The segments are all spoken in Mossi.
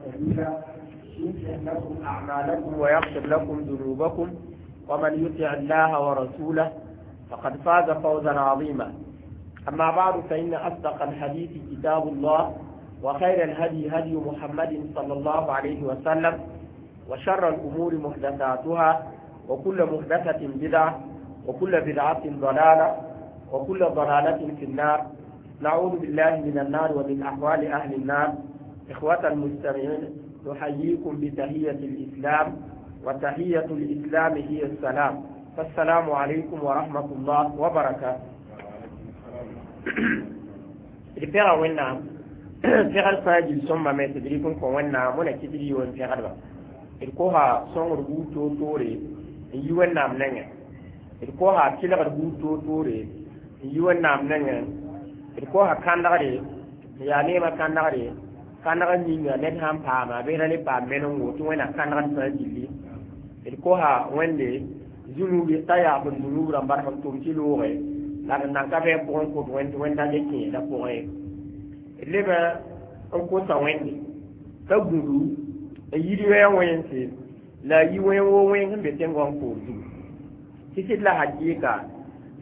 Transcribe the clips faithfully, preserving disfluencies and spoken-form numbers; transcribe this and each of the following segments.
سديدا يصلح لكم أعمالكم ويغفر لكم ذنوبكم، ومن يطع الله ورسوله فقد فاز فوزا عظيما. أما بعد، فإن أصدق الحديث كتاب الله، وخير الهدي هدي محمد صلى الله عليه وسلم، وشر الأمور محدثاتها، وكل محدثة بدعة، وكل بدعة ضلالة، وكل ضلالة في النار. نعوذ بالله من النار ومن أحوال أهل النار. إخوة المستمعين، نحييكم بتحية الإسلام، وتحية الإسلام هي السلام، فالسلام عليكم ورحمة الله وبركاته. D pɛga Wẽnnaam pɛgd fãa gil sõmba me tɩ d rɩk n kõ Wẽnnaam wẽna kɩt d yi wen pɛgdba. D kosa sõngr buud toor-toore n yi Wẽnnaam nengẽ, d kosa tɩlgd buud toor-toore n yi Wẽnnaam nengẽ, d kosa kãndgre n yaa neemã kãndgre, kãndg ninga ned sãn paama bɩ ra le paam menengo tɩ Wẽnna kãndgd fãa gilli. D kosa Wẽnde zũnub t'a yaabd zũnub rãmba d sẽn tʋm tɩ looge la d nan ka bɩ pʋgẽ kõt Wẽnd Wẽnda le kẽeda pʋgẽ ye. D leba n kosa Wẽnde t'a gũdu n yid wɛɛ wẽnse la a yi wẽn woo wẽng sẽn be tẽn-goam koor zugu tɩ sɩd la hakɩɩka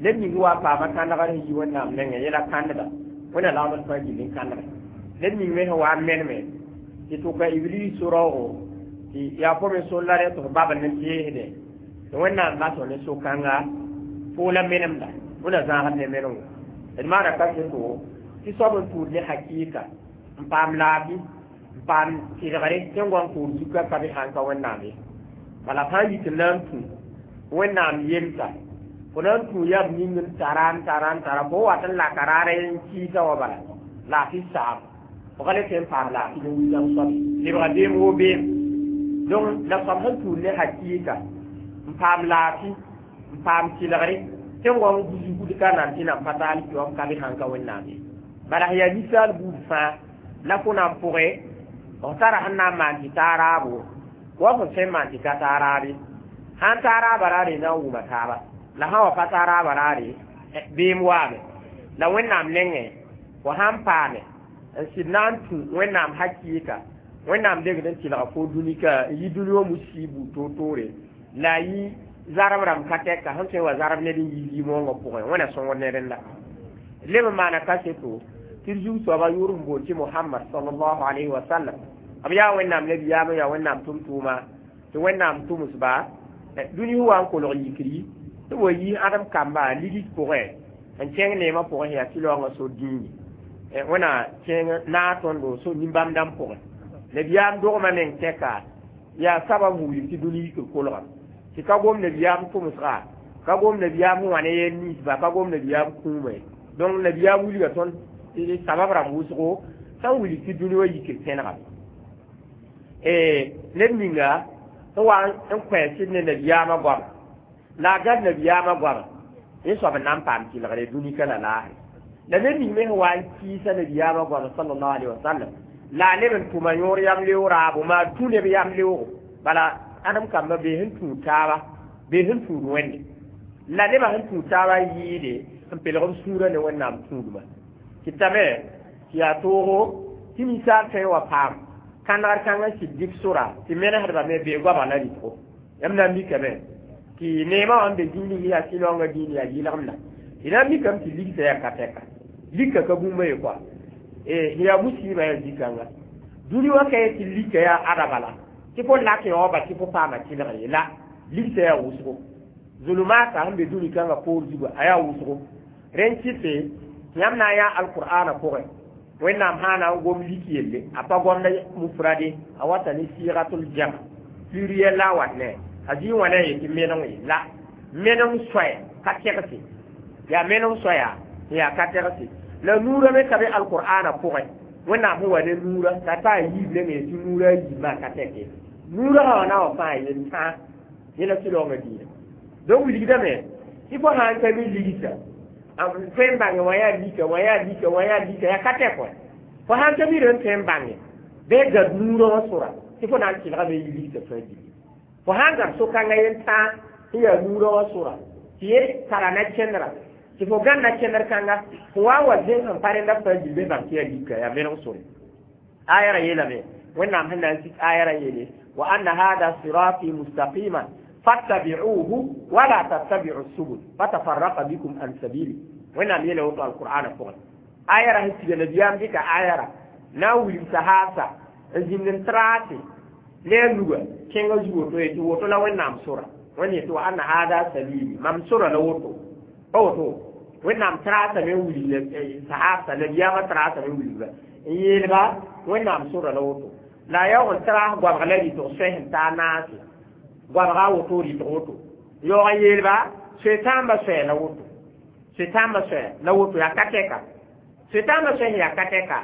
ned ning wa paama kãndgr sẽn yi Wẽnnaam nengẽ yẽla kãndga Wẽnna lagmd fãa gill n kãndge. Ned ning me sẽn wa n meneme tɩ tʋka Iblis so-raoogo tɩ yaa fo me sol la rẽ tɩ f babd ne teesdẽ tɩ Wẽnnaam bas ne so-kãnga fo la menemda Wẽnna zãagd ne menengo. D maana kaseto tɩ soab n tũud ne hakɩɩka n paam laafɩ n paam tɩlgre tẽn-goam koor zuka ka be sãn ka Wẽnnaam ye. Bala sã n yit n na n tũ Wẽnnaam yemsa, fo na n tũ yam ning n tara n tara n tara fo wat n laka raara n kɩɩsa wã bala laafɩ saam fo ka le tõe n paam laafɩ ne wilgã soabe lebga beem woo beem. Donc la soab sẽn tũud ne hakɩɩka n paam laafɩ n paam tɩlgre tẽn-goam zugd ka nan tɩ nan pa taal kiwam ka be sãn ka Wẽnnaam ye. Bala sẽn yaa ninsaal buud fãa la fo na n pʋgẽ f tara sẽn na n maan tɩ taa raabo wa fo sẽn maan tɩ ka taa raabe. Sãn taa raaba raare na n wʋma taaba la sã wa pa taa raaba raare beem waame la Wẽnnaam nengẽ fo sãn paame n sɩd na n tũ Wẽnnaam hakɩɩka Wẽnnaam degd n tɩlga fo dũnika n yi dũni wã musi buud toor-toore la a yi zarb rãmb ka tɛka sẽn tõe n wa zarb ned n yi zĩ-moongã pʋgẽ Wẽnna sõngd ne rẽnda. Leb n maana kaseto tɩ d zug soaba yʋʋr n boond tɩ Mohamad sallallahu alayhi wa sallam, b yaa Wẽnnaam nabiyaam, yaa Wẽnnaam tʋm-tʋʋma tɩ Wẽnnaam tʋmsba dũni sẽn wa n kolg yikri tɩ b wa yi ãdem kamba ligd pʋgẽ n kẽng neemã pʋgẽ sẽn yaa tɩ-laoongã so dĩini Wẽnna kẽng naag tõndo so nin-bãmb dãmb pʋgẽ. Nabiyaam dogmã meng tɛka yaa sabab n wilg tɩ dũni yikr kolga tɩ ka gom nabiyaam tʋmsga, ka gom nabiyaam sẽn wa ne yel ninsba, ka gom nabiyaam kũuma ye. Donc nabiyaam wilga tõnd sabab rãmb wʋsgo sẽn wilg tɩ dũni wã yikr tẽnega. Ned ninga n wa n kõ sɩd ne nabiyaamã goama la a gãd nabiyaamã goama yẽ soab n na n paam tɩlgre dũnika la laasre. La ned ning me sẽn wa n kɩɩsa nabiyaamã goama sallallahu alaihi wasallam la a leb n tʋma yõor yam leoog raabo maa tũ neb yam leoogo bala ãdem kambã bee sẽn tũud taaba bee sẽn tũud Wẽnde la nebã sẽn tũud taabã yɩɩde n pelg b sũurã ne Wẽnnaam tũudmã kɩtame tɩ yaa toogo tɩ ninsaal tõe n wa paam kãndgr kãng n sɩd dɩk sora tɩ menesdbã me bee goamã la rɩtgo. Yãmb na n mikame tɩ neemã wã n be dĩini yaa tɩ-laoongã dĩin yaa yɩlgemda d na n mikame tɩ ligsa yaa ka tɛka lika ka bũmba ye koa yaa musiibã yaa zĩ-kãnga dũni wã ka ye tɩ lika yaa ada bala tɩ fo lak yaoobã tɩ fo paama tɩlgr ye la ligsa yaa wʋsgo zulumata sẽn be dũni kãngã poor zugu a yaa wʋsgo rẽn kɩte yãmb na n yaa alqur'ana pʋgẽ Wẽnnaam sã na n gom lik yelle a pa gomda mufrade a wata ne sigatul jam pluriel la a wat ne a zĩ wã ne a yetɩ meneng ye la meneng soɛ ka tɛgse yaa meneng soɛa yaa ka tɛgse la nuurã me ka be alqur'ana pʋgẽ Wẽnnaam sẽn wa ne nuurã t'a taa yiib leng ye tɩ nuurã a yiib maa ka tɛke nuurã sã wa na wa fãa yel tãa yẽla tɩ-laoongã diinã. Donc wilgdame tɩ fo sã n ka mi ligsa tõe n bãnge wã yaa lika wã yaa lika wã yaa lika yaa ka tɛk wã fo sãn ka mi rẽn tõe n bãnge bɩ gad nuurã wã sora tɩ fo na n tɩlgame yɩ ligsa fãa gilli fo sãn gad so-kãngã yen tãa sẽn yaa nuurã wã sora tɩ yẽ tara na kẽndra tɩ fo gãnda kẽndr kãnga fo wa n wa zẽng sẽn pa rẽnda fãa gil bɩ bãng tɩ yaa lika yaa meneg sore aya ra yeelame Wẽnnaam sẽn na n sik ayara yeele wa anna hada sirati mustaqiman fattabi'uhu wala tattabi'u subul fatafarraqa bikum an sabili. Wẽnnaam yeela woto alqur'ana pʋgẽ ayara sẽn siga nabiyaam dɩka ayara na n wilg sahaabsa n zĩnd n traase ne a nuga kẽngã zu woto ye tɩ woto la Wẽnnaam sora. Wẽnd yetɩ wa anna hada sabili mam sora la woto pa woto Wẽnnaam traasame n wilg sahaabsa nabiyaamã traasame n wilgba n yeelba Wẽnnaam sora la woto la a yaoog n traas goabg la rɩtg soay sẽn taa naase goabga a woto rɩtg woto yaoog n yeelba soe-tãambã soɛɛ la woto soe-tãambã soɛɛ la woto yaa ka tɛka soe-tãambã soɛ sẽn yaa ka tɛka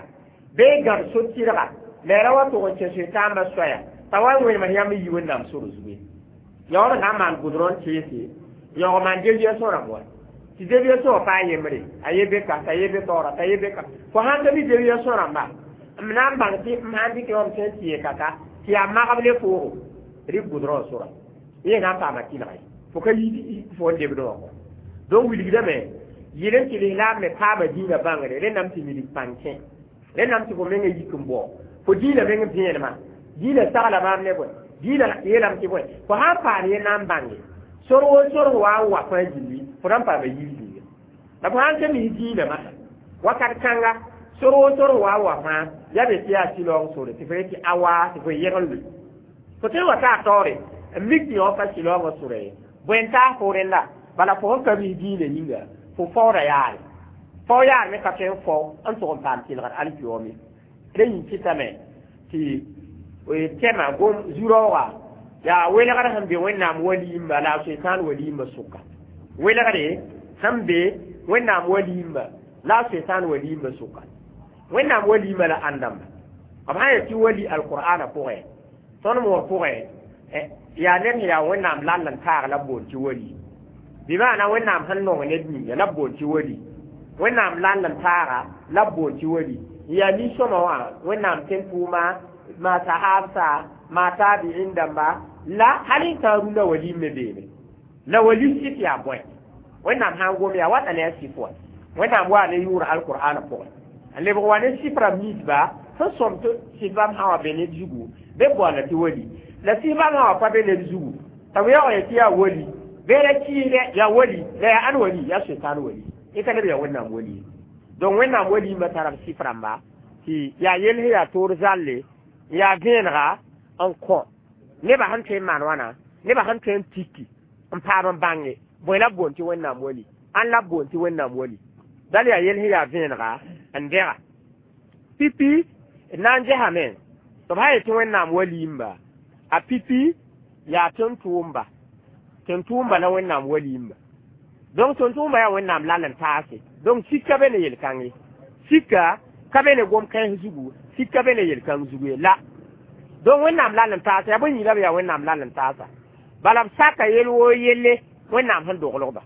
bee gãd so-tɩrga la ra wa tʋg n kẽ soe-tãambã soɛya t'a wa n wẽnemd yãmb n yi Wẽnnaam sor zugu ye yaoog n na n maan gʋdrõ n teese yaoog maan debia sõrãmb wa tɩ debia sõa pa a yembre a ye be ka t'a ye be taoora t'a ye be ka fo sãn ka mi debia sõrãmba m na n bãng tɩ m sãn dɩk yõom sẽn tɩ ye kaka tɩ yaa magb le foogo rɩk gʋdrõ n sora yẽ na n paama tɩlga ye fo ka yi fo n debdẽ wã kɔ donc wilgdame yɩl n tɩ lislaam me paama dĩinã bãngre rẽndame tɩ wilg pãng kẽ rẽndame tɩ fo mengã yik n bao fo dĩinã meng vẽenemã dĩinã sagla maam ne bõe dĩinã yeelame tɩ bõe fo sãn paam ye na n bãnge sor wo sor wa n wa fãa gilli fo na n paama yir yĩnga la fo sãn ka mis dĩinã masã wakat kãnga sor wo sor wa n wa fãa ya be tɩ yaa sɩlaoong sore tɩ fo yetɩ a waa tɩ fo yegl loe fo tõe n wa taa taoore n mik tɩ yõ pa sɩlaoongã sora ye bõe n taas fo rẽnda bala fo sẽn ka mis dĩinã yĩnga fo faooda yaare fao yaar me ka tõe n fao n tʋg n paam tɩlgd alkiyoome rẽ yĩng kɩtame tɩ tɛma gom zu-raooga yaa welgr sẽn be Wẽnnaam waliimba la a soetãan waliimba sʋka welgre sẽn be Wẽnnaam waliimba la a soetãan waliimba sʋka Wẽnnaam waliimba la ãn dãmba b sã n yet tɩ wali alqur'ana pʋgẽ tõnd moor pʋgẽ yaa ned sẽn yaa Wẽnnaam lall n taag la b boond tɩ wali bɩ maana Wẽnnaam sẽn nong ned ninga la b boond tɩ wali Wẽnnaam lall n taaga la b boond tɩ wali yaa nin-sõma wã Wẽnnaam tẽn-tʋʋma ma sahabsa ma tabi'in dãmba la hal n tã rũndã waliim me beeme la wali sɩf yaa bõe Wẽnnaam sã n gom yaa wata ne a sɩf wa Wẽnnaam waa ne yʋʋr alqur'ana pʋgẽ n lebg wa ne sɩf rãmb ninsba sẽn sõm tɩ sɩf bãmb sã wa be ned zugu be boanda tɩ wali la sɩf bãmb sã wa pa be ned zugu t'a b yaoog ye tɩ yaa wali bee la kɩɩsdɛ yaa wali la yaa ãn wali yaa soetãan wali y ka leb yaa Wẽnnaam wali donc Wẽnnaam waliimã tara b sɩf rãmba tɩ yaa yell sẽn yaa toor zalle yaa vẽenega n kõ nebã sẽn tõe n maan wãna nebã sẽn tõe n tiki n paam n bãnge bõe la b boond tɩ Wẽnnaam wali ãn la b boond tɩ Wẽnnaam wali dal yaa yell sẽn yaa vẽenega n dɛga pipi d na n gesame tɩ b sã n yetɩ Wẽnnaam waliimba a pipi yaa tẽn-tʋʋmba tẽn-tʋʋmba la Wẽnnaam waliimba donc tẽn-tʋʋmba yaa Wẽnnaam lall n taase donc sika be ne yel-kãng ye sika ka be ne gom-kãens zugu sika be ne yel-kãng zugu ye la donc Wẽnnaam lall n taasa yaa bõe yĩnga b yaa Wẽnnaam lall n taasa bala b saka yel woo yelle Wẽnnaam sẽn doglgba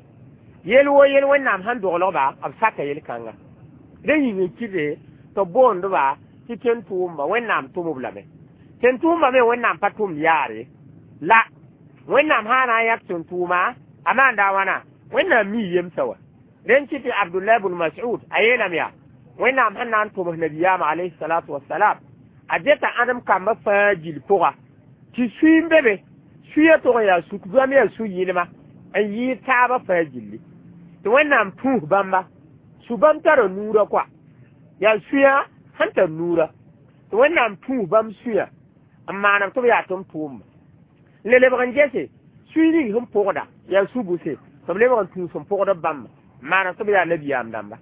yel woo yel Wẽnnaam sẽn doglgba b saka yel-kãnga rẽ yĩng n kɩte tɩ b boondba tɩ tẽn-tʋʋmba Wẽnnaam tʋm-b lame tẽn-tʋʋmba me Wẽnnaam pa tʋmd yaare la Wẽnnaam sã na n yãk tẽn-tʋʋma a maanda a wãna Wẽnnaam mii yemsã wa rẽnd kɩ tɩ Abdullah bn Mas'ud a yeelame yaa Wẽnnaam sẽn na n tʋms nabiyaamã alayhi salatu wasalam a deta ãdem kambã fãa gil pʋga tɩ sũy n be be suya tʋg n yaa suk bãmb yaa su-yɩlma n yɩɩd taabã fãa gilli tɩ Wẽnnaam tũus bãmba su bãmb tara nuurã koa yaa suya sẽn tar nuurã tɩ Wẽnnaam tũus bãmb suya n maanam tɩ b yaa tʋm-tʋʋmba le lebg n gese sũy ning sẽn pʋgda yaa su-bʋse tɩ b lebg n tũus n pʋgd b bãmba n maanam tɩ b yaa nabiyaam dãmba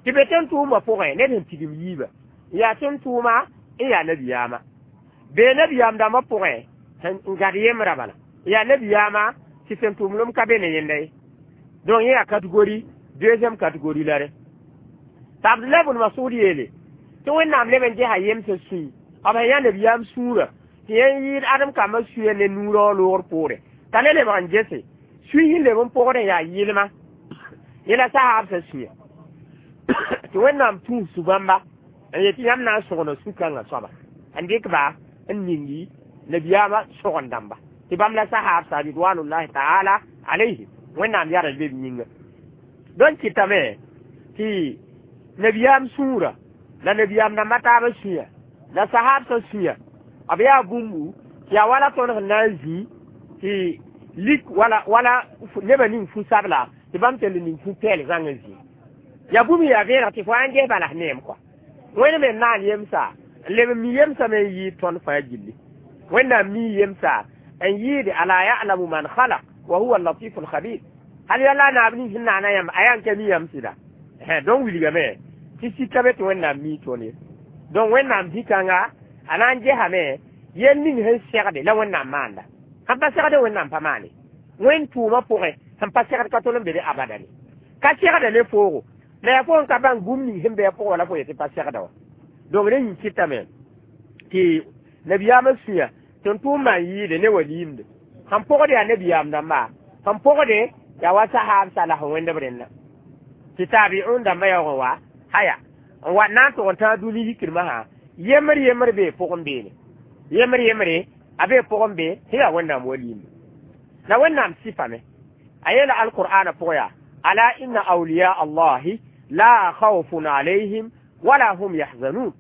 tɩ be tẽn-tʋʋmbã pʋgẽ ned sẽn tigim yiiba yaa tẽn-tʋʋma n yaa nabiyaamã bee nabiyaam dãmbã pʋgẽ n gad yembrã bala yaa nabiyaamã tɩ tẽn-tʋʋmlem ka be ne yẽnda ye donc yẽ yaa catégorie deuxième catégorie la rẽ tɩ Abdullah bn Masud yeele tɩ Wẽnnaam leb n gesa yemsã sũy b sẽn yã nabiyaam sũurã tɩ yẽ yɩɩd ãdem kambã suya ne nuurã loogr poore t'a le lebg n gese sũy sẽn leb n pʋgd n yaa yɩlma yẽ la sahaabsã sũya tɩ Wẽnnaam tũus su-bãmba n yetɩ yãmb na n sõgna su-kãngã soaba n dɩk ba n ningi nabiyaamã sõgen dãmba tɩ bãmb la sahaabsa ridwanullahi taala alayhim Wẽnnaam yara be b yĩnga donc kɩtame tɩ nabiyaam sũurã la nabiyaam dãmbã taabã sũya la sahaabsã sũya B yaa bũmbu tɩ yaa wala tõnd sẽn na n zĩ tɩ lik wala wala nebã ning fu-sabla tɩ bãmb tell ning fu-pɛɛl zãng n zĩ. Yaa bũmb yaa vẽeneg tɩ fo n ges bala neem kɔa. Wẽnd me naan yemsa n leb n mi yemsame n yɩɩd tõnd fãa gilli. Wẽnnaam mi yemsa n yɩɩde ala ya'lamu man khalaq wa huwa al-latifu al-khabir. Hal yalla naab ning sẽn naana yãmb a yaa n ka mi yãmb sɩda. Donc wilgame tɩ sika be tɩ Wẽnnaam mi tõnd ye. Donc Wẽnnaam zĩ-kãnga a na n gesame yel ning sẽn segde la Wẽnnaam maanda. Sẽn pa segde Wẽnnaam pa maane. Wẽnd tʋʋmã pʋgẽ sẽn pa segd ka tol n be de abada ne. Ka segda ne foogo. La yaa fo n ka bãng bũmb ning sẽn be a pʋgẽ wala fo yetɩ pa segda wã. Donc rẽ yĩn kɩtame tɩ nabiyaamã sũya tɩ n tʋʋm maan yɩɩde ne waliimde. Sẽn pʋgd yaa nabiyaam dãmba, sẽn pʋgde yaa wa sahaab salas wẽnd b rẽnna. Tɩ taabi'un dãmbã yaoog n wa haya n wa na n tʋg n tãag dũni yikdmã sã yembr yembr bee pʋgẽ beene. Yembr yembre a bee pʋgẽ be sẽn yaa Wẽnnaam waliimbe. La Wẽnnaam sɩfame a yeela alqur'ana pʋgẽ yaa ala inna awliya allahi la khawfun alayhim wala hum yahzanun.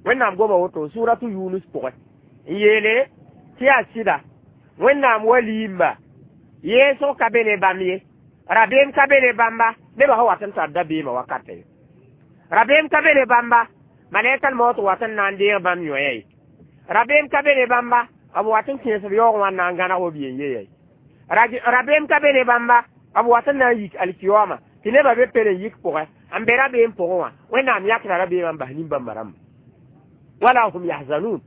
Wẽnnaam goma woto suratu Yunus pʋgẽ n yeele tɩ yaa sɩda Wẽnnaam waliimba yeesg ka be ne bãmb ye, rabeem ka be ne bãmba nebã sẽn wat n tar dabeemã wakata ye. Rabeem ka be ne bãmba malɛkal maoot wat n na n deeg bãmb yõa ye. Rabeem ka be ne bãmba b wat n kẽes b yaoog wã n na n gãneg b yen ye. Rabeem ka be ne bãmba b wat n na n yik alkiyoma tɩ nebã be pere n yik pʋgẽ n be rabeem pʋgẽ wã Wẽnnaam yãkra rabeemã n bas nin-bãmba rãmba. Wala hum yahzanun.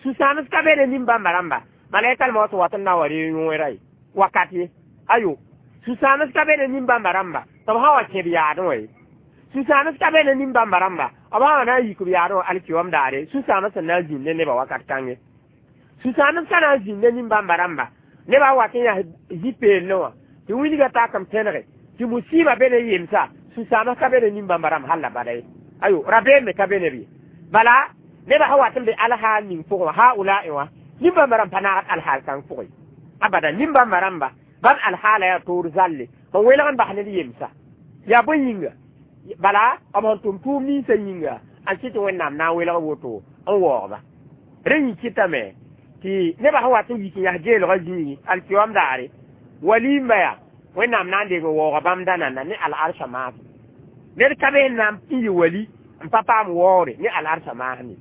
Sũ-sãams ka be ne nin-bãmba rãmba malɛkal maoot wat n na n wa reeg yõera ye wakat ye. Ayo sũ-sãams ka be ne nin-bãmba rãmba tɩ b sã wa kẽ b yaadẽ wã ye. Sũ-sãams ka be ne nin-bãmba rãmba b sã wa na n yik b yaadẽ wã alkiyom daare sũ-sãams sẽn na n zĩnd ne nebã wakat kãnge. Sũ-sãams ka na n zĩnd ne nin-bãmba rãmba nebã wat n yaa zĩ-peelẽ wã tɩ wilgã tak n pẽnege tɩ musiba be ne yemsa sũ-sãams ka be ne nin-bãmba rãmb hal la bada ye. Ayo rabeem me ka be ne b ye. Bala nebã sã wat n be alhaal ning pʋgẽ wã haulae wã nin-bãmba rãmb pa naagd alhaal kãng pʋgẽ abada. Nin-bãmba rãmba bãmb alhaala yaa toor zalle n welg n bas ned yemsa yaa bõe yĩnga bala b sẽn tʋm tʋʋm ninsã yĩnga n kɩ tɩ Wẽnnaam na n welg woto n waoogba. Rẽ yĩn kɩtame tɩ nebã sẽn wat n yik n yaa geelgã zĩigi alkiyom daare waliimba yaa Wẽnnaam na n deng n waooga bãmb dãnanda ne al-arsã maasem. Ned ka be n na n yɩ wali n pa paam waoore ne al-arsã maasem ye.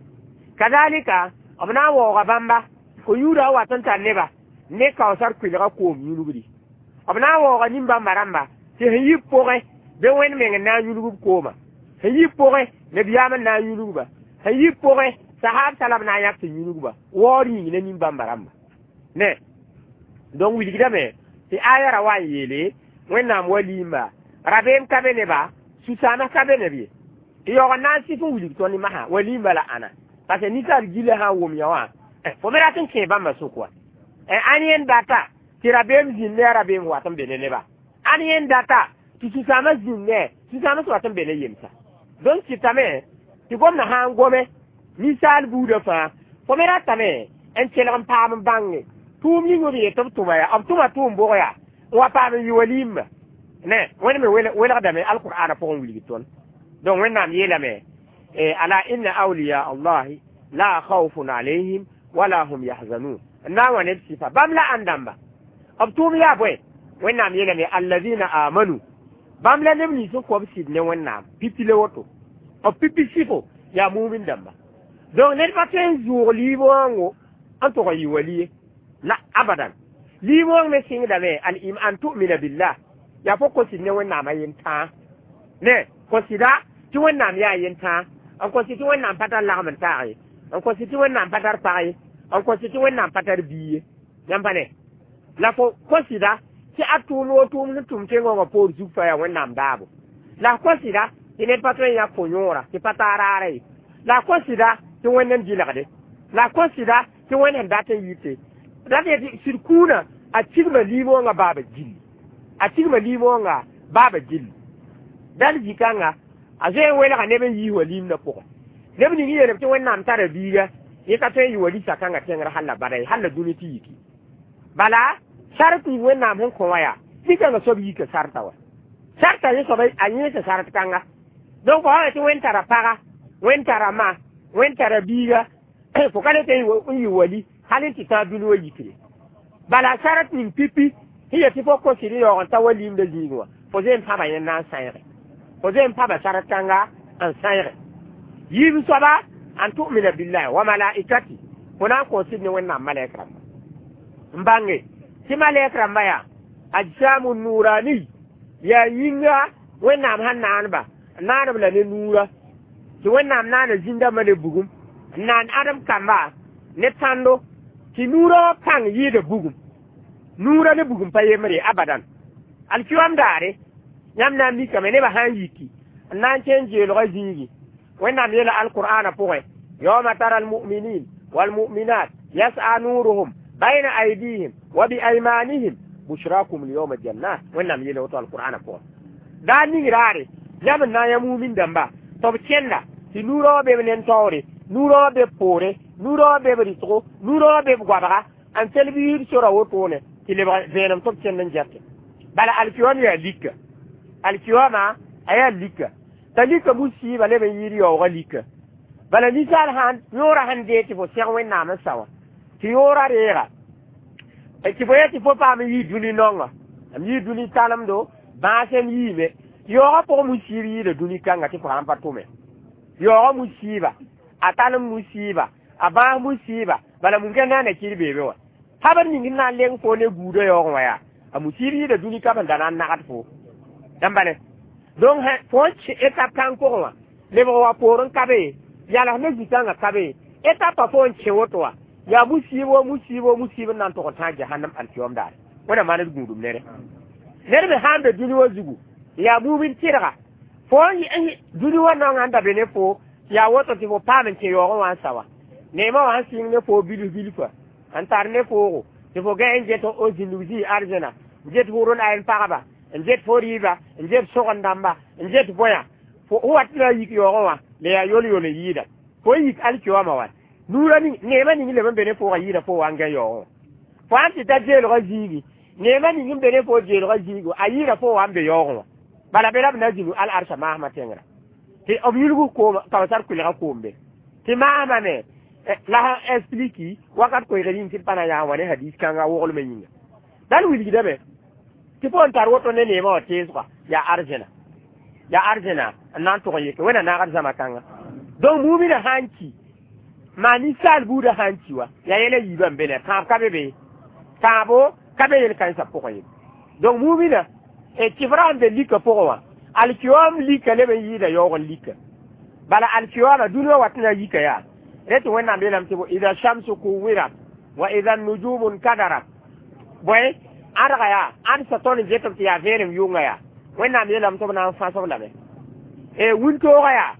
Kazalika b na n waooga bãmba ko-yũudã wat n tar neba ne kaoosar kʋɩlgã koom yũlgdi. B na n waooga nin-bãmba rãmba tɩ sẽn yi pʋgẽ be Wẽnd meng n na n yũlg b kooma, sẽn yi pʋgẽ nabiyaam n na n yũlgba, sẽn yi pʋgẽ sahaab sala b na n yãk tɩ yũlgba waoor yĩng ne nin-bãmba rãmba ne. Donc wilgdame tɩ aya ra wa n yeele Wẽnnaam waliimba rabeem ka be neba, sũ-sãams ka be neb ye. Tɩ yaoog n na n sɩf n wilg tõnd masã waliimba la ãna parce que ninsaal gilã sã n wʋm yã wã fo me rat n kẽe bãmba sʋk wa. Ãn yẽnd data tɩ rabeem zĩnd ne a rabeem wat n be ne neba, ãn yẽnd data tɩ sũ-sãamã zĩnd ne sũ-sãams wat n be ne yemsa. Donc kɩtame tɩ gomdã sã n gome ninsaal buudã fãa fo me ratame n kelg n paam n bãnge tʋʋm ning b yet b tʋma yaa b tʋma tʋʋm bʋg yaa n wa paam n yɩ waliimba ne. Wẽnd me welgdame alqur'ana pʋgẽ wilg tõnd. Donc Wẽnnaam yeelame ala inna awliya allahi la khawfun alayhim wala hum yahzanun. N na n wa neb sɩfa bãmb la ãn dãmba b tʋʋm yaa bõe. Wẽnnaam yeelame alladina amanu bãmb la neb nins n kõ b sɩd ne Wẽnnaam pipi le woto b pipi sɩfo yaa mumin dãmba. Donc ned pa tõe n zʋʋg liib wãngo n tʋg n yɩ wali ye la abadan. Liib wãng me sɩngdame al im an tu'mina billah yaa fo kõ sɩd ne Wẽnnaam a yen-tãa ne kõ sɩda tɩ Wẽnnaam yaa yen-tãa n kõ sɩd tɩ Wẽnnaam pa tar lagm n taag ye, n kõ sɩd tɩ Wẽnnaam pa tar pag ye, n kõ sɩd tɩ Wẽnnaam pa tar bia ye yãmb pa ne la fo kõ sɩda tɩ a tʋʋm wo tʋʋm sẽn tʋm tẽngõngã poor zug fa yaa Wẽnnaam daabo la kõ sɩda tɩ ned pa tõe n yãk fo yõora tɩ pa taa raara ye la kõ sɩda tɩ Wẽnd n dɩlgde la kõ sɩda tɩ Wẽnd sẽn dat n yite dat yetɩ sɩd kũunã a tigma liim wãngã baaba gilli a tigma liim wãngã baaba gilli dal zĩ-kãnga a zoe n welga neb n yiis wa liimdã pʋgẽ neb ning yeelb tɩ Wẽnnaam tara biiga yẽ ka tõe n yɩ wa lisa-kãngã tẽngr hal la bada ye hal la dũni tɩ yiki bala sart ning Wẽnnaam sẽn kõ wã yaa nin-kãngã soab yika sarta wa sarta yẽ soaba a yẽesa sart kãnga. Donc fo sã tɩ Wẽnd tara paga, Wẽnd tara ma, Wẽnd tara biiga Fo ka le tɩ n yɩ wali hal n tɩ tãag dũni wã yikre. Bala sarat ning pipi sẽn yet tɩ fo kos sɩd n yaoog n ta wa limdã zĩigẽ wã, fo zoe n pãba yẽnd na n sãeege, fo zoe n pãba sarat kãnga n sãeege. Yiib soaba, an tu'mina billahi wa malaikati, fo na n kos sɩd ne Wẽnnaam malɛk rãmba n bãnge tɩ malɛk rãmba yaa ajsamu nurani, yaa yĩnga Wẽnnaam sãn naanba, naanb la ne nuura, tɩ Wẽnnaam naana zĩn-dãmbã ne bugum, n naan ãdem kamba ne tãndo, tɩ nuurã wã pãng yɩɩda bugum. Nuurã ne bugum pa yembre abadan. Alkiyom daare yãmb na n mikame nebã sã n yiki n na n kẽn jeelgã zĩigi. Wẽnnaam yeela alqur'ana pʋgẽ: yawma tara almuminin walmuminat yas'a nuruhum bayna aydihim wa biaymanihim bushrakum lyawma jannat. Wẽnnaam yeela woto alqur'ana pʋgẽ. Daa ning raare yãmb n na n yã mumin dãmba tɩ b kẽnda tɩ nuurã wã be b nen-taoore, nuurã wã be b poore, nuurã wã be b rɩtgo, nuurã wã be b goabga n tel biir sora wotone tɩ lebg vẽenem tɩ b kẽnd n gɛte. Bala alkiyom yaa lika, alkiyoma a yaa lika t'a lika musiiba leb n yɩɩd yaoogã lika. Bala ninsaal sãn yõorã sẽn dee tɩ fo sẽg Wẽnnaam n sa wã, tɩ yõorã reega tɩ fo yet tɩ fo paam n yɩ dũni naongã, m yɩ dũni talemdo bãasem yiime. Yaoogã pʋgẽ musiib yɩɩda dũni kãnga tɩ fo sãn pa tʋme. Yaoogã musiiba, a talem musiiba, a bãas musiiba, bala mun-kẽnd na n na kɩr beebe wã habr ning n na n leng fo ne guudã yaoogẽ wã yaa a musiib yɩɩda dũni kam n da na n nagd fo dãmba ne. Donc fo n kẽ étape kãng pʋgẽ wã lebg wa poor n ka be, yals ne zĩ-kãngã ka be, étape fo n kẽ woto wã yaa musiib wa musiib wa musiib n na n tog n tãag jahannam alkiyom daare. Wẽnnaam maan d gũudum nere. Ned me sã n be dũni wã zugu yaa mumin tɩrga fo n dũni wã naongã n da be ne fo, yaa woto tɩ fo paam n kẽ yaoogẽ wã n sa wã, neemã wã sẽn sɩng ne fo bilf bilfa n tar ne foogo tɩ fo gã n get o zĩndg zĩ arzẽna, n get hʋr n ayen pagba, n get fo rɩɩba, n get sõgen-dãmba, n get bõya fo wat tɩ na yik yaoogẽ wã la yaa yol-yol n yɩɩda fo n yik alkiyoma wã nuurã ning neemã ning leb n be ne foogã yɩɩda fo wa n gã yaoogẽ wã. Fo sãn tɩ ta jeelgã zĩigi, neemã ning n be ne fo jeelgã zĩigu a yɩɩda fo wa n be yaoogẽ wã. Bala be la b na zĩnu al-arsã maasmã tẽngrã tɩ b yulg koom kaoosar kʋɩlgã koom be tɩ maasmã me la sẽn expliki wakat koeegr yĩng tɩ d pa na yaa wã ne hadis kãnga woglmã yĩnga dal wilgdame tɩ fo n tar woto ne neemã wã teesga yaa arzẽna, yaa arzẽna n na n tʋg n yeke Wẽnna naagd zãma kãnga. Donc mumina sã n ki maa ninsaal buudã sã n ki wa yaa yɛla yiibã n be ne tãab ka be be, tãabo ka be yel-kãensã pʋgẽ ye. Donc mumina tɩfrã sẽn be lika pʋgẽ wã, alkiyom lika leb n yɩɩda yaoog n lika. Bala alkiyoma dũni wã wat n na yika yaa rẽ tɩ Wẽnnaam yeelame tɩ ida shamsu kuwirat wa ida nujumu nkadarat. Bõe ãdga yaa ãd sa tõnd n get b tɩ yaa vẽenem yʋnga yaa Wẽnnaam yeelame tɩ b na n fãsb lame e wĩntoogã yaa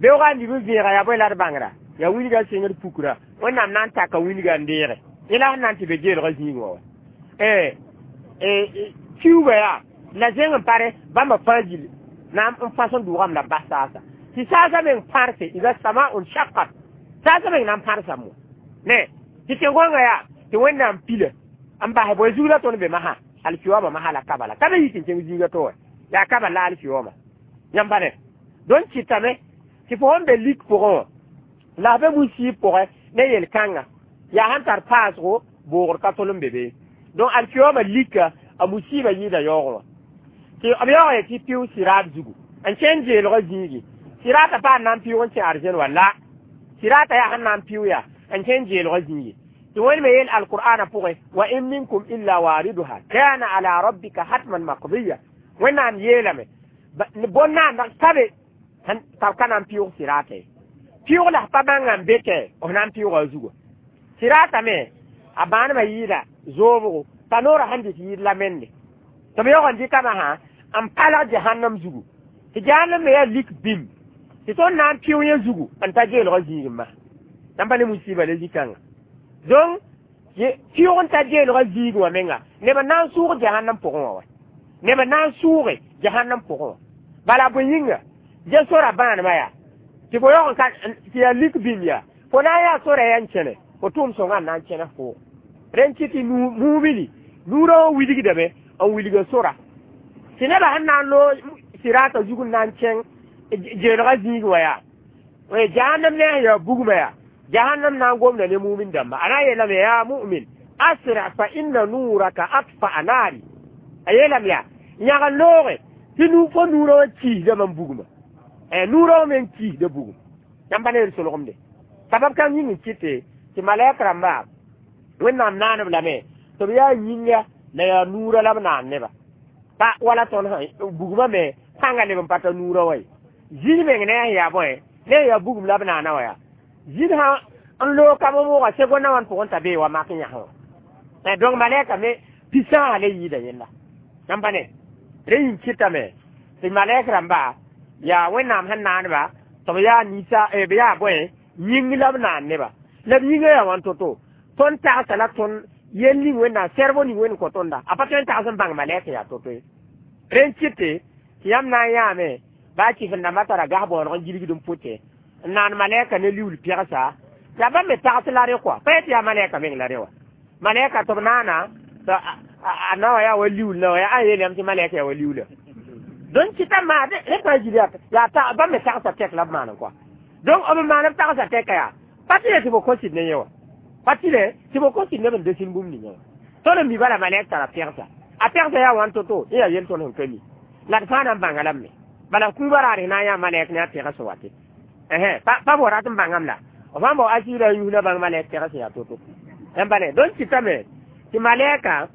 beoogã n lib n vẽega yaa bõe la d bãngra yaa wilgã sɩngd pukra Wẽnnaam na n taka wilgã n deege yẽ la sẽn na n tɩ be geelgã zĩigẽ wã wa kiuugã yaa la zẽng n pare bãmba fãa gill na n fãs n dʋʋgame la bas saasa tɩ saasã meng pãrse ida samaun shaqqat saasã meng na n pãrsa mo ne tɩ tẽn-gõngã yaa tɩ Wẽnnaam pila n basɛ bõe zug la tõnd be masã alkiyoma masã la kabala ka be yik n kẽng zĩiga to wã yaa kabal la alkiyoma yãmb pa ne. Donc kɩtame tɩ fo sẽn be lik pʋgẽ wã la be musiib pʋgẽ ne yel-kãnga yaa sẽn tar paasgo boogr ka tol n be be. Donc alkiyoma lika a musiiba yɩɩda yaoogẽ wã tɩ b yaoog ye tɩ pɩʋ sɩraat zugu n kẽn jeelgã zĩigi. Sɩraata pa n na n pɩʋg n kẽ arzẽn wa la sɩraata yaa sẽn na n pɩʋ yaa n kẽn jeelgã zĩigi tɩ Wẽnd me yeel alqur'ana pʋgẽ wa in minkum illa wariduha kana ala rabbika hatman maqdiya. Wẽnnaam yeelame bõn-naandg ka be t'a b ka na n pɩʋg sɩraata ye, pɩʋg la pa bãnga n be tɛ f na n pɩʋga a zuga. Sɩraata me a bãanemã yɩɩda zoobgo t'a noorã sẽn dɩt yɩɩd la mende tɩ b yaoog n dɩka masã n palg jahannam zugu tɩ jahannam me yaa lik bĩmb tɩ tõnd na n pɩʋ yẽ zugu n ta geelgã zĩigẽ masã yãmb pa ne musiiba le zĩ-kãnga. Donc pɩʋg n ta geelgã zĩigẽ wã menga neb n na n sʋʋg jahannam pʋgẽ wã wa neb n na n sʋʋge jahannam pʋgẽ wã. Bala bõe yĩnga ge sora bãanemã yaa tɩ fo yaoog n ka tɩ yaa lik bĩmb yaa fo na n yaa sora yaa n kẽne fo tʋʋm sõngã n na n kẽnes foo rẽn kɩ tɩ mumini nuurã wã wilgdame n wilga sora tɩ nebã sẽn na n loog sɩraata zug n na n kẽng jeelgã zĩigẽ wã yaa jahannam ne sẽn yaa bugmã yaa Jahannam na n gomda ne mumin dãmba a na n yeelame yaa mu'min asra fa inna nuraka atfa'a naari a yeelame yaa yãg n looge tɩ nu fo nuurã wã kiisdame n bugma nuurã wã me n kiisda bugum yãmb pa ne d solgemde sabab kãng yĩng n kɩte tɩ malɛk rãmba wẽnnaam naaneb lame tɩ b yaa yĩnga la yaa nuurã la b naan neba pa wala tõnd bugmã me pãnga leb n pa ta nuurã wa ye zĩig meng ne a sẽn yaa bõe ne yaa bugum la b naana wa yaa zĩig sã n loog ka moogã segondã wãn pʋgẽ t'a bee wa mak yãsẽ wã donc malɛka me pi-sãasã le yɩɩda yẽlla yãmb pa ne rẽ yĩng kɩtame tɩ malɛk rãmba yaa wẽnnaam sẽn naaneba tɩ b yaa ninsa b yaa bõe yĩng la b naan neba la b yĩngã yaa wãn to-to tõnd tagsa la tõnd yel ning wẽnnaam sɛrbo ning wẽnd kõ tõnda a pa tõe n tags n bãng malɛk yaa to-to ye rẽ n kɩte tɩ yãmb na n yãame baa kɩf n dãmbã tara gas bõoneg n gilgd n pʋtẽ n naan malɛka ne liuul pɛgsa yaa bãmb me tags la rẽ kɔa pa yetɩ yaa malɛka meng la rẽ wa malɛka tɩ b naana a nawa yaa wa liuul na wa yaa a yeel yãmb tɩ malɛka yaa wa liuula donc kɩta maa rẽ pa gil yaa bãmb me tagsa tɛk la b maan kɔa donc b maan b tagsa tɛka yaa pa tɩ le tɩ b kõ sɩd ne yẽ wa pa tɩ le tɩ b kõ sɩd neb n desin bũmb ninga wa tõnd n mi bala malɛk tara pɛgsa a pɛgsa yaa wãn to-to yẽ yaa yel tõnd sẽn ka mi la d fãa na n bãnga lame bala kũubã raar na n yaa malɛk ne a pɛgs sẽn wate pa b wa rat n bãngame la f sãn bao asɩɩra yus la bãng malɛk pɛgs sẽn yaa to-to yãmb pa ne donc kɩtame tɩ malɛka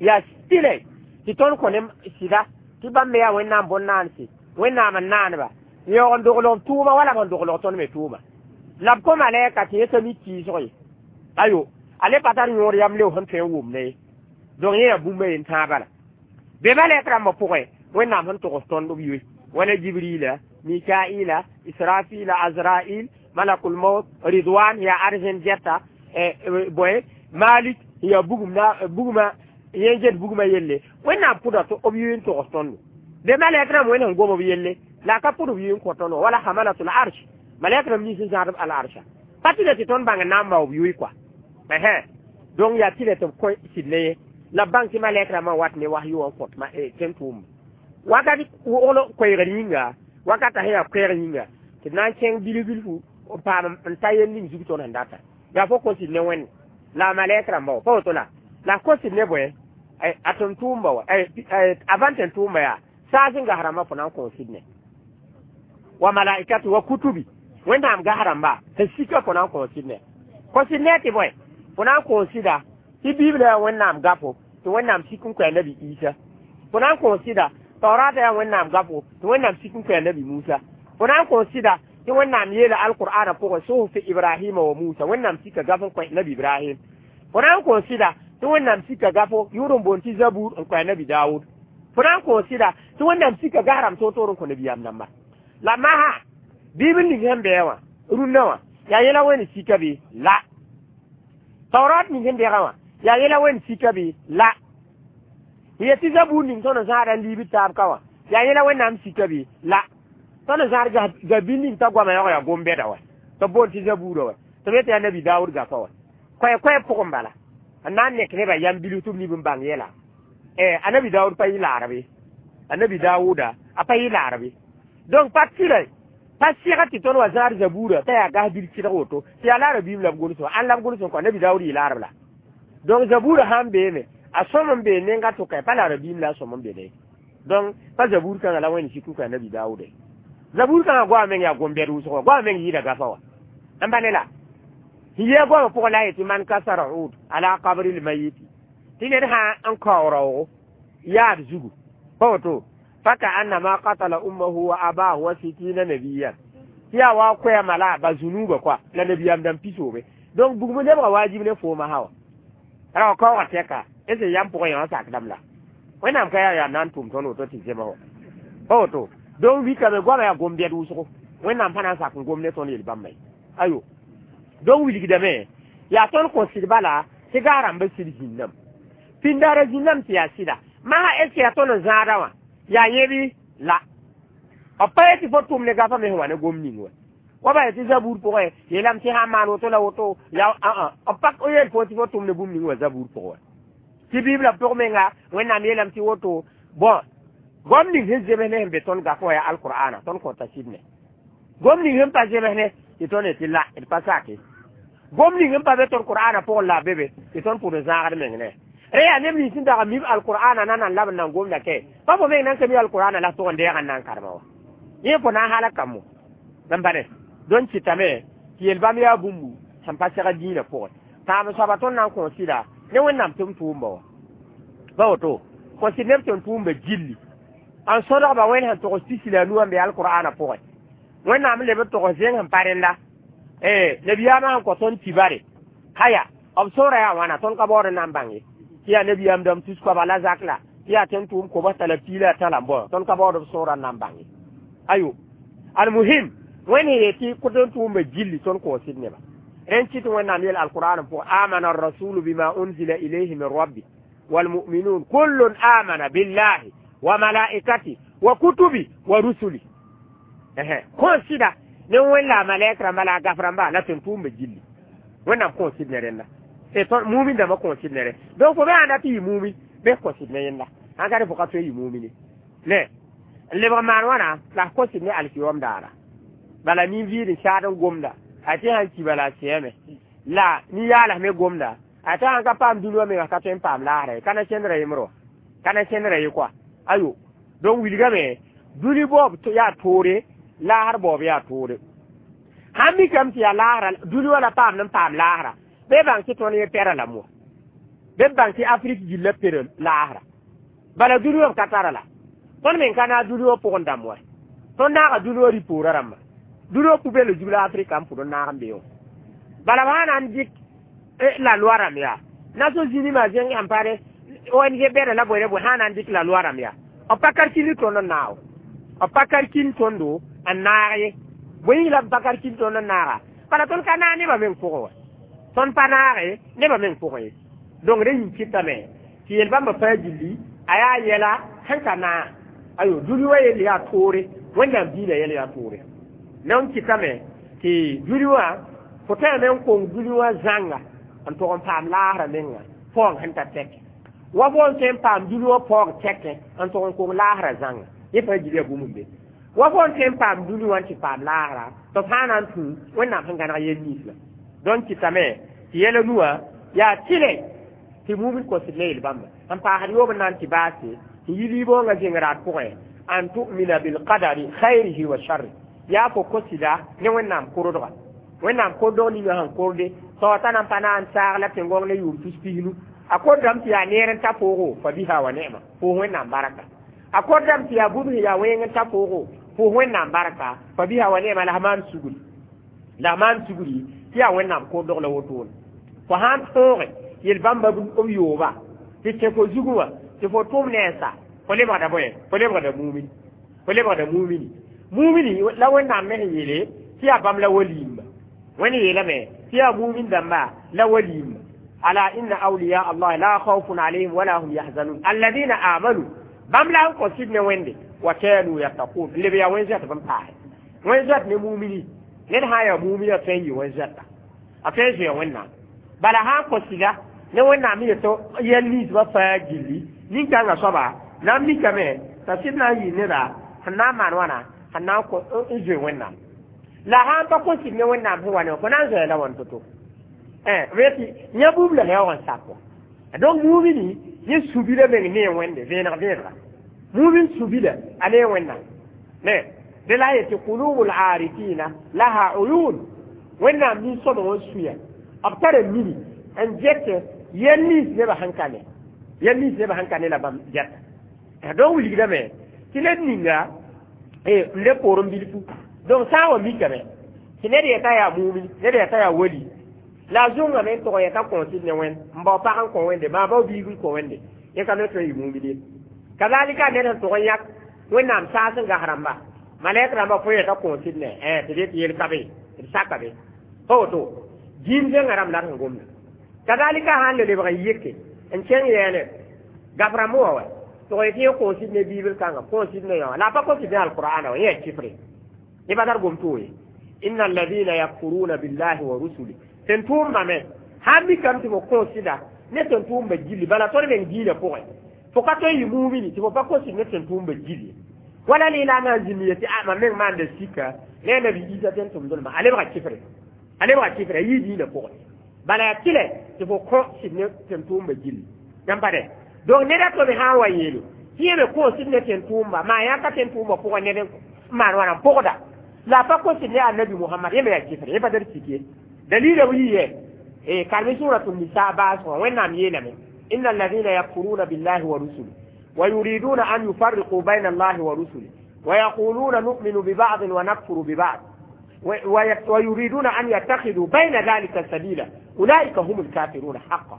yaa tɩle tɩ tõnd kõ ne sɩda tɩ bãmb me yaa wẽnnaam bõn-naanse wẽnnaam n naaneba n yaoog n doglg tʋʋma wala b sẽn doglg tõnd me tʋʋma la b kõ malɛka tɩ yẽ t'a mi kɩɩsg ye ayo a le pa tar yõor yam leo sẽn tõe n wʋmda ye donc yẽ yaa bũmba yen tãa bala be malɛk rãmbã pʋgẽ wẽnnaam sẽn togs tõnd b yoe wala jibrila mikaila israfila azrail malakul maut ridwan yaa arzẽn gɛta bõe malik yaa bugum na buguma yẽ get buguma yelle wẽnnaam pʋda tɩ b yoe n togs tõndo be malɛk rãmb wẽnd sẽn gom b yelle la a ka pʋd b yoe n kõ tõndo wala hamalatul arsh malɛk rãmb nins n zãadb al arsha pa tɩ le tɩ tõnd bãng n na n bao b yoe kɔa donc yaa tɩ le tɩ b kõ sɩd ne ye la b bãng tɩ malɛk rãmbã wat ne wahyu wã n kõt tẽn tʋʋmba wakat wogl koɛɛgr yĩnga wakata sẽn yaa koɛɛg yĩnga tɩ d na n kẽng bilf-bilfu n paam n ta yell ning zug tõnd sẽn data yaa fo kõ sɩd ne wẽnd la a malɛk rãmba wa pa woto la la kõ sɩd ne bõe a tʋm tʋʋmba wa avant tẽn tʋʋmba yaa saas n gas rãmbã fo na n kõ sɩd ne wa malaikatu wa kutubi wẽnnaam gas rãmba sẽn sika fo na n kõ sɩd ne kõ sɩd ne tɩ bõe fo na n kõ sɩda tɩ bibla yaa wẽnnaam gafo tɩ wẽnnaam sik n koa nabi isa fo na n kõ sɩda taurata yaa wẽnnaam gafo tɩ wẽnnaam sik n koa nabi musa fo na n kõ sɩda tɩ wẽnnaam yeela alqur'ana pʋgẽ suhufi ibrahima wa musa wẽnnaam sika gaf n koa nabi ibrahim fo na n kõ sɩda tɩ wẽnnaam sika gafo yʋʋr n boond tɩ zabur n koa nabi daoud fo na n kõ sɩda tɩ wẽnnaam sika gas rãmb toor-toor n kõ nabiyaam dãmba la masã bibl ning sẽn bɩa wã rũndã wã yaa yẽla wẽnd sika bɩ la taurat ning sẽn bɛgã wã yaa yẽla wẽnd sika bɩ la yetɩ zabur ning tõnd n zãada n liibd taab ka wã yaa yẽla wẽnnaam sika bɩ la tõnd n zãad gabil ning t'a goama yaoog yaa gom-bɛda wa tɩ b boond tɩ zabuurã wa tɩ b yetɩ yaa nabi daoud gafa wa koɛ-koɛɛ pʋgẽ bala n na n nek nebã yam bilf tɩ b nib n bãng yɛla a nabi daoud pa yɩ laarb ye a nabi daawuda a pa yɩ laarb ye donc pa tɩra pa sɩga tɩ tõnd wa zãad zabuurã t'a yaa gas bil tɩdg woto tɩ yaa laara biim la b gʋls wa ãn la b gʋls n kõ nabi daoud yɩ laarb la donc zabuurã sãn beeme a sõm n bee nenga tʋka pa laara biim la a sõm n be ne donc pa zabuur kãngã la wẽnd sik n koa nabi daawuda zabuur kãngã goama meng yaa gom-bɛd wʋsg wa goama meng yɩɩda gafa wa n pa ne la yɩ goamã pʋgẽ la a yetɩ man kasara ud ala qabri lmayiti tɩ ned sã n kao raoogo yaad zugu pa woto faka annama qatala ummahu wa abahu wa sitina nabiyan tɩ yaa wa koɛɛma la a ba zunuuba koa la nabiyaam dãmb pisoobe donc bugum lebga wajib ne fooma sã wa ra wa kaooga tɛka est ce yam pʋgẽ yã wã sakdame la wẽnnaam ka yaa yaa na n tʋm tõnd woto tɩ zema wa pa woto donc wikame goama yaa gom-bɛd wʋsgo wẽnnaam pa na n sak n gom ne tõnd yel-bãmba ye ayo donc wilgdame yaa tõnd kõ sɩd bala tɩ gas rãmbã sɩd zĩnname pĩndaara zĩnname tɩ yaa sɩda masã est ce yaa tõnd n zãada wã yaa yẽbɩ la b pa yetɩ fo tʋm ne gafa me sẽn wa ne gom ning wa wa ba yetɩ zabuur pʋgẽ yeelame tɩ sã n maan woto la woto yaa b pa yeel fo tɩ fo tʋm ne bũmb ning wã zabuur pʋgẽ wa tɩ bibla pʋg menga wẽnnaam yeelame tɩ woto bon gom ning sẽn zems ne sẽn be tõnd gaf wã yaa alqur'ana tõnd kõta sɩd ne gom ning sẽn pa zems ne tɩ tõnd yetɩ la d pa sake gom ning n pa be tõnd qur'ana pʋgẽ la b be be tɩ tõnd pʋd n zãagd meng ne re yaa neb nins sẽn dag n mib alqur'ana na nan lab n nan gomda kɛ pa fo meng nan ka mi alqur'ana la tʋg n deeg n na n karema wa yẽ fo na n halg kambõ n pa ne dõn kɩtame tɩ yel-bãmb yaa bũmbu sẽn pa seg dĩinã pʋgẽ paam soaba tõnd na n kõsɩda ne wẽnnaam tɩ m tʋʋmba wa pa woto kõsɩd neb tɩ n tʋʋmba gilli n sõdgba wẽnd sẽn togs pisi la a nu n be alqur'ana pʋgẽ wẽnnaam leb n togs zẽng sẽn pa rẽnda nabiyaamã sẽn kõ tõnd kibare haya b sõora yaa wãna tõnd ka baood n na n bãng ye tɩ yaa nabiyaam dãmb tus koaba la zak la tɩ yaa tẽn tʋʋm kobs t'a la piila a tã la n bao tõnd ka baood b sõora n na n bãng ye ayo almuhim wẽnd sẽn yetɩ tẽn tʋʋmba gilli tõnd koosd neba rẽn kɩt wẽnnaam yel alqur'an pʋgẽ amana arrasulu bima unzila ilayhi min rabbi والمؤمنون كل آمن بالله وملائكته وكتبه ورسله kõ sɩda ne wẽnna malɛk rãmba la a gaf rãmba la tẽn tʋʋmba gilli wẽnnaam kõ sɩd ne rẽnda mumin dãmbã kõ sɩd ne rẽ donc fo be ãnda tɩ yɩ mumin bɩ kõ sɩd ne yẽnda sãn ka rẽ fo ka tõe yɩ mumine ne n lebg maan wãna la f kõ sɩd ne alkiyom daara bala nin-viid n saad n gomda a tɩ sãn ki bala a sɛɛme la nin-yaalas me gomda a tɩ sãn ka paam dũni wã menga ka tõe n paam laasra ye ka na kẽndra yembre wã ka na kẽndra ye koa ayo donc wilgame dũni baoob yaa toore laasr baoob yaa toore sãn mikame tɩ yaa laasra dũni wã la paam n paam laasra bɩ bãng tɩ tõnd yẽ pɛra lame wã bɩ bãng tɩ afrik gilla pere laasra bala dũni wã b ka tara la tõnd meng ka naag dũni wã pʋgẽ dãmb wa tõnd naaga dũni wã rɩ-poorã rãmba dũni wã pubel zug la afrika n pʋd n naag n be wã bala b sã na n dɩk la loi rãmb yaa Nations Unies ma zẽng sẽn pa re ONG bɛda la bõe bõe sã na n dɩk la loi rãmb yaa b pa kalkil tõnd n naago b pa kalkil tõndo n naag ye bõe yĩng la b pa kalkil tõnd n naaga bala tõnd ka naag nebã meng pʋgẽ wa tõnd pa naage nebã meng pʋgẽ ye donc rẽ yĩng kɩtame tɩ yel-bãmbã fãa gilli a yaa yɛla sẽn ka naag ayo dũni wã yell yaa toore wẽnnaam diinã yɛl yaa toore n kɩtame tɩ dũni wã fo tãame n kong dũni wã zãnga n tog n paam laasrã menga paoong sẽn ta tɛke wa fo n tõe n paam dũni wã paoog tɛkẽ n tog n kong laasrã zãnga yẽ fãa gil yaa bũmb n be wa fo n tõe n paam dũni wã n tɩ paam laasrã tɩ b sã na n tũ wẽnnaam sẽn gãneg yel nins la donc kɩtame tɩ yɛla nuwã yaa tɩlɛ tɩ mumin kosd ne yel-bãmba n paasd yoob n na n tɩ baase tɩ yi liiboongã zẽng raad pʋgẽ an tu'mina bilqadari khairihi wa sharri yaa fo kosida ne wẽnnaam kordga wẽnnaam kordg ninga sẽn korde tao t'a na n pa na n saag la tẽn-gõng ne yʋʋm tus pisnu a kordame tɩ yaa neer n ta poogo fa biha wa ne'ma pʋʋs wẽnnaam barka a kordame tɩ yaa bũmb sẽn yaa wẽng n ta poogo pʋʋs wẽnnaam barka fa biha wa ne'ma la f maan sugri la f maan sugri tɩ yaa wẽnnaam kordg la wotone fo sãn tõoge yel-bãmba b yooba tɩ tẽ fo zugẽ wã tɩ fo tʋm nensa fo lebgda bõe fo lebgda mumini fo lebgda mumini mumini la wẽnnaam me sẽn yeele tɩ yaa bãmb la waliimba wẽnd yeelame tɩ yaa mumin dãmba la waliimba ala inna awliya allah la khawfun alayhim wala hum yahzanun alladina amanu bãmb la n kõ sɩd ne wẽnde wa kanu yattaqun leb yaa wẽn zoɛt bẽn paase wẽn zoɛt ne mumini ned sã n yaa mumini a tõe n yɩ wẽn zoɛta a tõe n zoea wẽnnaam bala sã n kõ sɩda ne wẽnnaam yetɩ yɛl ninsbã fãa gilli nin-kãngã soaba na n mikame t'a sɩd na n yɩ neda sẽn na n maan wãna sẽn na n zoe wẽnnaam la sã n pa kõ sɩd ne wẽnnaam sẽn wa ne fo na n zoa la wãn to-to b yetɩ yã bũmb la yaoog n sak wa donc mumini yẽ subila meng ne wẽnde vẽeneg vẽenega mumin subila a ne wẽnnaam ne de la yetɩ kulubul arifina laha uyun wẽnnaam nin-sõmg n suya b tara mini n get yɛl nins nebã sẽn ka ne yɛl nins nebã sẽn ka ne la bãmb gɛta donc wilgdame tɩ ned ninga n le poor n bilfu donc sã n wa mikame tɩ ned yeta yaa mumin ned yeta yaa wali la a zʋngame n tog yeta kõosd ne wẽnd n bao pag n kõ wẽnde maa bao biig n kõ wẽnde yẽ ka me tõe n yɩ mumin ye kazalika ned sẽn tog n yãk wẽnnaam saas n gas rãmba malɛk rãmba fo yeta kõosd ne tɩ d yet yel ka be d saka be pa woto dĩin zẽngã rãmb la d sẽn gomda kazalika sãn le lebg n yeke n kẽng yɛɛne gaf rãmb wã wa tog yetɩ yẽ kõosd ne biibl kãnga kõosd ne yã la a pa kõsd ne alqur'ana wã yẽ yaa kifre yẽ pa tar gom to ye inna alladhina yakfuruna billahi wa rusuli tẽn tʋʋmbame sãn mikame tɩ fo kõosda ne tẽn tʋʋmba gilli bala tõnd meng diinã pʋgẽ fo ka tõe n yɩ mumini tɩ fo pa kõsd ne tẽn tʋʋmba gilli Wala lislaamã zĩnd yetɩ a mam meng maanda sika ne a nabi Isa tẽn tʋmdlmã a lebga kɩfre, a lebga kɩfre, a yii diinã pʋgẽ. Bala yaa tɩlɛ tɩ fo kõ sɩd ne tẽn-tʋʋmbã gilli yãmb pa dɛ. Donc ned a to me sã n wa yeele tɩ yẽ me kõos ne tẽn-tʋʋmba maa yãka tẽn-tʋʋmbã pʋgẽ ned n maan wãna n pʋgda la a pa kos ne annabi Mohamad, yẽ me yaa kɩfre, yẽ pa tar sik ye. Dalila b yɩ yɛ e karmi suratu Nisa baasgã. Wẽnnaam yeelame: inna alladhina yakfuruna billahi wa rusuli wa yuriduna an yufarriqu bayna allahi wa rusuli wa yaquluna nu'minu bi ba'd wa nakfuru bi ba'd wa yuriduna an yattakhidhu bayna dhalika sabila ulaika humul kafiruna haqqan.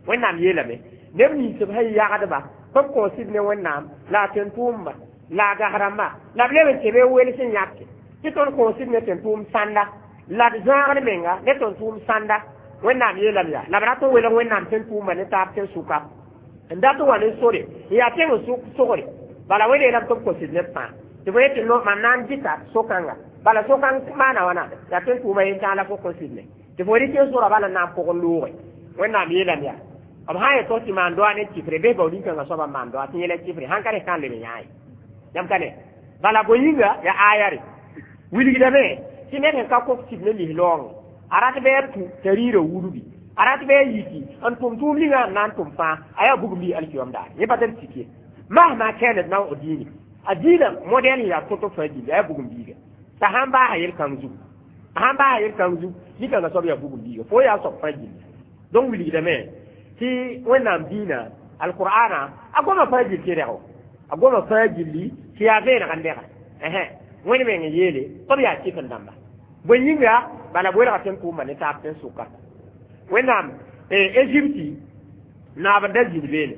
Wẽnnaam yeelame neb nins b sẽn yagdba b kõosd ne Wẽnnaam la a tẽn-tʋʋmba la a gas rãmba la b leb n tɩ be wels n yãke tɩ tõnd kõosd ne tẽn-tʋʋm sãnda la d zãagd menga ne tõnd tʋʋm sãnda. Wẽnnaam yeelame yaa la b rat n welg Wẽnnaam tẽn-tʋʋmba ne taab tẽn-sʋka n dat n wa ne sore n yaa tẽng sogre. Bala wẽnd yeelame tɩ b kosd neb fãa tɩ fo yetɩ no mam na n dɩta so-kãnga, bala so-kãng maana wãna yaa tẽn-tʋʋma yentãag la fo kõsd ne tɩ fo rɩk n sora bala n na n pʋgẽ loogẽ. Wẽnnaam yeelame yaa b sã n yetɩ tɩ maan doa ne kɩfre bɩ bao nin-kãngã soabã n maan doa tɩ yẽla kɩfre sãn ka rẽ kãn leb n yãa ye yãmb ka ne. Bala bõe yĩnga yaa aya re wilgdame tɩ ned sẽn ka kos sɩd ne lislaoongẽ a rat bɩ a tũ t'a rɩɩrã wudbi, a rat bɩ a yiki n tʋm tʋʋm ninga n na n tʋm fãa a yaa bugum bi alkiyom daar yẽ pa tar sik ye. Mahma kanat naw diini a diinã modɛl yaa tõt fãa gilli a yaa bugum biiga t'a sãn baasa yel-kãng zugu, a sãn baasa yel-kãng zug nin-kãngã soab yaa bugum biiga fo yaa soab fãa gilli. Donc wilgdame tɩ Wẽnnaam diinã alqur'ana a goma fãa gill tɩ rɛg a goma fãa gilli tɩ yaa vẽeneg n dɛga Wẽnd meng n yeele tɩ b yaa kɩf n dãmba. Bõe yĩnga bala b welga tẽn-tʋʋmba ne taab tẽn-sʋka. Wẽnnaam Egypte naab n da zĩnd beene,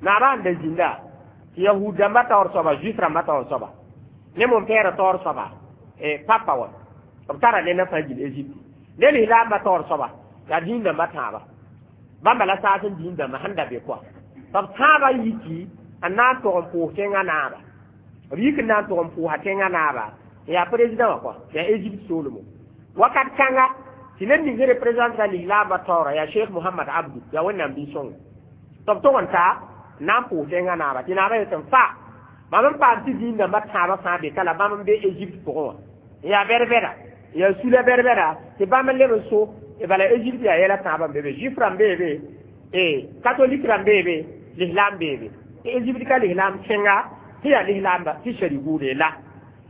naabã n da zĩnda tɩ yahud dãmbã taoor soaba, juif rãmbã taoor soaba ne mon-pɛɛrã taoor soaba papa wã b tara ne na fãa gil Egypte ne lislaambã taoor soaba yaa dĩin dãmbã tãaba bãmba la saas n dĩin dãmbã sẽn da be koa b tãabã yiki n na n tog n pʋʋs tẽngã naaba, b yik n na n tog n pʋʋsa tẽngã naaba n yaa président wã koa yaa Egypte soolmo wakat kãnga tɩ ned ning sẽn représente lislaambã taoora yaa Cheikh Mohamad Abdu yaa Wẽnnaam bi-sõngo tɩ b tog n ta n na n pʋʋs tẽngã naaba tɩ naabã yetɩ n fa mam n paam tɩ dĩin dãmbã tãabã fãa be ka la bãmb n be Egypte pʋgẽ wã n yaa bɛd-bɛda yaa sula bɛd-bɛda tɩ bãmb n leb n so. Bala Egypte yaa yɛla tãabã n be be, juif rãmb bee be, catholique rãmb bee be, lislaam bee be. Tɩ Egypte ka lislaam tẽnga tɩ yaa lislaamba tɩ shari buude la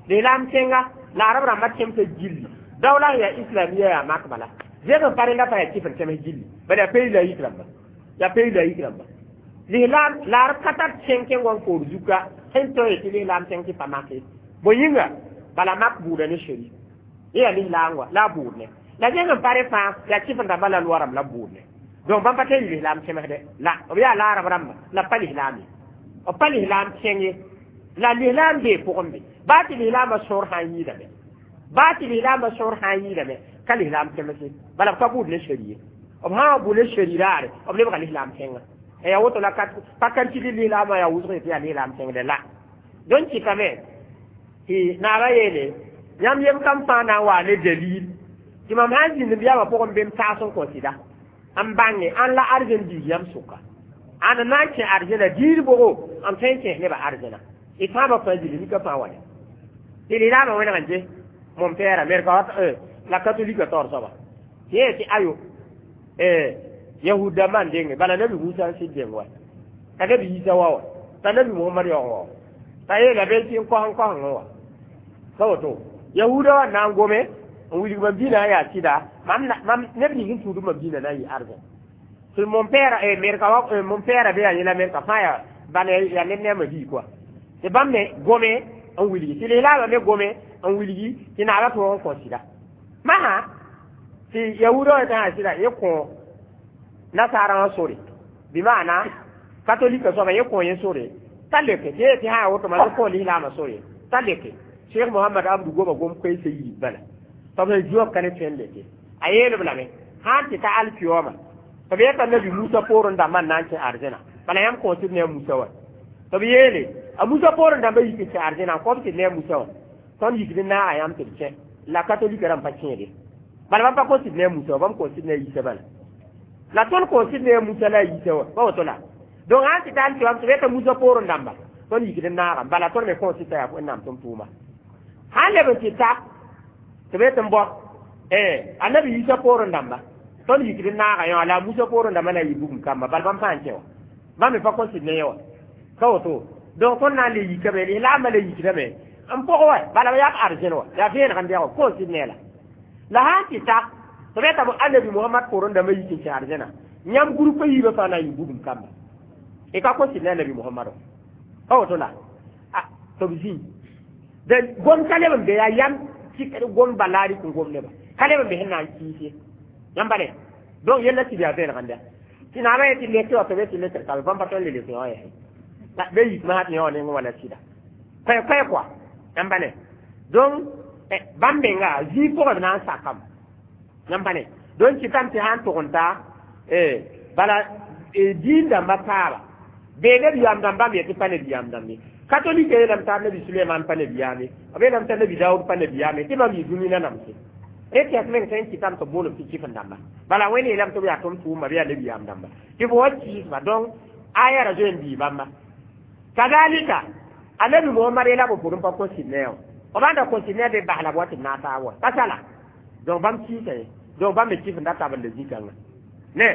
lislaam tẽnga la arab rãmbã tẽmsã gilli dawla yaa islamia yaa mak bala zẽg n pa rẽnda pa yaa kɩf n tẽms gilli bala yaa pays laïque rãmba, yaa pays laïque rãmba lislaam la arab ka tar tẽng kẽng wa n koor zuka sẽn tõe tɩ lislaam tẽng tɩ pa make. Bõe yĩnga bala mak buuda ne shari yẽ yaa lislaam wa la a buud ne la zẽng n pa rẽ fãa yaa kɩf n dãmba la loa rãmb la buud ne. Donc bãmb pa tɩ lislaam tẽmsdɛ la b yaa la arab rãmba la pa lislaam ye, b pa lislaam tẽng ye la lislaam bee pʋgẽ be baa tɩ lislaamã sõor sã n yɩɩdame, baa tɩ lislaamã sõor sã n yɩɩdame ka lislaam tẽmse bala b ka buud ne shari ye. B sã wa bʋ ne shari raare b lebga lislaam tẽnga ya woto la pa kan tɩ lislaamã yaa wʋsg tɩ yaa lislaam tẽngdɛ la. Donc kɩtame tɩ naabã yeele yãmb yem kam fãa na n waa ne dalil tɩ mam sã n zĩnd b yaabã pʋgẽ bem taas n kõ sɩda n bãnge ãn la arzẽn biig yãmb sʋka ãn na n kẽ arzẽna diir bʋgo n tõe n kẽes nebã arzẽna y tãabã fãa gilli nika fãa wa tɩ lislaamã wẽneg n je mon-pɛɛra Amerika la catholique taoor soaba tɩ yẽ tɩ ayo yahud dãmbã n denge bala nabi Musa n sɩd deng wa t'a nabi Yisa wa wa t'a nabi Mohamad yaoog wa t'a yeela be tɩ n kos n kosengẽ wa ka woto yahuda wa na n gome n wilg mam dĩnã yaa sɩda mam neb ning n tũud mam dĩnã na n yɩ arzẽ tɩ mon-pɛɛra Amerika wa mon-pɛɛra be yaa yẽla Amerika fãa yaa bala yaa ned ne a ma-bii koa tɩ bãmb me gome n wilgi tɩ lislaamã me gome n wilgi tɩ naabã tõog n kõ sɩda masã tɩ yahuda wã tã sɩda yẽ kõ nasaarã wã sore bɩ maana catholique soaba yẽ kõ yẽ sore t'a leke tɩ yẽ tɩ sã woto ma kõ lislaamã sore t'a leke. Cheikh Mohamad Abdu goma gom koeesã yiib bala tɩ b sẽn zĩ wã b ka ne tõe n leke a yeelb lame sã n tɩ ta alkiyooma tɩ b yeta nabi Musa poorẽ dãmbã n na n kẽ arzẽna bala yãmb kõosd ne a Musa wa tɩ b yeele a Musa poorẽ dãmbã yik n kẽ arzẽna n kõb tɩ ne a Musa wã tõnd yikd n naaga yãmb tɩ b kẽ la catholique rãmb pa kẽede bala bãmb pa kõsd ne a Musa wa bãmb kõsd ne a Yisa bala la tõnd kõsd ne a Musa la a Yisa wa pa woto la. Donc sã n tɩ ta alkiyoom tɩ b yeta Musa poorẽ dãmba Tõnd yikd n naagame bala tõnd me kõs tɩ yaa Wẽnnaam tʋm tʋʋma sãn leb n tɩ ta tɩ b tɩ n bao annabi Yisa poorẽ dãmba tõnd yikd n naaga yã la a Musa poorẽ dãmba na n yɩ bugum kamba bal bãmb fãa n kẽ wã bãmb me pa kõ sɩd ne yẽ wã ka woto donc tõnd na n le yikame lislaambã le yikdame n pʋg wa bala b yaa b arzẽn wã yaa vẽeneg n bɛg kõs sɩd ne la la sã n tɩ ta tɩ b yetame annabi Mohamad poorẽ dãmbã yik n kẽ arzẽna yãmb groupe yiibã fãa na n yɩ bugum kamba y ka kõ sɩd ne annabi Mohamad wã pa woto la tɩ b zĩ de gom ka leb n be yaa yam tɩ gom balaari kõ gom neba ka leb n be sẽn na n kiis ye yãmba ne donc yella tɩ yaa vẽeneg n da tɩ naamã ye tɩ leke wa tɩ be tɩ lekr kabe bãmb pa tõe n le lek yõ yɛsẽ be yik masã tɩ yõ neng wã la sɩda koɛ-koɛ kɔa yãmba ne donc bãmb menga zĩig pʋgẽ b na n sakame yãmba ne donc kɩtame tɩ sã n tʋg n ta bala diin dãmba taaba bee nabiyaam dãmbã me tɩ pa nabiyaam dãmbe catholique yeelame t'a nabi Suleiman pa nabiyaame b yeelame t'a nabi Daoud pa nabiyaame tɩ bãmb yɩ dũni nanamse rẽ tɛs meng tõe n kɩtame tɩ b boolem tɩ kɩf n dãmba bala Wẽnd yeelame tɩ b yaa tʋm tʋʋmba bɩ yaa nabiyaam dãmba tɩ fo wa kiisba donc aya ra zoe n bii bãmba kazalika anabi Mohamad yeela b pʋgẽ pa kõ sɩd ne wã b ãnda kõ sɩd ne be bas la b wa tɩ b naag taab wa pa sala donc bãmb kiisa ye donc bãmb me kɩf n da tab n la zĩ-kãngã ne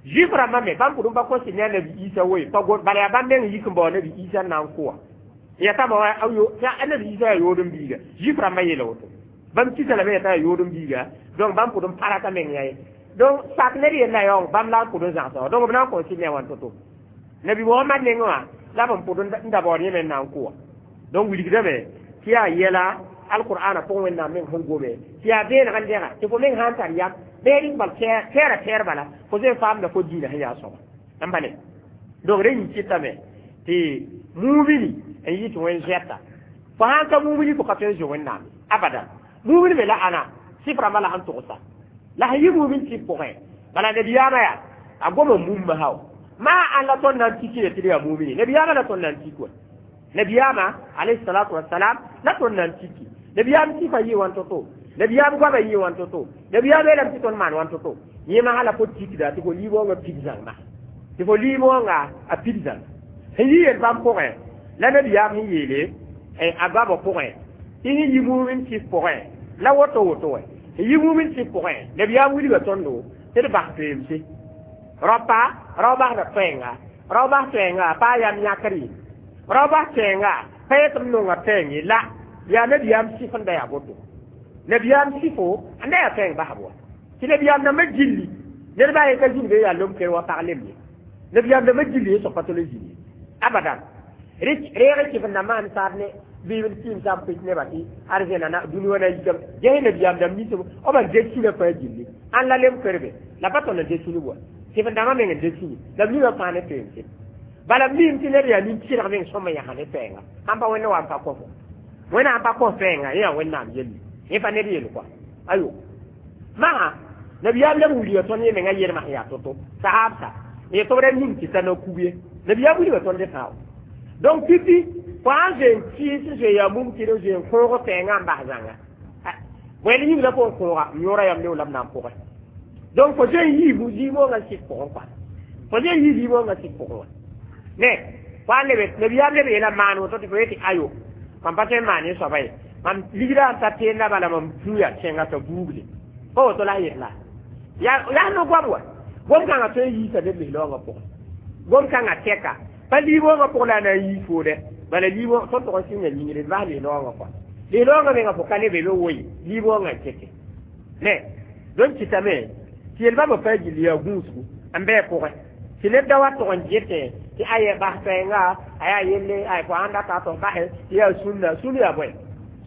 juif rãmbã me bãmb pʋgẽ pa kõ sɩd ne a nabi Isa woe pa bala yaa bãmb meng yik n bao nabi Isa n na n kʋ wã ya tama wa a nabi Isa yaa yood n biiga juif rãmbã yeela woto bãmb kisa lame yetã yaa yood n biiga donc bãmb pʋgẽ pa rata meng yã ye donc sak ned yella yaoong bãmb la n pʋgẽ zãgsa wã donc b na n kõ sɩd ne wãn to-to nabi Mohamad nengẽ wã la b n pʋd n da baood yẽ me n na n kʋ wã donc wilgdame tɩ yaa yɛla alqur'ana pʋgẽ Wẽnnaam meng sẽn gome tɩ yaa vẽeneg n dẽga tɩ fo meng sã n tar yam bee bal tɛɛra tɛɛr bala fo zoe faamda fo diinã sẽn yaa soaba n ba ne donc rẽ yĩn kɩtame tɩ mumini n yɩ tɩ wẽn zoɛta fo sãn ka mumini fo ka tõe n zoe Wẽnnaam abadan mumini me la ãna sɩf rãmbã la sẽn togsa la sẽn yɩ mumin sɩf pʋgẽ bala nabiyaamã yaa a goma mumma sao maa ãn la tõnd na n tiki ye tɩ d yaa mumini nabiyaamã la tõnd na n tik wa nabiyaamã alayhi salatu wasalam la tõnd na n tiki nabiyaam sɩfa yɩ wãn to-to nabiyaam goama yɩ wãn to-to nabiyaam yeelame tɩ tõnd maan wãn to-to yẽ masã la fo tikda tɩ fo liib-wãngã pid zãngma tɩ fo liib-wãnga a pid zãng sẽn yɩ yel bãmb pʋgẽ la nabiyaam sẽn yeele a goamã pʋgẽ tɩ sẽn yɩ mumin sɩf pʋgẽ la woto woto wɛ sẽn yɩ mumin sɩf pʋgẽ nabiyaam wilga tõndo tɩ d bas toeemse rapa rao basda toɛɛnga rao bas toɛɛnga pa a yam yãkr ye rao bas toɛɛnga pa yet m nonga toɛɛng ye la yaa nabiyaam sɩf n da yaa boto nabiyaam sɩfo n da yaa toɛɛng basb wa tɩ nabiyaam dãmbã gilli ned baa ye ka zĩnd be yaa lom ker wa pag lem ye nabiyaam dãmbã gilli ye soab pa tol n zĩnd ye abadan reeg kɩf n dãmbã sẽn saad ne bɩ kɩɩm sam pɩs nebã tɩ arzẽna na dũni wã na yikame ges nabiyaam dãmb ninsb b n ded sũnã fãa gilli ãn la lem kerbe la pa tõnd n ded sũnub wa kɩf n dãmbã meng n ded sũni la b ninga fãa ne toeemse bala mim tɩ ned yaa nin-tɩrg meng sõm n yãsa ne toɛɛnga sãn pa Wẽnd wa n pa kõfo Wẽnnaam pa kõs toɛɛnga yẽ yaa Wẽnnaam yelle yẽ pa ned yel kɔa ayo maga nabiyaam leb n wilga tõnd yẽ menga yelmã sẽn yaa to-to sahaabsa n tɩ b ra ning tɩ ta na kug ye nabiyaam wilga tõnd fãa donc pipi fo sãn zoe n kɩɩs n zoe yaa mum tɩ d zoe n kõog toɛɛngã n bas zãnga bõe yĩng la fo n kõoga m yõora yam leo la b na n pʋgẽ donc fo zoe n yii liib-wãngã sɩd pʋgẽ kɔa fo zoe n yii liib-wãngã sɩd pʋgẽ wã ne fo a lebe nabiyaam leb yeela maan woto tɩ fo yetɩ ayo mam pa tõe n maan yẽ soaba ye mam ligrã n ta teenna bala mam tũ yaa kẽnga t'a buugle pa woto la a yet la yaa no goam wa gom kãngã tõe n yiisa neb lis-laoongã pʋgẽ gom kãngã tɛka pa liib-wãngã pʋg la a na n yii foodɛ bala liib tõnd tʋg n sɩnga yĩngre d bas lis-laoongã kɔa lis-laoongã menga fo ka ne be be woe liib-wãngã n kete ne donc kɩtame tɩ yel bãmba fãa gilli yaa gũusgu n bɩ pʋgẽ tɩ ned da wa tʋg n getẽ tɩ aye bas toɛɛnga a yaa yelle ay fo sãn data tɩ f basɛ tɩ yaa sũnna sũn yaa bõe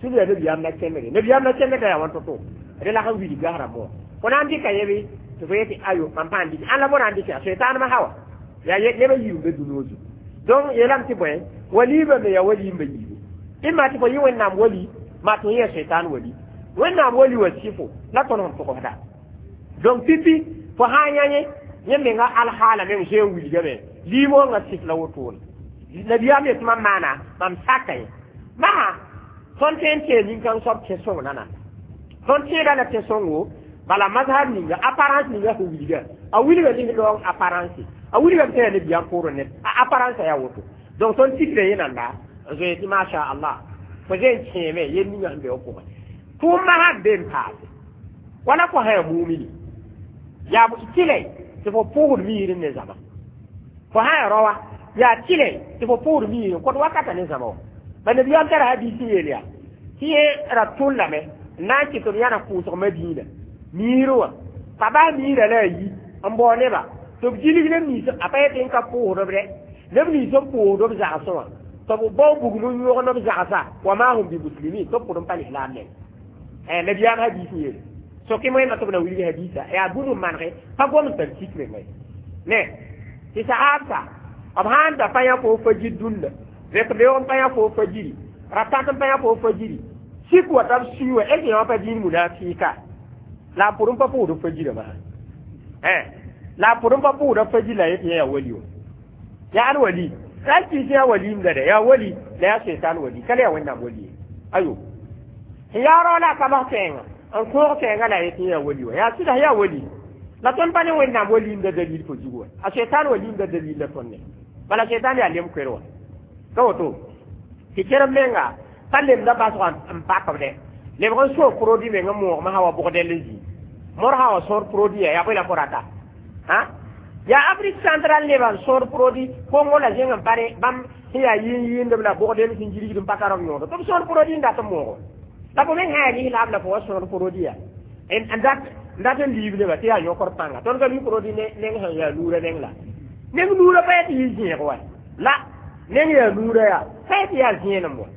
sũn yaa nabiyaam na kẽndge nabiyaam na kẽndg da yaa wãn to-to rẽ la sẽn wilg gas rãmbã wã fo na n dɩka yẽ bɩ tɩ fo yetɩ ayo mam pãan dɩk ãn la bõ na n dɩk yaa soetãanmã hawa yaa nebã yiib n be dũni zugu donc yeelame tɩ bõe waliibã me yaa waliimba yiibu ɩma tɩ fo yɩ Wẽnnaam wali maa tɩ yẽ soetãan wali Wẽnnaam wali wa sɩfo la tõnd sẽn togsda donc pipi fo sã n yã yẽ yẽ menga alhaala meng zoe n wilgame liib-wãngã sɩf la wotone nabiyaam yetɩ mam maana mam saka ye masã tõnd tõe n tee nin-kãng soab tẽ sõng nana tõnd tẽeda la tẽ sõngo bala mazhab ninga apparence ninga sẽn wilga a wilga lis-laoong apparence a wilgame tɩ yaa nabiyaam poorẽ ned a apparence yaa woto Donc tõnd tikra yẽ nanda n zoe tɩ masha Allah fo zoe n kẽeme yel ninga sẽn be f pʋgẽ tʋʋm masã be n paase wala fo sã yaa mumini yaa tɩlɛ tɩ fo pʋʋsd miir ne zaba fo sã yaa raoã yaa tɩlɛ tɩ fo pʋʋsd miir n kõt wakata ne zãma wã ba nabiyaam tara hadiis n yeel yaa tɩ yẽ ra tʋllame n na n kɩt b yãna pʋʋsg madiina miir wã pa bas miirã la a yi n bao neba tɩ b gilg neb nins a pa yetɩ n ka pʋʋsd b dɛ neb nins n pʋʋsd b zagsẽ wã tɩ b bao bugum n yõgd b zagsa wa ma hum bi muslimin tɩ b pʋd n pa lislaam neng nabiyaam hadiis n yeele soke wẽnna tɩ b na wilg hadiisa yaa bũmb n manege pa gom n tar sik menga ye ne tɩ sahaabsa b sãn da pa yã fo fajir dũnna vek beoog n pa yã fo fajiri ratãt n pa yã fo fajiri sik wa t'a b sui wa est yã pa dĩin munafika la a pʋd n pa pʋʋsd fajirã masã la a pʋd n pa pʋʋsda fajir la yetɩ yã yaa wali wa yaa ad wali ra kɩs yaa waliimda dɛ yaa wali la yaa seitan wali ka le yaa wẽnnaam wali ye ayo sẽn yaa rao la a kabs kɛɛngã n kõog kɛɛngã la a yetɩ yaa wali wa yaa sɩda yaa wali la tõnd pa ne wẽnnaam waliimda dalil fo zug wa a seitan waliimda dalil la tõnd ne bala seitan yaa lem koer wa ka woto tɩ kerem menga pa lemda basg n pakb dɛ lebg n soog produit meng n moogmã sã wa bʋgdɛl n zĩ mor sã wa sõor produit ya yaa bõe la fo rata ha yaa Afrique centrale nebã n sõor produit Kongo la zẽng n pa ne bãmb sẽn yaa yɩɩn yɩɩndb la bʋgdɛl sẽn gilgd n pa tar b yõodo tɩ b sõor produit n dat n moogo la fo meng sã yaa lislaam la fo wa sõor produit ya n dat n dat n liib nebã tɩ yaa yõkr pãnga tõnd ka mi produit neng sẽn yaa nuurã neng la neng nuurã pa yetɩ yɩ zẽeg wa la neng yaa nuurã yaa pa yetɩ yaa zẽenem wa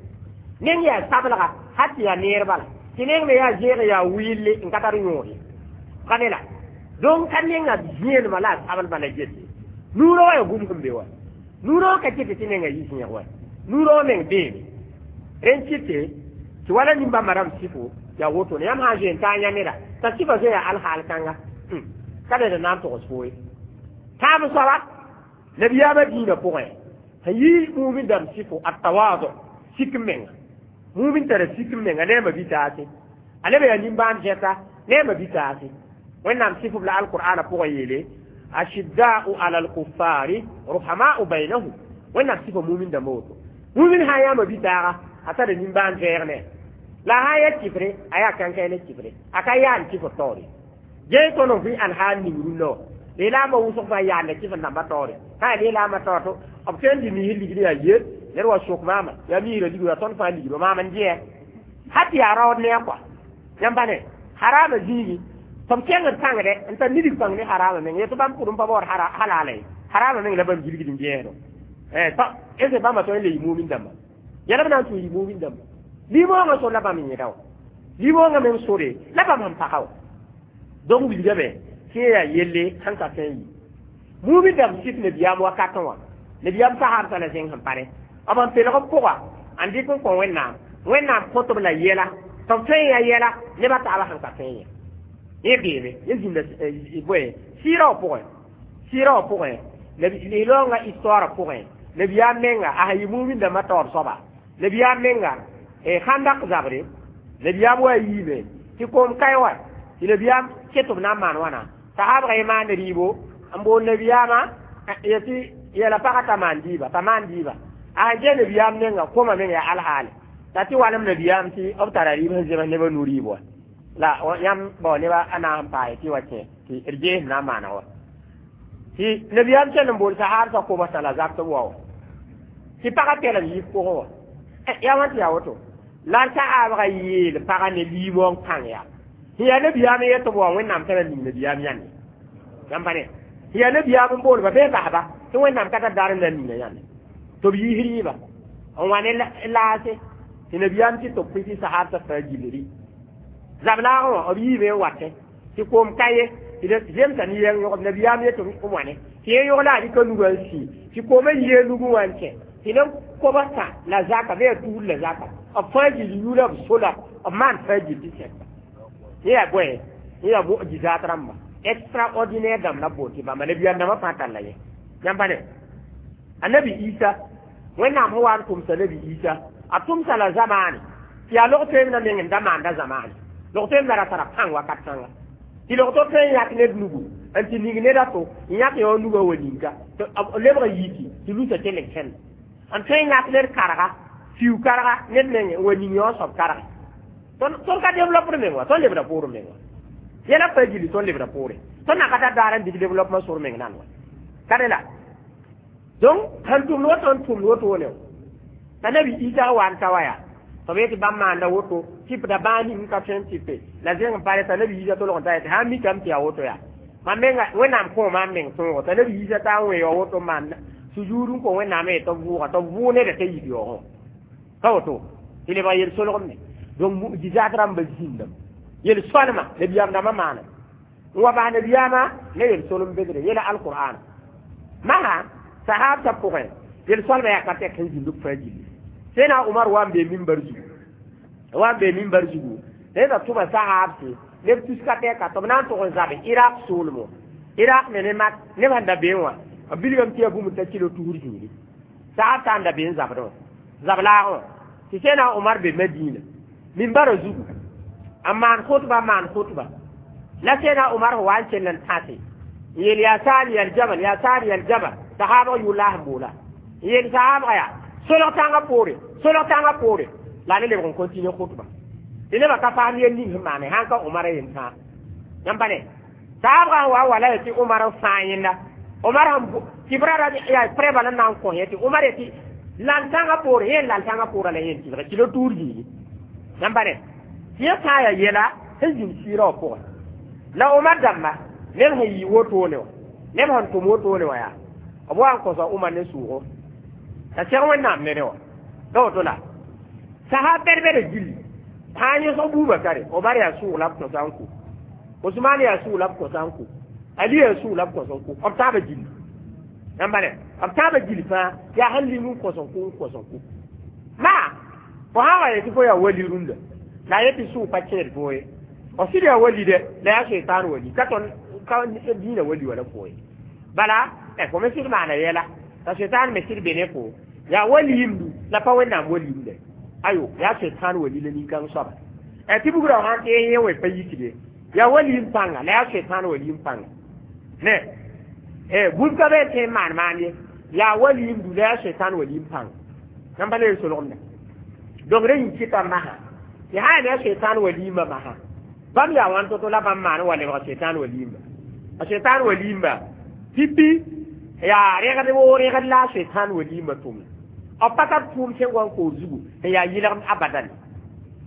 neng yaa sablga hat tɩ yaa neer bala tɩ neng me yaa zẽeg yaa wɩɩlle n ka tar yõod ye ka ne la donc ka nenga zẽenemã la a sablmã la gete nuurã wa yaa bũmb sẽn be wa nuurã wã ka kɩtɩ tɩ nenga yɩ zẽeg wa nuurã wã meng beeme rẽn kɩte tɩ wala nimbãmbã rãmb sɩfo yaa woto ne yãmb sã n zoe n taa yã neda t'a sɩfa zoe yaa alhaal kãnga ka ned n na n togs fo ye tãab soaba nabiyaamã dĩinã pʋgẽ sẽn yɩ mumin dãmb sɩfo a tawaado sik n menga mumin tara sik n menga ne a ma-bi-taase a leb yaa nimbãan zẽta ne a ma-bi-taase wẽnnaam sɩf b la alqur'ana pʋgẽ yeele ashidda'u ala alkuffari ruhama'u bainahum wẽnnaam sɩfa mumin dãmba woto mumin sã n yaa ma-bi-taaga a tara nimbãan vɛɛg ne la sã n ya kifre a yaa kãnkãe ne kifre a ka yaan kifr taoore gee tõnd n vɩ alhaal ning rũnnã wã lislaambã wʋsg fãa yaanda kifr dãmbã taoore sã yaa lislaambã taoor to b tõe n dɩ misr ligd yaa ye ned wa sok maama yaa misrã ligdo yaa tõnd fãa ligdo maam n dɩɛ hat yaa raood ne a kɔa yãmb pa ne harama zĩigi tɩ b kẽngd pãngdɛ n tar nidg pãng ne harama meng yetɩ bãmb pʋd n pa baood halala ye harama meng la bãmb gilgd n gẽesdo est bãmba tõe n le yɩ mumin dãmba yɛla b na n tũ yɩ mumin dãmba limoongã sor la bãmb n yẽda wã limoongã meng sore la bãmb sẽn paka wã donc wilgame tɩ yẽ yaa yelle sẽn ka tõe n yi mumin dãmb sɩf nabiyaam wakatẽ wã nabiyaam sahaabsã la zẽng sẽn pa ne b n pelg b pʋga n dɩk n kõ wẽnnaam wẽnnaam kõtb la yɛla tɩ b tõe n yaa yɛla nebã taabã sẽn ka tõe n yẽ yẽ beeme yẽ zĩnda bõe sɩɩrã wã pʋgẽ sɩɩrã wã pʋgẽ lislaoongã histoire pʋgẽ nabiyaam menga a sẽn yɩ mumin dãmbã taoor soaba nabiyaam menga khandak zabre nabiyaam wa yiime tɩ koom kae wa tɩ nabiyaam ket b na n maan wãna sahaabga yẽ maan rɩɩbo n bool nabiyaamã yetɩ yɛla pagã t'a maan dɩɩba t'a maan dɩɩba a sẽn gee nabiyaam nenga koma meng yaa alhaale la tɩ walem nabiyaam tɩ b tara rɩɩb sẽn zems nebã nu rɩɩb wa la yãmb bao neba a na n paase tɩ wa kẽ tɩ d gees na n maana wa tɩ nabiyaam kell n bool sahaabsã kobsã la zak tɩ b wa wa tɩ pagã pɛlem yiif pʋgẽ wa yaa wãn tɩ yaa woto la sahaabga yeel pagã ne liimong kãng yaa sẽn yaa nabiyaam n yet b wa wẽnnaam tara ning nabiyaam yãnde yãmb pa ne sẽn yaa nabiyaam n boolba bɩ basba tɩ wẽnnaam ka tar daar n na n ninga yãnde tɩ b yiis rɩɩba n wa ne laase tɩ nabiyaam tɩ tɩ b pʋɩ tɩ sahaabsã fãa gilri zab-laagẽ wã b yiime n watẽ tɩ koom ka ye tɩ zemsa ne yɛng yõgb nabiyaam yet b wãne tɩ yẽ yõg la a rɩka nugã n sii tɩ koomã yie nugẽ wã n kẽ tɩ ne kobsã la zaka bɩ yaa tuur la zaka b fãa gil yula b sola b maan fãa gil tɩ sɛka yẽ yaa bõe yẽ yaa mujizaat rãmba extraordinaire dãmb la b bool tɩ bãmba nabiyaam dãmbã fãa talla yẽ yãmb pa ne annabi Isa wẽnnaam sẽn wa n tʋmsa nabi Isa a tʋmsa la zamaane tɩ yaa log toeem na meng n da maanda zamaane log toeem na ra tara pãng wakat kãnga tɩ log to tõe n yãk ned nugu n tɩ ning ned a to n yãk yã wã nugã wa ninka tɩ b lebg yiki tɩ lusa kell n kẽnd N tõe n yãk ned karga fiu karga ned meng n wa ning yõ soab karge. Tõnd ka développr meng wa, tõnd lebda poorẽ meng wa. Yɛla pa gilli tõnd lebda poore. Tõnd na ka tar daar n dɩk développement sor meng nan wa. Ka rẽ la. Donc sẽn tʋmd woto n tʋmd wotone t'a nabi Isa wa n ta wa yaa tɩ b yetɩ bãmb maanda woto tɩpda bãa ning ka tõe n tɩpe la zẽng n pa t'a nabi Isa tolg n ta yetɩ sã n mikame tɩ yaa woto yaa mam menga Wẽnnaam kõ maam meng tõogo t'a nabi Isa t'a n wẽ ya woto n maan sujuud n kõ Wẽnnaam ye tɩ b vʋʋga tɩ b vʋʋ neda t'a yik yaoogẽ ka woto tɩ lebg yel-solgemde. Donc mu'jizat rãmba zĩndame yel-soalma nabiyaam dãmbã maana n wa bas nabiyaamã ne yel-solem bedre yela alqur'an masã sahabtã pʋgẽ yel-soalmã yaa ka tɛk sẽn zĩnd b fãa gilli. Sẽna Umar wa n bee mimbar zugu wa n bee mimbar zugu neda tʋma sahabse neb tuska tɛka tɩ b na n tʋg n zabe Iraq soolmo Iraq me ne mak neb sẽn da beẽ wã b bilgame tɩ yaa bũmb t'a kilo tusr zĩigri sahab t'a n da bee n zabdẽ wã zab laagẽ wã tɩ sẽna Umar be Madina mimbara zugu n maan khutba maan khutba la sẽna Umar wa n kell n tãse n yeel yaa Sari aljabal yaa Sari aljabal sahabg yʋʋr sẽn boola n yeel sahabga yaa solg tãngã poore solg tãngã poore la ne lebg n continue khutba tɩ nebã ka paam yel ning sẽn maane sãn ka Umar yen tãa yãmb pa ne sahabgã wa wala ye tɩ Umar n fãa yẽnda Umar sẽn tɩ b ra yaa prɛba la na n kõ yẽ tɩ Umar yetɩ lal tãngã poore yẽ lal tãngã poorã la yẽn tɩlge kilo tuur zĩigi yãmb pa ne tɩ yẽ sã n yaa yɛla sẽn zĩnd sɩɩrã wã pʋgẽ la Umar dãmba neb sẽn yɩ wotone wã neb sẽn tʋm wotone wã yaa b wa n kõsa Umar ne sʋʋgo t'a seg Wẽnnaam ne rẽ wã la woto la sahab bɛd-bɛda gilli sã n yõsg Bubakare Omar yaa sʋʋg la b kõsa n kʋ Osman yaa sʋʋg la b kõsa n kʋ Ali yaa sʋʋg la b kõs n kʋ b taaba gilli yãmba ne b taaba gilli fãa yaa sẽn ling n kõs n kʋ n kõs n kʋ maa fo sã wa yetɩ fo yaa wali rũndã la a yetɩ sʋʋg pa kẽed fo ye f sɩd yaa wali dɛ la yaa seitan wali ka tõnd ka dĩinã wali wala fo ye bala fo me sɩd maana yɛla t'a seitan me sɩd be ne fo yaa waliyimdu la pa Wẽnnaam waliyimde ayo yaa seitan wali la nin-kãng soaba tɩ bugrã sãn tɩ yẽ wẽ pa yikde yaa waliyim pãnga la yaa seitan waliyim pãnga ne bũmb ka be n tõe n maan maan ye yaa waliyimdu la yaa seitan waliyim pãnga yãmb pa le solgemda donc rẽ yĩn kɩta masã tɩ sã yaa ne a seitan waliyimba masã bãmb yaa wãn to-to la bãmb maan wa lebg seitan waliyimba a seitan waliyimba pipi yaa rẽgd woo rẽgd la a seitan waliyimba tʋmda b pa tar tʋʋm sẽn wa n koor zugu sẽn yaa yɩlgem abadan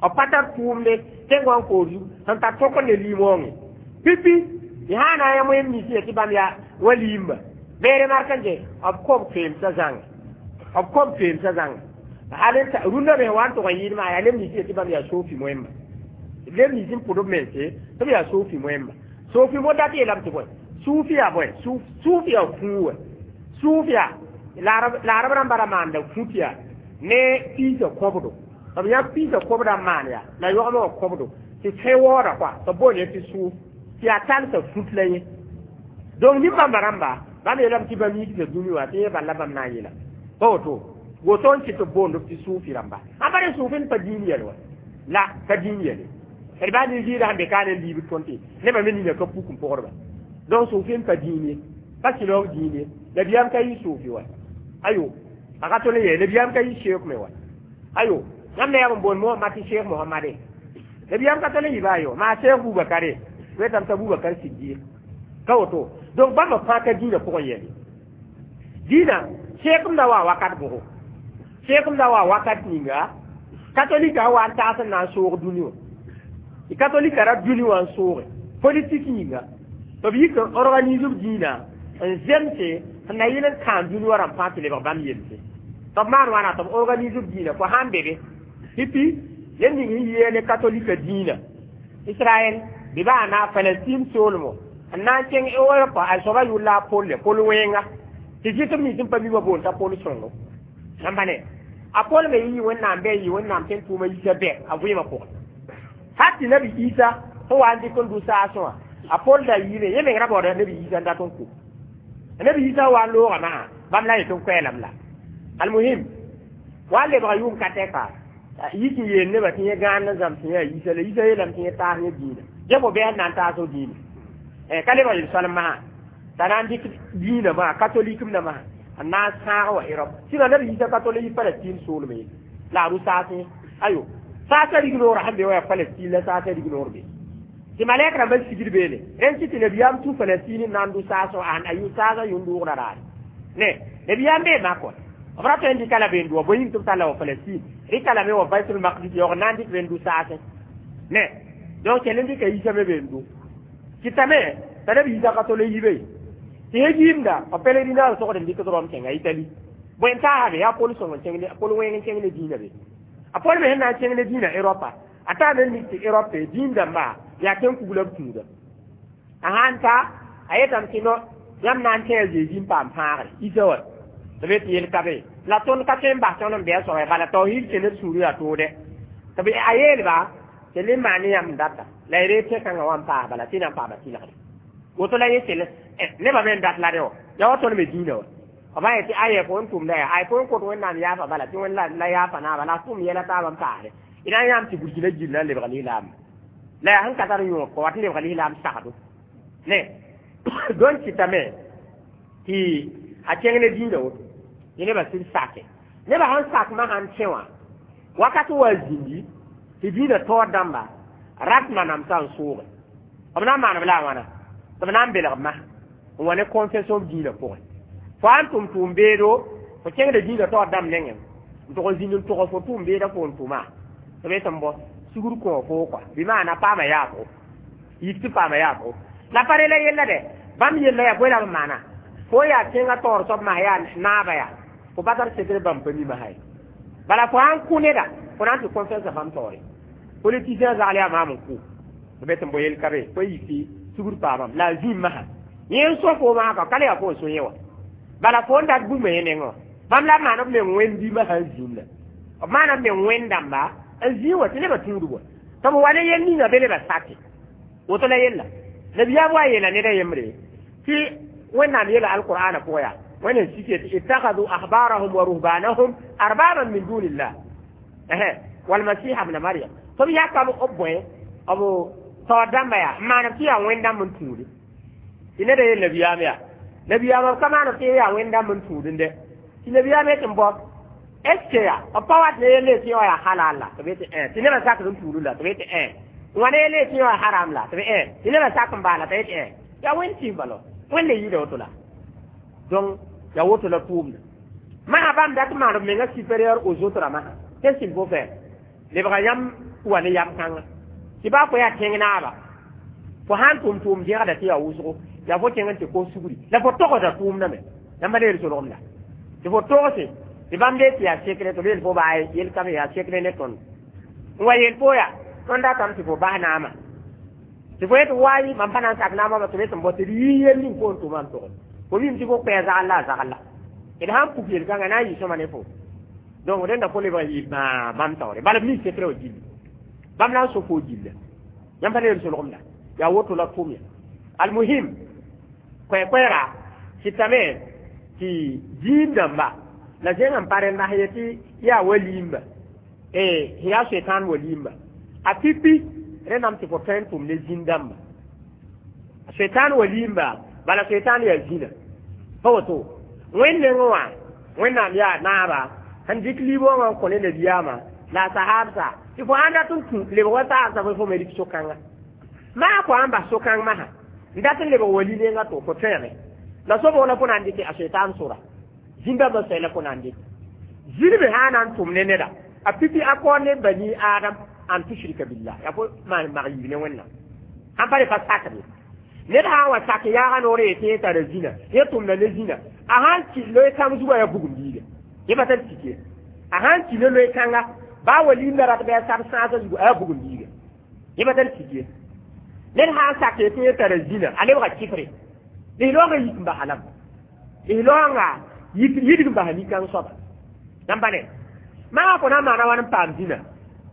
b pa tar tʋʋmde sẽn wa n koor zugu sẽn tar tõk ne limoongẽ pipi tɩ sã na n yã wẽnd misi tɩ bãmb yaa waliyimba beere mark n je b kob toeemsã zãnga b kob toeemsã zãnga hal rũndã me wa n tʋg n yɩɩd maa yaa neb nins tɩ bãmb yaa sofi moẽmba neb nins n pʋd b mense tɩ b yaa sofi moẽmba sofi mo dat yeelame tɩ bõe suufi yaa bõe suuf yaa fũu wã suuf yaa laarb rãmba ra maanda fut yaa ne piisã kõbdo b yãk piisã kõbda n maan yaa la yogmã wã kõbdo tɩ fẽ waooda koa tɩ b boond tɩ suuf tɩ yaa talsã fut la yẽ donc nin-bãmba rãmba bãmb yeelame tɩ bãmb yiksa dũni wã tɩ yẽ bala bãmb na n yeela pa woto woto n kɩt b boond tɩ suufi rãmba ã pa re suufi n pa dĩin yɛl wa la ka dĩin yɛle d baa nin-zɩɩda sẽn be ka ne liibd tõnd tɩ nebã me nina ka puk n pʋgdba donc suufi n pa dĩin ye pa sɩlaoog dĩin ye nabiyaam ka yɩ suufi wa ayo a ka tol n yee nabiyaam ka yɩ sheek me wa ayo yãmb na yaa n boond Mohamad tɩ sheekh Mohamade nabiyaam ka tol n yɩ ba ayo maa sheekh Bubakare wetame t'a Bubakar Siddiq ka woto donc bãmba fãa ka dĩinã pʋgẽ yɛle dĩinã sheekemda wa wakat bʋgo sheekemda wa wakat ninga katolika wa n taas n na n soog dũni wã tɩ katolika ra dũni wã n sooge politik yĩnga tɩ b yik n organise b dĩinã n zemse sẽn na yɩl n kãan dũni wã rãmb fãa tɩ lebg bãmb yelse tɩ b maan wãna tɩ b organise b dĩinã fo sãn be be pipi ned ning sẽn yɩ ne katolika dĩinã Israɛl bɩ baa na Palestine soolmo n na n kẽng Europe a soaba yʋʋr la a Pol Pol wẽnga tɩ zɩtb nins n pa mi wã boond t'a Pol sõngo yãmba ne a Pol me yɩ Wẽnnaam bɩ a yɩ Wẽnnaam sẽn tʋʋma yisa bɛ a vɩɩmã pʋgẽ hal tɩ nabi Isa sẽn wa n dɩk n dʋ saasẽ wã a Pol da yɩɩme yẽ meng ra baooda nabi Isa n dat n kʋ nabi Isa wa n looga masã bãmb la yetɩ n koɛɛlame la almuhim wa n lebga yʋʋm ka tɛka yik n yeel nebã tɩ yẽ gãand n zãms yã Isa la Isa yeelame tɩ yẽ taas yẽ dĩinã dẽ fo bɩ n na n taas f dĩinã ka lebg yel-soalem masã t'a na n dɩk dĩinã maa katolikemdã masã N na n sãag wa Europe sɩda neb yiisa ka tol yi Palestine soolme ye la a rʋ-saasẽ ayo saasã rignoorã sẽn be wa yaa Palestine la saasã rignoor be tɩ malɛk rãmbã sigd beene rẽnd tɩ tɩ nabiyaam tu Palestine n na n dʋ saasẽ a yʋ saasã yũn-dʋʋgrã raare ne nabiyaam bee mak wã b ra tõe n dɩka la been dʋ bõe yĩng tɩ b talla wa Palestine rɩka lame wa Baitul Maqdis yaoog n na n dɩk been dʋ saasẽ ne donc kell n dɩka yiisã me been dʋ kɩtame t'a neb yiisã ka tol n yibe tɩ yẽ yiimda b pèlerinage togd n dɩkd Rom kẽnga Itali bõe n taasa be yaa Pol sõng n kẽng Pol wẽng n kẽng ne dĩinã be a Pol me sẽn na n kẽng ne dĩinã Europa a taa me n mik tɩ Europe dĩin dãmba yaa tẽn kugla b tũuda a sãn ta a yetame tɩ no yãmb na n tẽ a Zezi n paam fãagre isa wa tɩ be tɩ yel ka be la tõnd ka tõe n bas tõnd n bɩ a soaba bala tawhid kẽ ned sũurã yaa toode tɩ b a yeelba tɩ le maan ne yãmb data la y reeg tẽ-kãngã wa n paas bala tɩ na n paama tɩlgre woto la yẽ kell nebã me n dat la rẽ wã yaa wa tõnd me dĩinã wa b a yetɩ aya fo n tʋmda yaa ay fo n kõt Wẽnnaam yaafa bala tɩ wẽnd la yaafa naaba la a tʋm yɛla taabã n paasde d na n yãam tɩ burkina gil la n lebg lislaam la yaa sẽn ka tar yõog kɔ wat n lebg lislaam sagdo ne donc kɩtame tɩ a kẽng ne dĩinã woto tɩ nebã sɩd sake nebã sẽn sak masã n kẽ wã wakat wa zĩndi tɩ dĩinã taoor dãmba rat manamsã n sooge b na n maan b la a wãna tɩ b na n belg masã n wa ne confession dĩinã pʋgẽ fo sãn tʋm tʋʋm beedo fo kẽngda dĩinã taoor dãmb nengẽ n tʋg n zĩnd n tʋgs fo tʋʋm beedã fo n tʋma tɩ be tɩ n bɔ sugr kõ fo kɔa bɩ maana paama yaafgo yik tɩ paama yaafgo la pa re la yella dɛ bãmb yella yaa bõe la b maana fo yaa tẽngã taoor soab masã yaa naaba yaa fo pa tar sekr bãmb pa mi masã ye bala fo sãn kʋ neda fo na n tɩ confiance bãmb taoore politicien zagl yaa maam n kʋ tɩ be tɩ n bɔ yel ka be fo yik tɩ sugr paamam la a zĩim masã yẽ n so fo masã ka ka le yaa fo n so yẽ wã bala fo n dat bũmba yẽ nengẽ wã bãmb la b maan b meng wẽnd masã n zĩim la b maana b meng wẽnd dãmba n zĩig wa tɩ nebã tũudb wa tɩ b wa ne yel ninga be nebã sake woto la yella nabiyaam wa yeela ned a yembre tɩ Wẽnnaam yeela alqur'ana pʋgã yaa wẽnd n sik yetɩ ittakhadhu ahbarahum wa ruhbanahum arbaban min dunillah walmasiha bna Maryam tɩ b yaka b bõe b taoor dãmba yaa n maan tɩ yaa wẽnd dãmb n tũude tɩ neda yel nabiyaam yaa nabiyaam b ka maan tɩ yaa wẽnd dãmb n tũudende tɩ nabiyaam yetɩ n bao est ce que yaa b pa wat ne yelle tɩ yaa halal la tɩ b yetɩ ẽ tɩ nebã sakd n tuudẽ la tɩ b yetɩ ẽ wã ne yelle tɩ yaa haram la tɩ b ẽ tɩ nebã sak n baa la tɩ yetɩ ẽ yaa wẽnd tɩ balo wẽnd le yɩɩda woto la donc yaa woto la tʋʋmda masã bãmb dat maan b menga supérieur aux autres masã qu'est-ce qu'il faut faire lebga yãmb wa ne yam kãnga tɩ baa fo yaa tẽng naaba fo sãn tʋm tʋʋm zẽgda tɩ yaa wʋsgo yaa fo kẽng n tɩ kos sugri la fo togsda tʋʋmdame yãmba le yel-solgemda tɩ fo togse tɩ bãmb dee tɩ yaa sekre tɩ b yel fo baa yel kame yaa sekre ne tõnd n wa yel fo yaa tõnd datame tɩ fo bas naamã tɩ fo yetɩ waayi mam pa na n sak naamã tɩ b yetɩ n bao tɩ d yii yel ning fo n tʋma n togl fo mim tɩ fo kpɛɛ zagl la a zagl la d sãn puk yel-kãngã na n yɩ sõma ne fo donc rẽnda fo lebg n yɩ bãa bãmb taoore bala b mi sekre wã gilli bãmb na n so fo gilla yãmb pa le yel-solgemda yaa woto la tʋm ya almuhim koɛ-koɛɛga kɩtame tɩ diin dãmba la zẽng n pa rẽnda sẽn yetɩ yaa waliimba yaa setan waliimba a pipi rẽndame tɩ fo tõe n tʋm ne zĩn dãmba setan waliimba bala setan yaa zĩna pa woto wẽnd nengẽ wã Wẽnnaam yaa naaba sẽn dɩk liibã wã n kõ ne nabiyaamã la a sahaabsa tɩ fo sãn dat n tũ lebg wa sahabsã fo fo me rɩk so-kãnga maa fo sãn bas so-kãng masã n dat n lebg wali nengã to fo tõege la sobg la fo na n dɩke a setan sora zĩn-dãmbã soay la fo na n dɩk zĩrbe sã na n tʋm ne neda a pipi a kaoor ne bani Adam an tushrika billah ya fo maan mag yiib ne Wẽnnaam sãn pa re pa sakd ye ned sã n wa sak yaaga noor yetɩ yẽ tara zĩna yẽ tʋmda ne zĩna a sãn ki loe kãng zugã yaa bugum biiga yẽ pa tar tik ye a sãn ki ne loe kãnga baa wa liimda rat bɩ a sab sãasã zugu a yaa bugum biiga yẽ pa tar tik ye ned sã n sak yetɩ yẽ tara zĩna a lebga kifre lislaoongã yik n basa lame lislaoongã yidg n basa nin-kãng soaba yãmb pa ne maa fo na n maana wãn n paam zĩna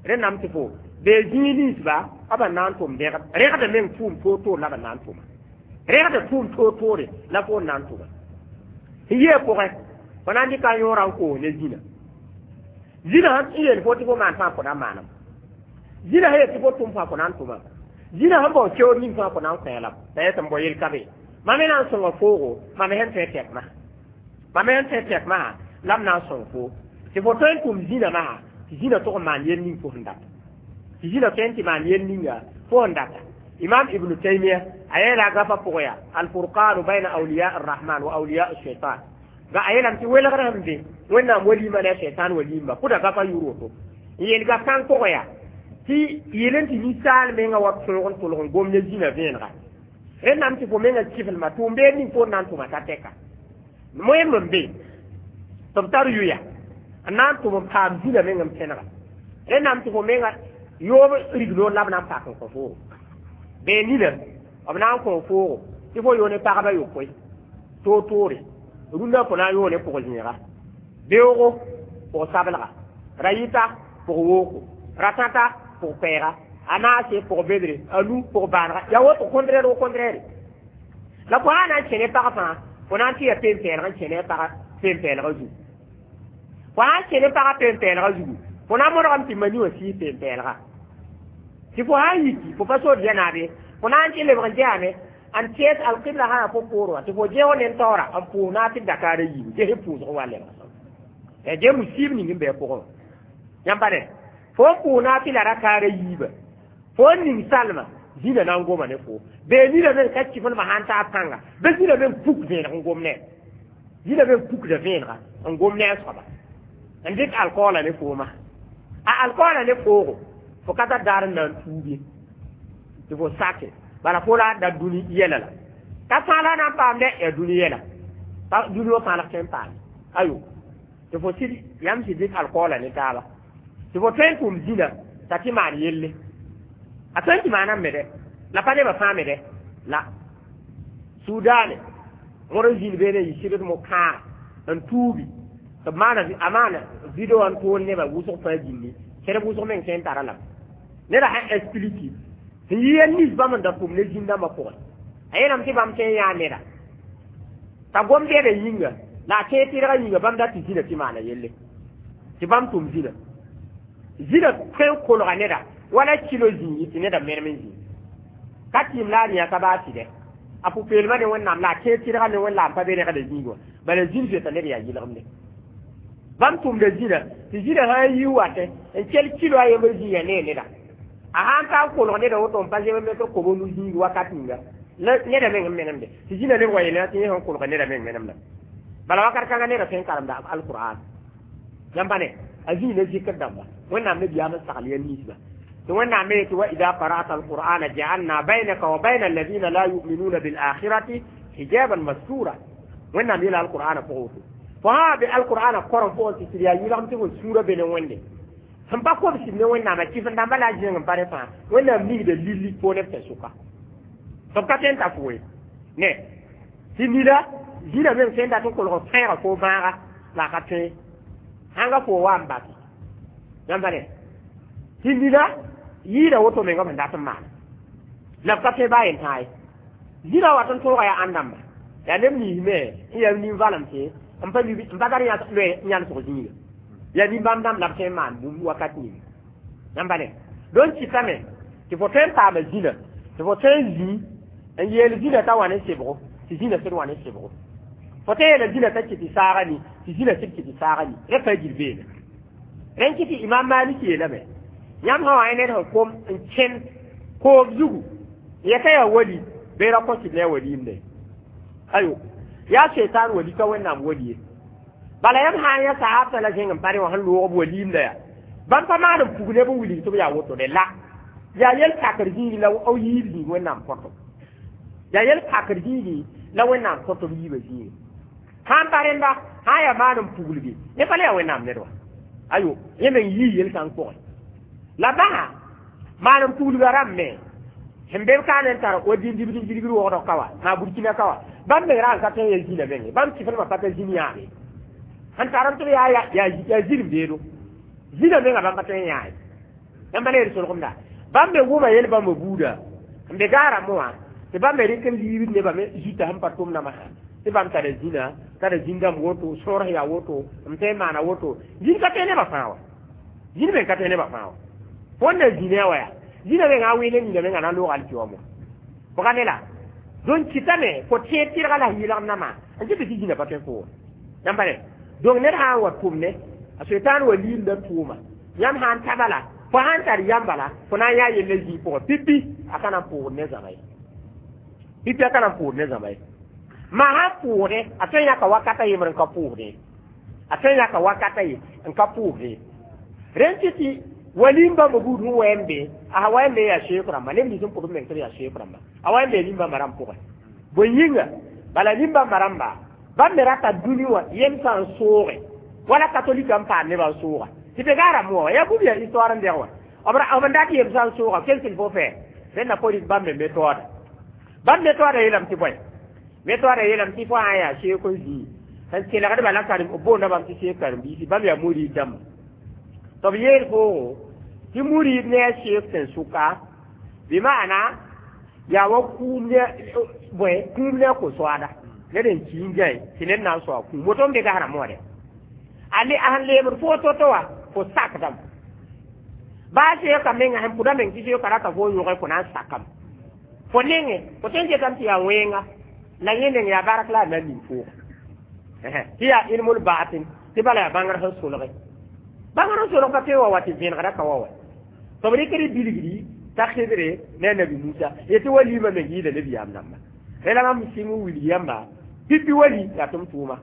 rẽnname tɩ fo bee zĩig ninsba b na n tʋm rẽgd rẽgda meng tʋʋm toor-toor la b na n tʋma rẽgda tʋʋm toor-toore la fo n na n tʋma sẽn yee pʋgẽ fo na n dɩka a yõorã n koos ne zĩna zĩna sẽn yeel fo tɩ fo maan fãa fo na n maanam zĩna sẽn yet tɩ fo tʋm fãa fo na n tʋmam zĩna sẽn bao keoor ning fãa fo na n kõ lame la yetɩ n bao yel ka be mam me na n sõnga foogo mam sẽn tõe tɛk masã Mam n tẽ tɛk masã la m na n sõng fo tɩ fo tõe n tʋm zĩnã masã tɩ zĩnã tʋg n maan yel ning fo sẽn data tɩ zĩnã tõe n tɩ maan yel ninga fo sẽn data. Imam Ibnu Taymia a yeela gafa pʋgẽ yaa alfurqanu bayna awliya arrahman wa awliya shaitan ga a yeelame tɩ welgr sẽn be Wẽnnaam waliimã ne a shaitan waliimba pʋda gafa yʋr woto n yeel gaf kãng pʋgẽ yaa tɩ yel n tɩ ninsaal menga wa tõog n tʋlg n gom ne zĩnã vẽenega rẽnnam tɩ fo menga kiflma tʋʋm-beed ning fo n na n tʋma t'a tɛka moẽm n be tɩ b tar yʋya n na n tʋm n paam zĩnã meng n pẽnega rẽnnam tɩ fo menga yoob rignoor la b na n pak n kõ foogo bee nina b na n kõ foogo tɩ fo yo ne pagba yopoe toor-toore rũndã fo na n yoo ne pʋg-zẽega beoogo pʋg-sablga ra yɩta pʋg-wooko ra tãta pʋg-koɛɛga a naase pʋg-bedre a nu pʋg-baanega yaa woto contraire wo contraire la fo sã na n kẽ ne pag fãa fo na n tɩ ya peen-pɛɛlg n kẽ ne a pagã peen-pɛɛlgã zugu fo sã n kẽ ne pagã peen-pɛɛlgã zugu fo na n modgame tɩ mani wã sɩɩs peen-pɛɛlga tɩ fo sã n yiki fo pa sor zɛ-naabe fo na n tɩ lebg n zɛame n tẽes alqibla sã fo poor wã tɩ fo ges ne taoora n pʋʋs naag tɩ dakaara yiibu ges pʋʋsg wa lebg ya ges musiib ning n bɩ a pʋgẽ wã yãmb pa ne fo n pʋʋs naag tɩ la rakaara yiiba fo n ning salma zĩnã na n goma ne fo bee nina me ka kiflmã sãn taa pãnga bɩ zĩnã me n puk vẽeneg n gom ne zĩnã me n pukda vẽenega n gom ne a soaba n dɩk alkoola ne fooma a alkoola ne foogo fo ka tar daar n na n tuub ye tɩ fo sake bala fo la da dũni yɛla la ka fãa la na n paam dɛ yaa dũni yɛla dũni wã fãa la tõe n paame ayo tɩ fo sɩd yãmb sɩd dɩk alkoola ne taaba tɩ fo tõe n tʋm zĩnã t'a tɩ maan yelle a tõe n tɩ maaname me dɛ la pa nebã fãa me dɛ la Sudaane wõr n zĩnd beene n yɩ sɩbd mo-kãaga n tuubi tɩ b maana a maana video n tool nebã wʋsg fãa gilli kẽrb wʋsg meng tõe n tara lame neda sãn explique sẽn yi ya nis bãmb n da tʋm ne zĩn-dãmbã pʋgẽ a yeelame tɩ bãmb tõe n yãa neda t'a gom bɛda yĩnga la a tẽeg tɩrgã yĩnga bãmb dat tɩ zĩnã tɩ maana yelle tɩ bãmb tʋm zĩnã zĩnã tõe n kolga neda wala kilo zĩigi tɩ neda merem n zĩig ka tɩɩm la a rĩa ka baa tɩdɛ a pʋ-peelmã ne Wẽnnaam la a tẽeg tɩrgã ne Wẽnnaam pa be rẽgda zĩig wã bala zĩn zoeta ned yaa yɩlgemde bãmb tʋmda zĩnã tɩ zĩnã sã n yi watẽ n kell kilo a yembr zĩiga nee neda a sã n ka n kolg neda woto n pa zem metr kobo nu zĩig wakat ninga neda meng n menemde tɩ zĩnã leb wa yeelã tɩ yẽ sẽn kolga neda meng menemda bala wakat kãngã neda tõe n karemda alqur'an yãmb pa ne a zĩig ne zikr dãmba Wẽnnaam ne biyaam n sagl ya ninsba tɩ Wẽnnaam me tɩ wa ida qara'ta alqur'ana ja'alna baynaka wa bayna alladhina la yu'minuna bil akhirati hijaban mastura Wẽnnaam yeela alqur'ana pʋgẽ woto fo sã be alqur'ana korem pʋgẽ tɩ sɩd yaa yɩlgem tɩ fo sũurã be ne Wẽnde sẽn pa kobsd ne Wẽnnaamã kɩf-n dãmba la a zẽng n pa rẽ fãa Wẽnnaam nigda lilli fo neb tɩ sʋka tɩ b ka tõe n ta fo ye ne tɩ nida zĩnã meng tõe n dat n kolg n fẽega fo bãaga la a ka tõe sãnga fo wa n bas yãmb pa ne tɩ nina yɩɩda woto menga sẽn dat n maan la b ka tõe baa yen tãa ye zĩnã wat n tõoga yaa ãn-dãmba yaa neb nins me n yaa nin-valem tɩ n pa n pa tar loe n yãlsg zĩiga yaa nin-bãmb dãmb la b tõe n maan bũmb wakat ning yãmb pa ne donc kɩtame tɩ fo tõe n paama zĩnã tɩ fo tõe n zĩ n yeel zĩnã t'a wa ne sebgo tɩ zĩnã sẽd wa ne sebgo fo tõe n yeela zĩnã t'a kɩ tɩ saaga ni tɩ zĩnã sẽd kɩ tɩ saaga ni rẽ pa gil beene rẽn kɩ tɩ Imam Malik yeelame yãmb sã wa ned sẽn kom n kẽnd koom zugu yɛta yaa wali bee ra kõ tɩ ne a waliimde ayo yaa shaitan wali ka Wẽnnaam wali ye bala yãmb sã n yã sahabtã la zẽng n pa rẽ wã sẽn loog b waliimda yaa bãmb pa maan n pug neb n wilg tɩ b yaa woto de la yaa yel pakr zĩigi la b yiib zĩig Wẽnnaam kõto yaa yel pakr zĩigi la Wẽnnaam kõto b yiibã zĩigi sã n pa rẽnda sã n yaa maan n puglge ne pa le yaa Wẽnnaam ned wa ayo yẽ meng yii yel-kãng pʋgẽ la basa maan n puglga rãmb me sẽn be b kaan n tar wa dĩn-dibd n gilgd wogdg ka wa maa Burkina ka wa bãmb meng ra n ka tõe n ya zĩnã menge bãmb kɩflmã pa ta zĩn yãame sẽn tar n tɩ b yaa yaa zĩrb deedo zĩnã menga bãmb pa tõe n yãa ye yãmb pa le yel solgemda bãmb me wʋma yel bãmba buuda n be gaara wã tɩ bãmb me rɩk n liibd nebã me zuta sẽn pa tʋm namsã tɩ bãmb tara zĩnã tara zĩn-dãmb woto sõors yaa woto n tõe n maana woto zĩn ka tõe nebã fãa wa zĩn meng ka tõe nebã fãa wa fõn na zĩnã wa yaa zĩnã mengã a wɩɩl nina menga na n loog alkiwã mo bga ne la donc kɩtame fo tẽed tɩrga la yɩlgem namã n kɩ tɩ tɩ zĩnã pa tõe fo Yãmb pa ne donc ned sã n wa tʋm ne a soetaan wa liimda tʋʋma yãmb sã n ta bala fo sãn tar yam bala fo na n yaa yella zĩig pʋgẽ pipi a ka na n pʋʋgd ne zãma ye pipi a ka na n pʋʋgd ne zãma ye ma sãn pʋʋgdẽ a tõe n yãka wakata yembr n ka pʋʋsdẽ a tõe n yãka wakata ye n ka pʋʋsdẽ rẽnd tɩ tɩ walim bãmba buud sẽn wa n be a wa n be yaa seek rãmba neb nins n pʋd b meng tɩ b yaa seek rãmba a wa n be nin-bãmba rãmb pʋgẽ bõe yĩnga bala nin-bãmba rãmba bãmb me rata dũni wã yemsã n sooge wala katolik n paam nebã n sooga tɩ be gaa rãmb wã yaa bũmb yaa histoire n dɛg wã b n dat yemsã n sooga qu'est-ce qu'il faut faire rẽnda fo rɩk bãmb me méthode bãmb méthode yeelame tɩ bõe méthode yeelame tɩ fo sã n yaa seek n zĩig sẽn kelgdba la karen b boonda bãmb tɩ seek karen-biisi bãmb yaa murid dãmba tɩ b yeel foogo tɩ murid ne a seek sẽn sʋka bɩ maana yaa wa kũum ne bõe kũum ne a ko-soaada ned n ki n gãe tɩ ned na n soa kũum woto n be gas rãmb wã dɛ a le a sẽn leebd fo to-to wã fo sakdame baa seeka menga sẽn pʋda meng tɩ seoka rata fo yõge fo na n sakame fo nengẽ fo tõe n getame tɩ yaa wẽnga la yẽ neng yaa bark la a na n ning fooga tɩ yaa ilmul baatin tɩ bala yaa bãngr sẽn solge bãngr sẽn solg pa tõe wa wa tɩ vẽnegra ka wa wa tɩ b rɩkd bilgdi t'a Khidre ne a nabi Musa yetɩ wa lima meng yɩɩda nabiyaam dãmba rẽ la mam sɩng n wilg yãmba pipi wali yaa tʋm tʋʋma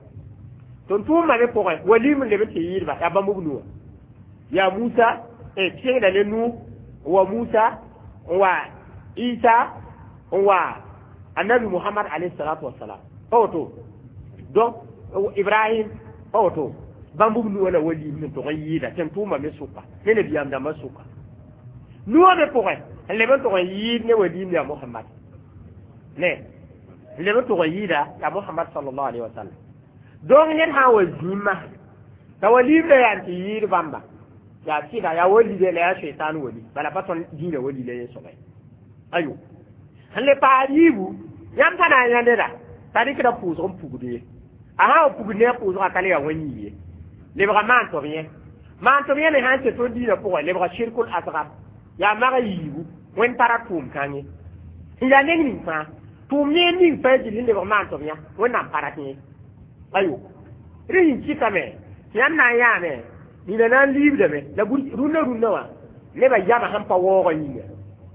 tʋm tʋʋmã me pʋgẽ walim n leb n tɩ yɩɩdba yaa bãmb b nuwã yaa Musa kẽngda ne Nu wa Musa n wa Isa n wa annabi Muhammad alayhi salatu wassalam pa woto donc Ibrahim pa woto bãmb b nuwã la walim sẽn tʋg n yɩɩda tɩ n tʋʋma me sʋka ne nabiyaam dãmbã sʋka nuwã me pʋgẽ n leb n tʋg n yɩɩd ne walim yaa Muhammad ne n leb n tʋg n yɩɩda yaa Muhammad sallallahu alaihi wasallam donc ned sã n wa zĩma t'a walim la yaa n tɩ yɩɩd bãmba yaa sɩda yaa wali la yaa shaitan wali bala pa tõnd dĩinã wali la yẽ soaba ayo sẽn le paas yiibu yãmb pa na n yã neda t'a rɩkda pʋʋsg n pugd ye a sã n wa pugd ne a pʋʋsgã ka le yaa wã-yĩng ye lebga maan tɩ b yẽ maan tɩ b yẽ me sã n tɩ tõnd dĩinã pʋgẽ lebga shirkul asgar yaa maga yiibu wẽnd pa ra tʋʋm kãngẽ n yaa neng ning fãa tʋʋm neer ning fãa gill n lebg maan tɩ b yã wẽnnaam pa rat yẽ ayo rẽ sẽn kɩtame tɩ yãmb na n yaame nina na n liibdame la rũnnã rũnnã wã nebã yama sẽn pa waoogã yĩnga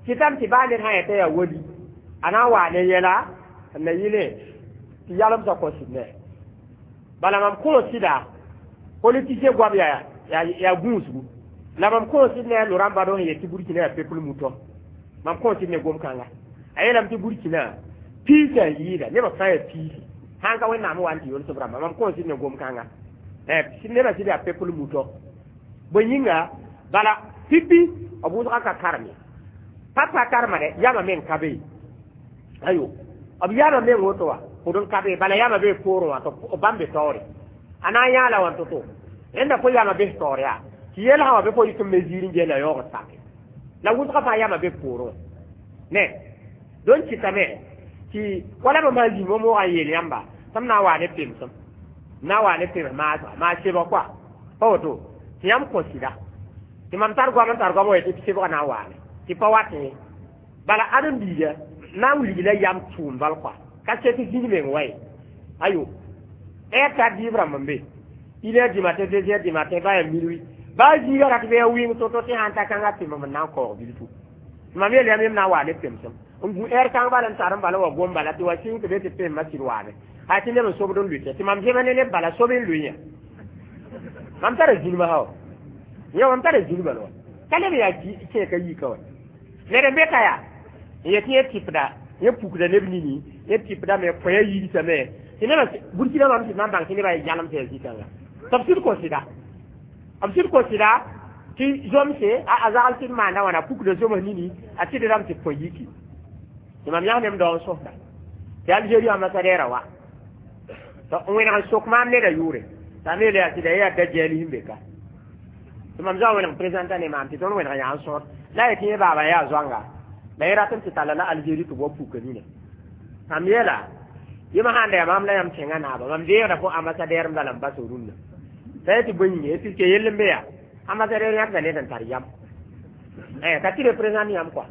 kɩtame tɩ baa ned sã yetã yaa wali a na n waa ne yɛla n na yɩle tɩ yalemsã kõ sɩd ne bala mam kõ sɩda politicien goam yaa yaa gũusgu la mam kõ sɩd ne a Laurent Gbagbo sẽn yet tɩ Burkina yaa peuple mouton mam kõ sɩd ne gom-kãnga a yeelame tɩ Burkina piisã n yɩɩda nebã fãa yaa piisi sãn ka wẽnnaam wa n tɩ yolsb rãmba mam kõ sɩd ne gom-kãnga nebã sɩd yaa peuple mouton bõe yĩnga bala pipi b wʋsga ka karem ye pa pa karema dɛ yama meng ka be ayo b yama meng woto wa pʋd n ka be bala yama bee poorẽ wã tɩ b bãmb be taoore a na n yãala wã to-to rẽnda fo yama bes taoor yaa tɩ yelsã wã be fo yik n me ziir n gella yaoog sake la wʋsga fãa yama be poorẽ wã ne donc kɩtame tɩ wala bãmb sã zĩig moogã n yeel yãmba tɩ m na n waa ne pemsem n na n waa ne pems maasga maa sebg koa pa woto tɩ yãmb kõ sɩda tɩ mam tar goam n tar goam wa tɩ sebgã na n waame tɩ pa wat ye bala ãdem-biiga na n wilg la yam tʋʋm bal koa ka sɛ tɩ zĩig meng wa ye ayo heure tar dɩɩb rãmb n be une heure du matin deux heures du matin ba yaa minuit baa zĩiga rat bɩ yaa wɩng to-to tɩ sãn ta kãngã pemem n na n kaoog bilfu mam yeel yãmb yem na n waa ne pemsem n gũ heure kãng bala n tar n bala wa gom bala tɩ wa sɩng tɩ be tɩ pemma sɩd waame hay tɩ neb n sobd n lʋɩtɛ tɩ mam zẽma ne neb bala sob n lʋɩ yã mam tara zĩnma sã wa yã mam tara zĩnma wa ka leb yaa kẽeka yika wa ned n be ka yaa n yet yẽ tɩpda yẽ pukda neb nini yẽ tɩpdame kõya yigsame tɩ nebã Burkina mam tɩ mam bãng tɩ nebã yãlem tɩ yaa zĩ-kãnga tɩ b sɩd kõ sɩda b sɩd kõ sɩda tɩ zomse a zagl tɩ d maanda wãna pukda zoms nini a tɩdrame tɩ kõ yiki tɩ mam yãs nem dao n sõsda tɩ Algérie ambassadeur wa n wẽneg n sok maam neda yʋʋre t'a me yaa sɩda yaa da-jɛɛl sẽn be ka tɩ mam zã wẽneg présentant ne maam tɩ tõnd wẽneg yaa n sõd la yetɩ yẽ baaba yaa zoanga la yẽ rat n tɩ talla la Algérie tɩ b wa puka nina mam yeela yẽma sãn da yaa maam la yãmb tẽngã naaba mam deegda fo ambassadeur n bala n bas rũnnã t'a yetɩ bõe yĩnga puisque yell n be yaa ambassadeur yãkda ned n tar yam ka tɩ représente yãmb kɔa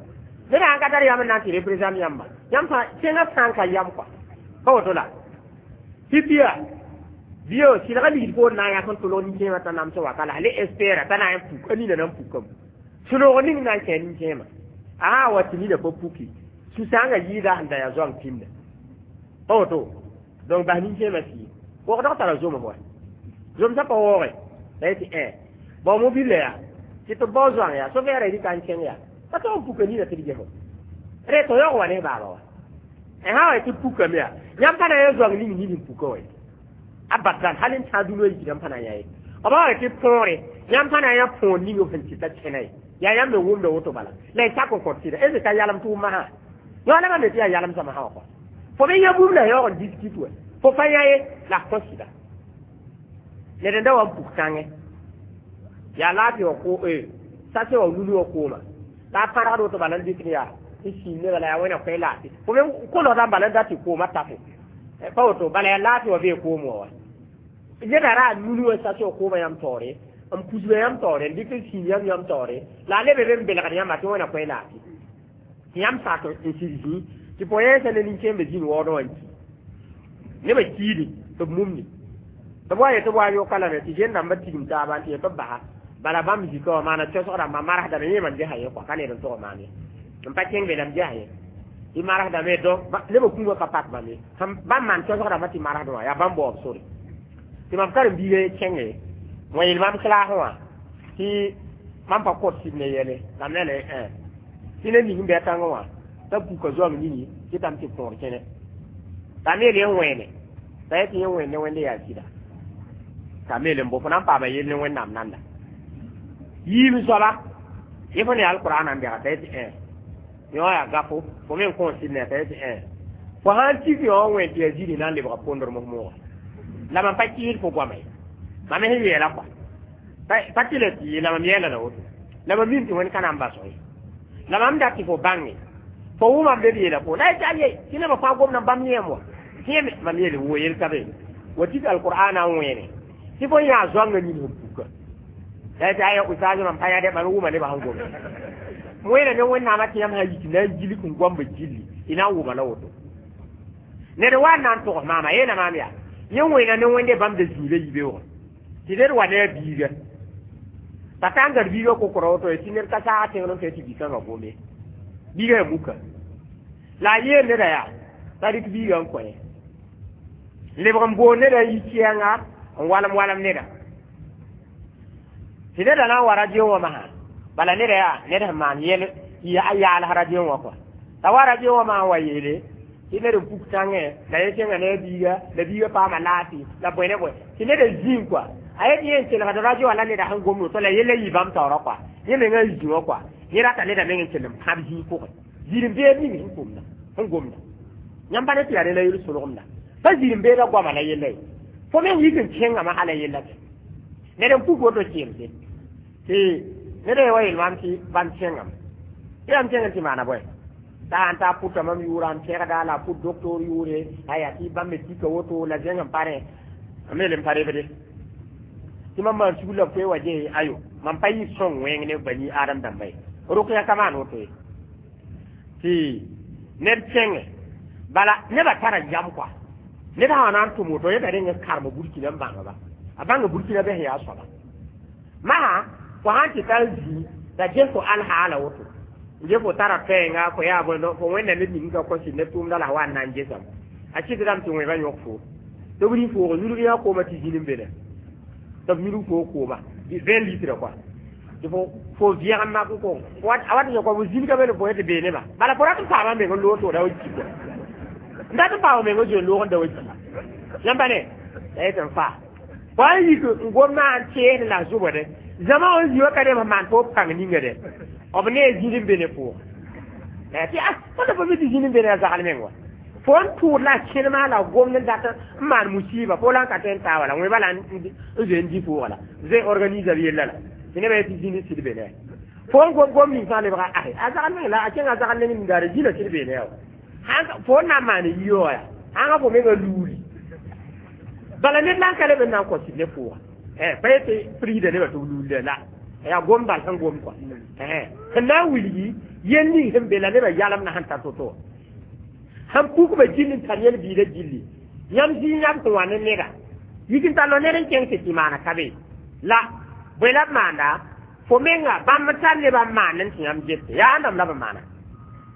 ned sãn ka tar yam n na n tɩ représente yãmba yãmb fãa tẽngã sã n ka yam kɔa pa woto la pipiya Bio silga ligd poor na n yak n tʋlg nin-kẽemã t'a namsẽ wa ka la le espéra t'a na n puk a nina na n pukame sũ-noog ning na n kẽ nin-kẽemã a wa tɩ nina pa puki sũ-sãangã yɩɩda sẽn da yaa zoang pĩnda pa woto donc bas nin-kẽemã sɩɩ wogdg tara zomf wa zomsã pa waooge la yetɩ ẽ bao mobile yaa tɩ tɩ bao zoang yaa sofɛɛra rɩka n kẽng yaa pa tog n puka nina tɩ d ges re tɩ yaoog wa ne baaba wa sã wa tɩ pukame yaa yãmb pa na n zoang ning nin sẽn puka wa abadan hal n tã dũniyã yikdã pa na n yaa ye b wa tɩ põore yãmb pa na n yaa põor ning b sẽn tɩ ta kẽna ye yaa yãmb me wʋmda woto bala la y sak n kõt sɩda est ka yalem tʋʋm masã yõ la me tɩ yaa yalem sã masã wã kɔ fo me yã bũmb la yaoog n diskit wa fo pa yã ye la f kõ sɩda ned n da wa n puk tãngẽ yaa laafɩ wã ko sase wã nunu wã kooma la a pãrgd woto bala n dɩk n yaa n sĩim nebã la yaa wẽna koe laafɩ fo me kolgdã bala n dat tɩ koomã tafe pa woto bala yaa laafɩ wã bee koom wã wa neda ra a nunu wã sase wã koomã yãmb taoore n pusga yãmb taoore n dɩk n sĩim yãmb yãmb taoore la a lebe be n belgd yãmba tɩ wẽna koe laafɩ tɩ yãmb sak n sɩd zĩ tɩ pʋ yẽesa ne nin-kẽembã zĩnd waoodẽ wã n ki nebã kiidi tɩ b mumni tɩ b wa yetɩ b wa yoka lame tɩ zẽn rãmbã tigim taaba n tɩ yetɩ b basa bala bãmb zika wã maana cosg rãmbã marsdame yẽ mam gesa ye kɔa ka ned n tog maan ye n pa kẽng be la m gesa ye tɩ marsdame donc nebã kũumã ka pak bãmb ye bãmb maan cosg rãmbã tɩ marsdẽ wã yaa bãmb baoob sore tɩ mam karen-biiga kẽnge wã yeel mam klaasẽ wã tɩ mam pa kõt sɩd ne yɛle la m ne le tɩ ned ning n bɩ a tãngẽ wã t'a puka zoang nini tɩ tame tɩ põor kẽne t'a me yeel yẽ wẽene t'a yetɩ yẽ wẽnd ne wẽnde yaa sɩda t'a me yeel n bo fo na n paama yell ne wẽnnaam nanda yiim soaba yẽ fo ne alqur'an n bɛga t'a yetɩ ẽ yõ yaa gafo fo me n kõo sɩd ne t'a yetɩ ẽ fo sãn tik yõ wẽnd tɩ yaa zĩri na n lebga pondr mos mooga la mam pa kɩɩd fo goama ye mam sẽn yeela kɔa pa tɩ la tɩ ye la mam yɛɛla la woto la mam mim tɩ wẽnd ka na n baso ye la mam dat tɩ fo bãnge fo wʋmam be b yeela fo la yetɩ aye tɩ nebã fãa gomdã bãmb yẽem wa yẽme mam yeele wo yel ka be wa tik alqur'ana n wẽene tɩ fo yãa zoangã nin sẽn puka la yetɩ aya ustaaz mam pa yã mam wʋma nebã sẽn gome wẽna ne wẽnnaamã tɩ yãmb sã yik na n gilg n goamba gilli y na n wʋma la woto ned wa n na n togs maama yeela maam yaa yẽ wẽna ne wẽnde bãmb da zĩiga yibeoogẽ tɩ ned wa ne a biiga pa ta n gad biiga kokora woto ye tɩ ned ka saag tẽngr n fɛ tɩ bi-kãngã gome biiga yaa muka la a yeel neda yaa t'a rɩk biiga n kõ ye lebg n boond neda n yi kɛɛnga n walem walem neda tɩ neda na n wa radio wã masã bala neda yaa ned sẽn maan yɛl a yaals radio wã kɔa t'a wa radio wã maan wa yeele tɩ ned n puk tãngẽ la yẽ kẽnga ne a biiga la biiga paama laafɩ la bõe ne bõe tɩ ned n zĩig kɔa a yet yẽ n kelgd radio wã la neda sẽn gomd woto la yella yɩ bãmb taoorã kɔa yẽ mengã n zĩ wã kɔa yẽ rata neda meng n kell n pãb zĩig pʋgẽ zĩr-n-beed ning sẽn komda sẽn gomda yãmb pa ne tɩ yaa rẽ la yel solgemda pa zĩr-n-beedã goama la yella ye fo meng yik n kẽngame hala yella tɩ ned n puk woto kɩɩmse tɩ ned wa yel maam tɩ bãmb kẽngame tɩ yãmb kẽng tɩ maana bõe t'a sãn ta pʋta mam yʋʋra n pẽgda la a pʋt doctor yʋʋre aya tɩ bãmb me tika woto la zẽng n pa rẽ a me le n pa rebde tɩ mam maan sugr la b koe wa ges ayo mam pa yɩ sõng wẽng ne bani adam dãmba ye rʋkya ka maan woto ye tɩ ned kẽngẽ bala nebã tara yam kɔa ned sã wa na n tʋm woto yẽta reng n karem burkina n bãngba a bãnga burkina bɩ sẽn yaa soaba masã fo sãn tɩ tar zĩ la ges fo alhaala woto n ge fo tara pɛɛnga fo yaa bõe fo wẽnna ned ning ka kõ sɩd ne tʋʋmda la wa n na n gesame a kɩtdame tɩ wẽba yõk fo tɩ b rɩ foog yulg yã kooma tɩ zĩn n be tɩ b yulg fo kooma vingt litre kɔa tɩ fo fo vẽgem mak n kõ a wat n fo zĩnga be ne fo tɩ bee nebã bala fo rat n paama meng n loog tɩ da wa ki kɔa n dat n paama meng n zoe loog n da wa ki yãmba ne la yetɩ n faa fo n yik n gom na n teesd la zʋbde zãma wã n zĩ wa ka rem maan fo pãng ninga dɛ b ne zĩnd n be ne pʋʋg tɩ a tõnd pa mi tɩ zĩnd n be ne a zagl meng wa fo n tʋʋd la a kẽnema la gomd n dat n maan musiba fo la n ka tõe n taa wala wẽba la n zoe n dɩ pʋʋga la zoe organisa b yella la tɩ nebã yetɩ zĩnd sɩd be ne fo n gom gom ning fãa lebga ahe a zagl meng la a kẽnga zagl neng ningaare zĩna sɩd be ne wa fo n na n maan yiyoog yaa ãnga fo menga luuli bala ned la n ka leb n na n kõ sɩd ne pʋʋga pa yetɩ prida nebã tɩ b luulda la yaa gom bal sẽn gom kɔa sẽn na n wilgi yel ning sẽn be la nebã yalem na sẽn tar to-to sẽn pukba gill n tar yel biida gilli yãmb zĩig yãmb sẽn wa ne neda Yikin talo ned n kẽng tɩ tɩ maana ka be la bõe la b maanda fo menga bãmb tar nebã n maan n tɩ yãmb gete yaa ãndame la b maana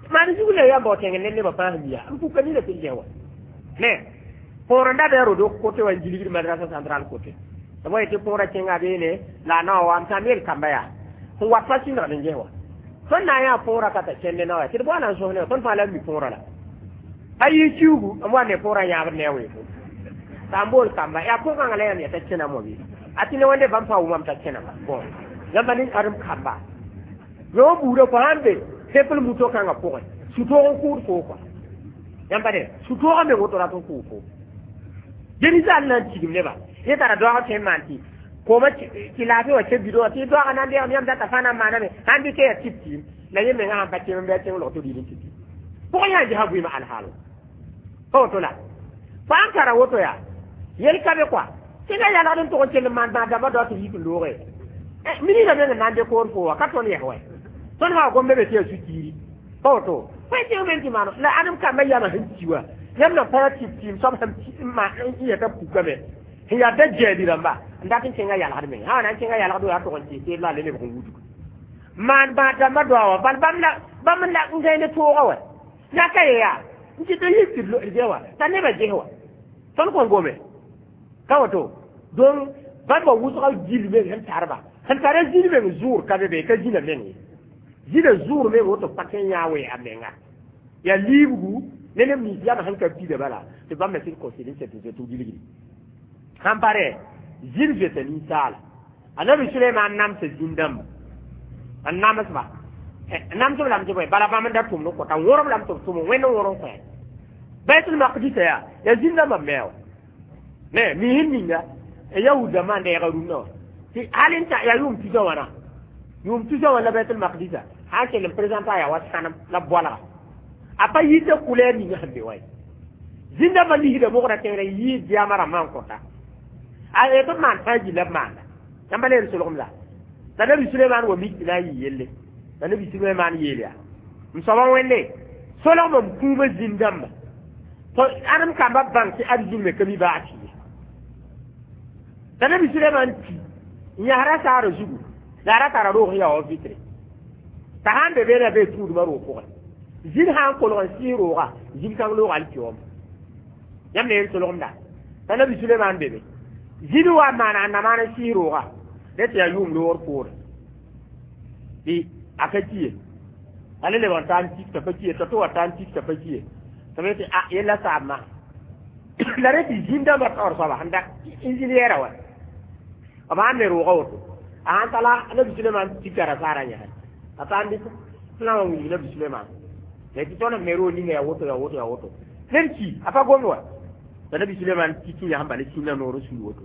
maan zug la yãmb bao tẽng ne nebã fãa sẽn ya n puka nina tɩ gɛ wa ne põor n da bɩ a rodo kote wa n gilgd madrasa central kote tɩ b wa yetɩ põora kẽnga beene la a nao wa m sã n yel kamba yaa sẽn wat fa sĩndgd n ges wa tõnd na n yaa põora ka ta kẽnde nao ya tɩ d boa na n sõs ne tõnd fãa la n mi põora la a yɩ kiugu n wa ne põora yãabd ne a weefo t'a n bool kamba yaa pʋgãngã la yãmb yɛta kẽnam wã bɩ a tɩ ne wẽnde bãmb fãa wʋmam t'a kẽnama bõn yãmba ne adem kamba yõ buudã fo sãn be tepl muto kãngã pʋgẽ sũ-toog n kʋʋd foo kɔa yãmba ne sũ-toogã me woto rat n kʋʋ fo dẽni zaal na n tigim neba yẽ tara doag tõe n maan tɩ kooma tɩ laafɩ wã ke bido wã tɩ doagã na n deegame yãmb data fãa na n maaname sãn dɩkɛ yaa tɩp tiim la yẽ mengã sãn pa kem n bɩ a kẽng log tɩ rɩɩd n tɩ tɩ pʋgẽ yã gesã vɩɩmã alhaal pa woto la fo sãn tara woto yaa yel ka be kɔa tɩ na yalgd n tʋg n kell n maan bãag dãmbã dao tɩ b yik n looge minida meng n na n de koor fo wa ka tõnd yɛs wɛ tõnd sã wa gomda be tɩ yaa su-kiiri pa woto fo y tẽng me tɩ maano la ãdem kambã yamã sẽn ki wa yãmb na pa tɩp tɩɩm soab sẽn n yɛta pukame sẽn yaa da jaali rãmba n dat n kẽnga yalgd meng sã wa na n kẽnga yalgd yaa tʋg n tɩ teed la a le lebg n wudg maan bãag dãmbã doa wã bal bãmb la bãmb la n gãe ne tooga wa yaka ye yaa n tɩ tɩ yik tɩ d wa t'a nebã ges wa tõnd kõn gome ka woto donc bãmba wʋsga gil meng sẽn tarba sẽn tara zĩn meng zʋʋr ka be be ka zĩna meng ye zĩna zʋʋr meng woto pa kẽ yã wee a menga yaa liibgu ne neb nins yama sẽn ka pida bala tɩ bãmb me sɩd considérer sẽn tɩ gilgdi sãn pare zĩn zoeta ninsaala anabi suleiman namsa zĩn-dãmba n namsba namsb lame tɩ bõe bala bãmb n da tʋmd n kõta wõrem lame tɩ b tʋm wẽnd n wõr n kõ baitul maqdisa yaa yaa zĩn-dãmbã me wa ne miisẽn ninga yahud dãmbã n deega rũnnã wã tɩ hal n yaa yʋʋm tusa wãna yʋʋm tusa wã la baitul maqdisa sã n kell n présenta yaa wa sãnem la boalga a pa yita couleur ninga sẽn be wa ye zĩn-dãmbã lisda mogra tẽngr n yɩɩd diamã rãmbã n kõta a tɩ b maan fãa gilla b maanda yãmba le solgem la la nabi suleiman wa mik tɩ na n yɩ yelle la nabi suleiman yeel yaa m soaba wẽnde solgmã m kũumã zĩn-dãmba tɩ ãdem kambã bãng tɩ ad zĩn me ka mi baas ye la nabi suleiman ti n yasra saara zugu la a ra tara roog sẽn yaa wa vitre t'a sãn be beene bee tũudmã roog pʋgẽ zĩn sã n kolg n sɩs rooga zĩn kãng loog alkiyoom yãmb le yel solgemda t'a nabi suleiman be be zĩn wa n maana a namaan n sɩs rooga rẽ tɩ yaa yʋʋm loogr poore tɩ a ka ki ye a le lebg n taa n tik t'a pa ki ye t'a tɩ wa taa n tik t'a pa ki ye tɩ b tɩ a yella saabmã la rẽ tɩ zĩn-dãmbã taoor soaba sẽn da ingénieur wa b sãn me rooga woto a sãn tala nabi suleiman tika rasaara yãse a taa n dɩk sẽn wa wilg nabi suleiman la tɩ tõnd me roog ninga yaa woto yaa woto yaa woto ned ki a pa gomd wa la nabi suleiman tik n yãsem bala sĩnda noor n sul woto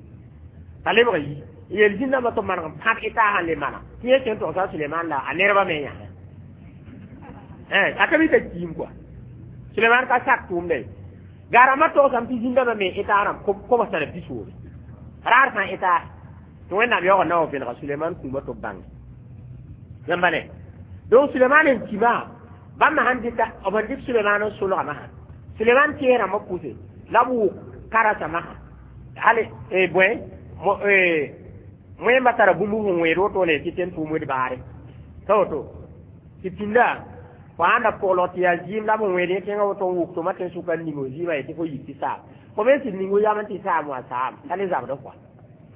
t'a lebg yi n yeel zĩn-dãmbã tɩ maneg n pãb eta sãn le mana tɩ yẽ kẽ togsa suleiman la a nerba me yãse a ka mi t'a kiim kɔa suleiman ka sak tʋʋmda ye garama togsame tɩ zĩn-dãmbã me eta rãmb kobs tara pisoobe raar sã eta tɩ wẽnnaam yaoog na wa vẽnega suleiman kũumã tɩ b bãnge yãmba ne donc suleiman n kima bãmb sãn dɩka b sẽn dɩk suleiman n solgame sã suleiman tees rãmbã pʋse la b wʋk karasama sã hal bõe wẽmba tara bũmb sẽn wẽed wotone tɩ tẽn tʋʋm wed baare ta woto tɩ pĩnda fo sãn da pʋglg tɩ yaa zɩɩm la b sẽn wẽed yẽ tẽngã woto n wʋk tɩ ma tẽn sʋka n ning zɩɩmã ye tɩ fo yik tɩ saam fo me sɩd ningo yam n tɩ saam wã saam t'a le zabd kɔa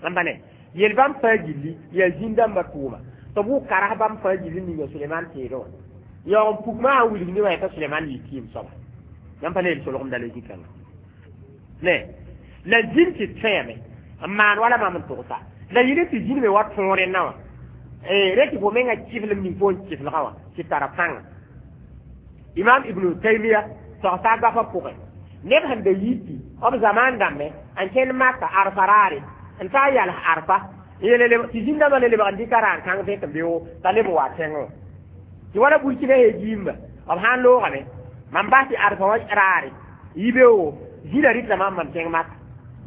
yãmba ne yel bãmb fãa gilli yaa zĩn-dãmbã tʋʋma tɩ b wʋk karas bãmb fãa gilli ninga suleiman teedẽ wã yaoog n pukmã sã wilg nebã yeta suleiman yɩ kɩɩm soaba yãmb pa le yel solgemda la zĩ-kãngã ne la zĩn tɩ tõeeme n maan wala mam n togsa la yɩl tɩ zĩn me wa tõor rẽnna wã rẽ tɩ fo menga kɩflem ning fo n kɩflgã wã tɩ tara pãnga imam ibnu taymia togsa gafã pʋgẽ neb sẽn da yiti b zamaan dãmbẽ n kẽnd maka arfa raare n taa yals arfa tɩ zĩn-dãmbã le lebg n dɩka raan kãng vẽk n beoogo t'a leb n wa tẽngẽ wã tɩ wala burkina he giimba b sã n loogame mam bas tɩ arfa wã raare yi beoogo zĩna rɩtla mam mam tẽng maka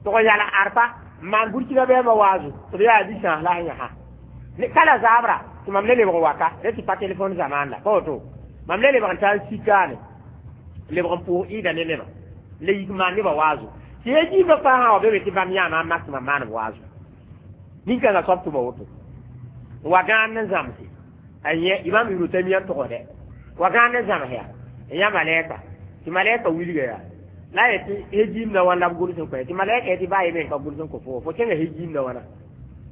tɩ g yals arfa n maan burkina bɛɛmbã waazo tɩ b yaa zĩ-sãas la sẽn yãsa kala zaabra tɩ mam le lebg n waka rẽ tɩ pa telefon zamaan la pa woto mam le lebg n taa n sikaane lebg n pʋʋs ɩɩda ne nebã le yik maan nebã waazo Tɩ ya jiimã fãa sã wa be be tɩ bãmb yãama n maksmã maan waazo nin-kãngã soab tʋma woto wa gãand n zãmse a yẽ imam Ibnu Taymiya n togsdɛ wa gãand n zãms yaa n yã malɛka tɩ malɛka wilga yaa la yetɩ hejiimda wãn la b gʋls n kõ tɩ malɛka yetɩ baa ye me n ka gʋls n kõ fo fo kẽnga hejiimda wãna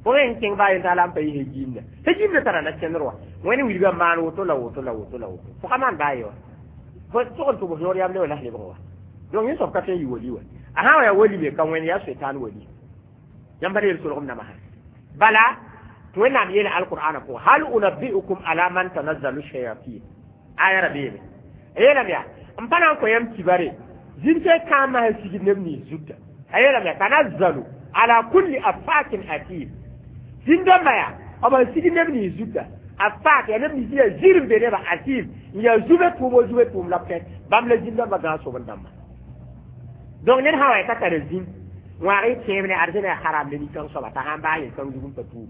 fo me n kẽng baa yen t'a la n pa yɩ hejiimda hejiimda tara na kẽndr wa wẽnd wilga n maan woto la woto la woto la woto fo ka maan baa ye wa fo tog n tʋbs yõod yam le wa la lebg wa donc yẽ soab ka tõe n yɩ wali wa a sã wa yaa wali me ka wẽnd yaa soetaan wali yãmb pa yel solgem namasa bala tɩ wẽnnaam yeela alqur'ana pʋgã hal unabbi'ukum ala man tanazzalu shayatin aya ra beeme yeelame yaa n pa na n kõ yãmb kibare zĩn-tɩ kãambã sẽn sigd neb nins zuta a yeelame yaa tanazzalu ala kulli afakin atim zĩn-dãmbã yaa b sẽn sigd neb nins zuta afak yaa neb nins yaa zir n be nebã atim n yaa zube tʋʋm o zube tʋʋm la b kẽ bãmb la zĩn-dãmbã gãag soben-dãmba donc ned sã wa t'a tara zĩn wãag y tẽeb ne arzẽna yaa haram ne nin-kãng soaba t'a sãn baas yel-kãng zug n pa tuub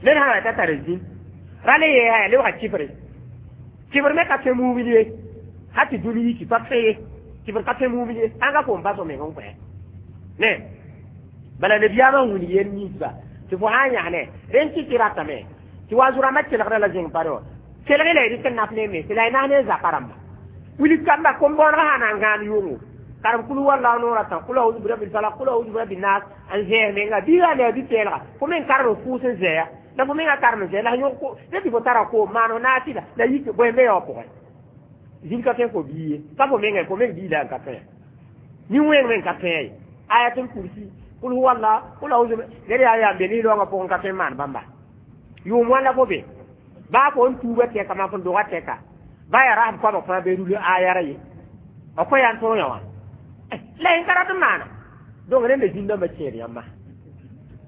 ned sã wa t'a tara zĩn ra le yeesa yaa lebga kifre kifr me ka tõe mumin ye ha tɩ dũni yiki pa tõe ye kifr ka tõe mumin ye sãn ka fo n bas f meng n kõ ne bala nabiyaamã n wilg yel ninsba tɩ fo sã n yãsne rẽn kɩ tɩ ratame tɩ wa zu-rãmbã kelgda la zẽng pare wã kelg la y dɩk n naf ne me tɩ la y nas ne zapa rãmba wilg kamba kom-bõonegã sã na n gãan yʋngo karem kulu wallahu noora tã kul auzu birabbil falaq kul auzu birabbil nas n zɛɛs menga biiga ne a bi-pɛɛlga fo meng karem n fʋʋs n zɛɛya la fo menga karem n zɛɛ la yõg tɩ fo tara koom maan naasɩda la yik bõe n be ya wã pʋgẽ zĩn ka tõe fo bii ye ka fo mengã fo meng bii la n ka tõe nin-wẽng meng ka tõe ye ayatul kursi kul huwa allah kul auzu ned yaa yaa n be niloongã pʋgẽ ka tõe n maan bãmba yʋʋm wãn la fo be baa fo n tuuba tɛka maa fo n doga tɛka ba yaa rasb koabg fãa be rul ayara ye b kõ yaa n tõog yã wã la yẽ ka rat n maana donc rẽnda zĩn-dãmbã kẽed yãmba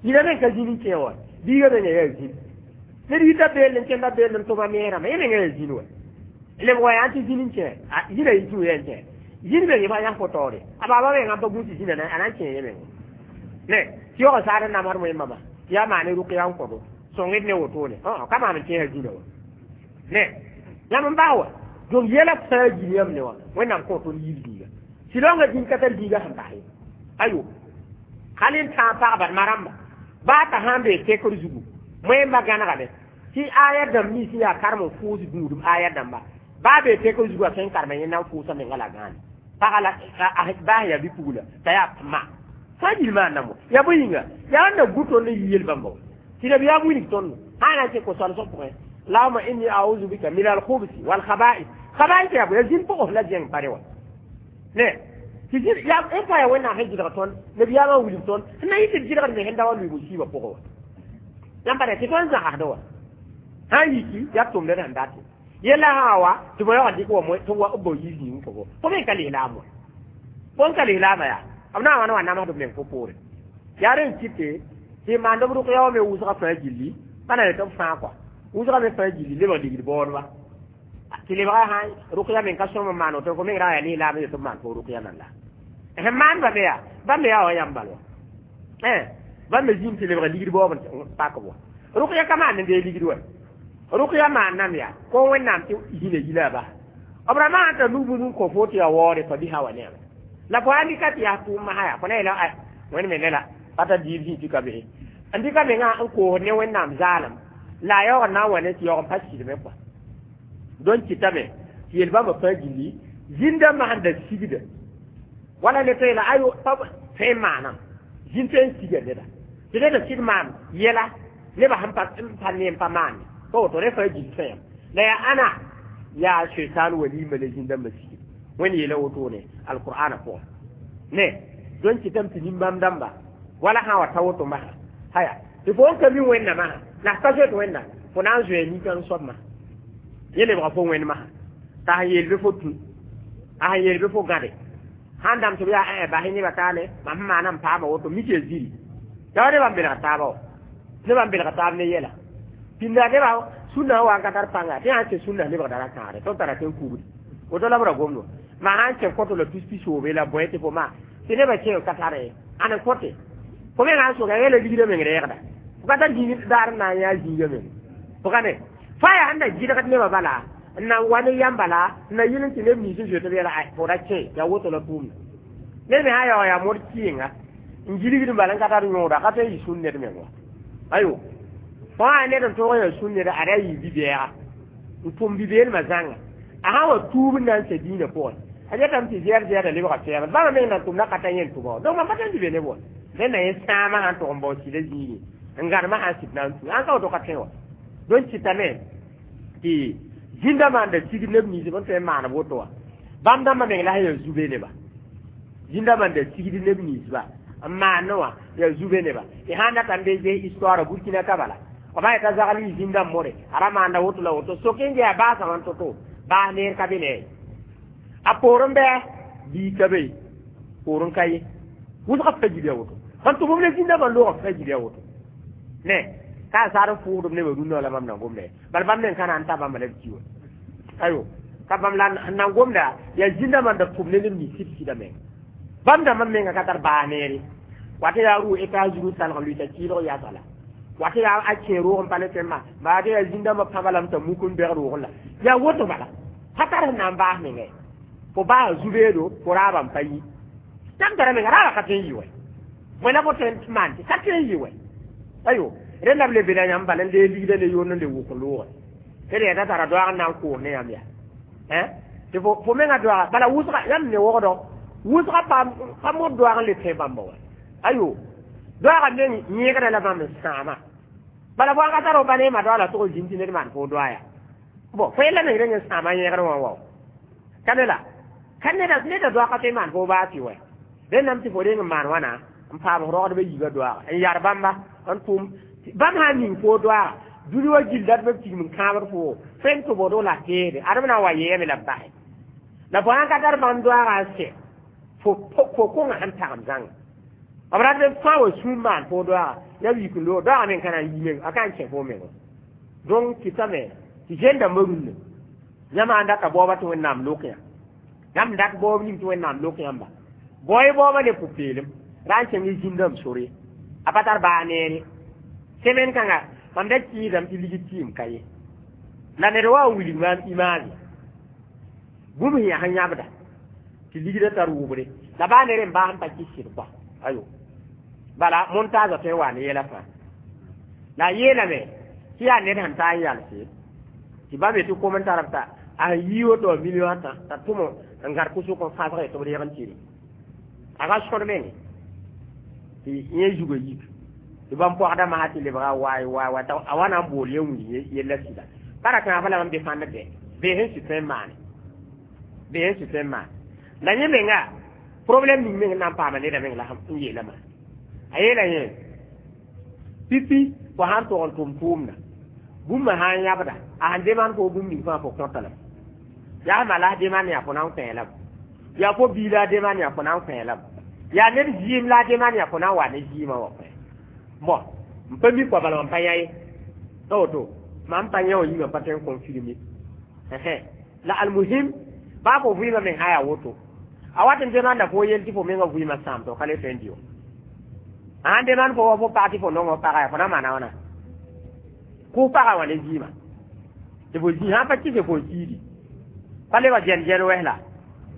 yĩna meng ka zĩn n kẽ wa biiga menga yaa zĩn ned yita beel n kẽnda beel n tʋma neerãmba yẽ menga yaa zĩn wa leb wa yaa tɩ zĩn n kẽ zĩna yɩ tũ yaa n kẽ zĩn meng yẽ yãs fo taoore a baaba menga n pa gũus tɩ zĩna a na n kẽ yẽ meng ne tɩ yaoog saad n namsd wẽn-mama tɩ yaa maane rʋkya n kõdo sõngd ne wotone ka maan n kẽesa zĩna wa ne yãmb n bas wa donc yɛla fãa gil yãmb ne wã wẽnnaam kõ tõnd yiib zĩiga silonga zĩn ka tar zĩiga sẽn bas ye ayo hal n tãag pagba marãmba baa t'a sãn bee tekr zugu wẽmba gãnegame tɩ aya dãmb nins yaa karem n fʋʋs gũudum aya dãmba baa bee tekr zugu a tõe n karema yẽ na n fʋʋsa menga la gãane paga la baa sẽn yaa bi-pugla t'a yaa ma fãa gil maanam yaa bõe yĩnga yaa n na gu tõnd n yi yel-bãmba wa tɩ nabiyaam wilg tõndo sã na n kẽ ko-soalsg pʋgẽ allahuma inni auzu bika min alkhubsi walkhaba'is khaba'is yaa bõe yaa zĩn pʋgs la zẽng pare wa ne tɩ yaa n pa yaa wẽnnaam sẽn gɩdg tõnd nabiyaamã wilg tõnd sẽn na yɩ tɩ d gɩdgd me sẽn da wa lʋɩ musiibã pʋgẽ wa yãmb pa tɩ tõnd zãgsd wa sã n yiki yaa tʋmd d sẽn date yella sã wa tɩ bõ yaoog dɩk wa tɩ wa b bao yiis yĩng fo fo me ka lislaam wa fo n ka lislaama yaa b na n wa ne wa namsd b meng fo poore yaa rẽn kɩte tɩ maand b rʋk ya wa me wʋsgã fãa gilli pa na yetɩ b fãa kɔa wʋsgã me fãa gilli lebg ligd baoodba tɩ lebga sã rʋkya meng ka sõm n maan woto fo meng ra yaa lislaam yetɩ b maan fo rʋkya nan la sẽn maandba me yaa bãmb me yaa wa yãmb bal wa bãmb me zĩm tɩ lebg ligd baoob n pak b wa rʋkya ka maan n dee ligd wa rʋkya maannam yaa ko wẽnnaam tɩ zĩna yila a bas b ra maan t'a nug bũmb n kõ fo tɩ yaa waoore pa bisa wa neema la fo ãn dɩka tɩ yaa tʋʋm masã yaa fo na yeela wẽnd me ne la pa t'a diib zĩ tɩ ka behe n dɩka mengã n koosd ne wẽnnaam zaalem la a yaoog n na n wa ne tɩ yaoog n pa sɩdme kɔa donc kɩtame tɩ yel bãmba fãa gilli zĩn-dãmbã sẽn da sigda wala ne tõe la ayo pa tõe n maanam zĩn tõe n siga neda tɩ neda sɩd maan yɛla nebã sẽn pa pa ne n pa maane pa woto rẽ fãa gill tõe la yaa ãna yaa shaitan walima la zĩn-dãmbã sigd wẽnd yeela wotone alqur'ana pʋgẽ ne donc kɩtame tɩ nin-bãmb dãmba wala sã wa ta woto masã haya tɩ fo n ka mi wẽnnaamã la f ka zoet wẽnna fo na n zoe nin-kãng soabmã yẽ lebga fo wẽnd masã t'a sẽn yeel bɩ fo tũ a sẽn yeel bɩ fo gãde sãn dãmb tɩ b yaa bas nebã taale mam sẽn maana n paama woto mik ya ziri yaa nebã n belg taaba wa nebã n belg taab ne yɛla pĩnda nebã sũnã wa n ka tar pãnga tɩ sãn kẽ sũnã lebgda ra kãagre tõnd tara tɩ n kugdi woto la b ra gomd wa ma sãn kẽ kõto la tus pisoobe la bõe tɩ fo maa tɩ nebã kẽ ka tare ãn n kõte fo mengã n soka yɛla ligdã meng reegda fo ka tar daar n na n yaa zĩiga meng fo ka ne fa yaa sẽn da gɩdgd nebã bala n na n wa ne yãmb bala n na yɩl n tɩ neb nins n zoet b yɛla fo ra kẽ yaa woto la tʋʋmda Ned me sã yaoog yaa mod kɩɩnga n gilgd n bala n ka tar yõoda ka tõe n yɩ sũn ned meng wa. Ayo, fo sã ned n tõog n yaa sũn neda, ada a yɩ bi-bɛɛga n tʋm bi-beelmã zãnga, a sã wa tuub n na n sɛ dĩinã pʋgẽ, a yetame tɩ zɛɛd zɛɛda lebga fɛɛbr bãmba meng nan tʋmda ka ta yẽn tʋba wa. Donc mam pa tõe n tɩ be neb wa rẽnda yẽ sãamã sãn tog n bao sɩda zĩigẽ n gãnemã sãn sɩd na n tu sãn ka woto ka tõe wa. Donc kɩtame tɩ zĩnda maanda tigr neb nins b n tõe n maan woto wa, bãmb dãmbã meng la sẽn yaa zu-be neba. Zĩnda maanda tigd neb ninsba n maan wã yaa zu-be neba. Y sãn dat n be ges histoire Burkina ka bala, b sã yeta zagl yɩ zĩndãmb more a ra maanda woto la woto, sok n gɛa baasã wã to-to baas neer ka be ne a poorẽ bɩ bii ka be poorẽ ka ye wʋsga fa gil ya woto n tʋm b le zĩndãmbã loogã fa gil ya woto ne ka a saar n fʋʋgdb nebã rũnnã la bãmb na gomda ye. Bala bãmb meng ka na n ta bãmba la b ki wa. Ayo, ka bãmb la n na gomda yaa zĩndãmbã n da tʋm ne neb nins sɩd sɩda meng. Bãmb dãmbã menga ka tar baas neere wat yaa rʋ États-Unis salg n lʋɩta kɩɩlg yasa la wat yaa a kẽ roog n pa le tõe n maan baa yaa zĩndãmbã pãba lame t'a muk n bɛg roogẽ la yaa woto bala pa tar sẽn na n baas mengã ye. Fo baasa zu-beedo, fo raabã n pa yi yãmb tara menga raabã ka tõe n yɩ wɛ bõe la fo tõe n maan tɩ ka tõe n yɩ wɛ. Ayo, rẽnda b le bela yãmb bala n lee ligda ne yond n le wʋk n loogẽ tɩ d yɛta tara doaag n na n koos ne yãmb yaa tɩ fo menga doaga bala wʋsga yãmb ne wogdɔ wʋsga pa mod doaag n le tõe bãmba wa. Ayo, doaagã meng yẽegda la bãmb n sãama bala fo ka tar f ba ne ma doa la tʋg zĩnd tɩ ned maan fo doa ya bon fo yella meng reng n sãama yẽegr wã wao ka ne la ka neda neda doa ka tõe maan fo baa tɩ wɛ. Rẽndame tɩ fo reng n maan wãna n paam rogdbã yiibã doaaga n yar bãmba n tʋm bãmb sã n ning fo doaaga dũni wa gill dat b tigm n kãabd fo fẽn tʋbdg la teede adem na n wa yeeme la b basɛ la fo sãn ka tar bãmb doaaga n sɛ fo fo kõnga sẽn tagem zãnga b rat b fãa wa sũur maan fo doaaga ya yik n loog doaaga meng ka na n yi meng a ka n kẽ fo meng. Donc kɩtame tɩ zẽn-dãmbã rũnnã yãmb sãn data baooba tɩ Wẽnnaam lok yã, yãmb dat baoob ning tɩ Wẽnnaam lok yãmba bao-y baoobã ne pʋ-peelem ra n kẽng zĩndame sore a pa tar baa neere. Semaine kãnga mam da kɩɩdame tɩ ligd tɩɩm ka ye la ned wa n wilg maam image bũmb sẽn yaa sẽn yãbda tɩ ligdã tar wʋbre la baa ned n baas n pa kɩs sɩd kɔa. Ayo, bala montage tõe n wa ne yɛla fãa la a yeelame tɩ yaa ned sẽn taa n yalse tɩ bãmb yetɩ kom n tar b ta a sẽn yii woto wã million ãtã t'a tʋm n gãd kʋsʋk n fãsg tɩ b reeg n tɩ a ka sõd menge tɩ yẽ zugã yik tɩ bãmb pɔgda masã tɩ lebga waay waay waay a wa na n bool yẽ wilg yella sɩda pa ra kãaba la bãmb defãnd bɛ bee sẽn sɩ tõe n maane bee sẽn sɩ tõe n maane la yẽ menga problème ning meng n na n paama neda meng la n yeelame a yeela yẽ pipi fo sãn tog n tʋm tʋʋmda bũmba sã n yãbda a sẽn deman fo bũmb ning fãa fo kõta lame yaa ma la deman yaa fo na n kõ lame yaa fo bii la deman yaa fo na n kõ lame yaa ned zɩɩm la deman yaa fo na n wa ne zɩɩmã wa kõ bon n pa mi kɔa bala mam pa yã ye t'a woto mam pa yã wã yĩngã pa tõe n confirmer la almuhim baa fo vɩɩmã meng sã yaa woto a wat n demanda fo yel tɩ fo mengã vɩɩmã sãam tɩ f ka le tõe n dɩ wa a sãn demand fo wa fo pag tɩ fo nong f paga yaa fo na maana wãna kʋʋ paga wã ne zɩɩmã tɩ fo zĩ sãn pa kɩse fo kiidi pa lebga gɛn gɛn wɛs la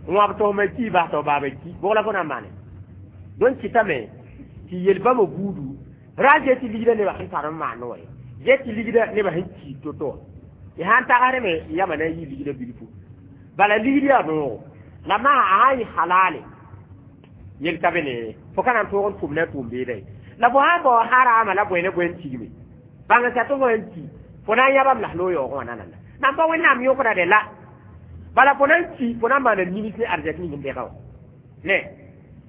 wãb tosmã ki bas tɩ baaba ki bʋg la fo na n maane. Donc kɩtame tɩ yel bãmba buudu ra ge tɩ ligdã nebã sẽn tar n maan wa ye ge tɩ ligdã nebã sẽn kiid to-to wã y sãn tagsdme yama na n yɩ ligdã bilfu bala ligd yaa noogo la maa a sãn yɩ halale yel ka be ne fo ka na n tõog n tʋm ne a tʋʋm beeda ye la fo sãn bao harama la bõe ne bõe n tigme bãng sa tɩ fo sẽn ki fo na n yãbam la loog yaoogẽ wã nananda nan pa Wẽnnaam yõkda de la bala fo na n ki fo na n maana nimis ne arzɛk ning n bɛga wã ne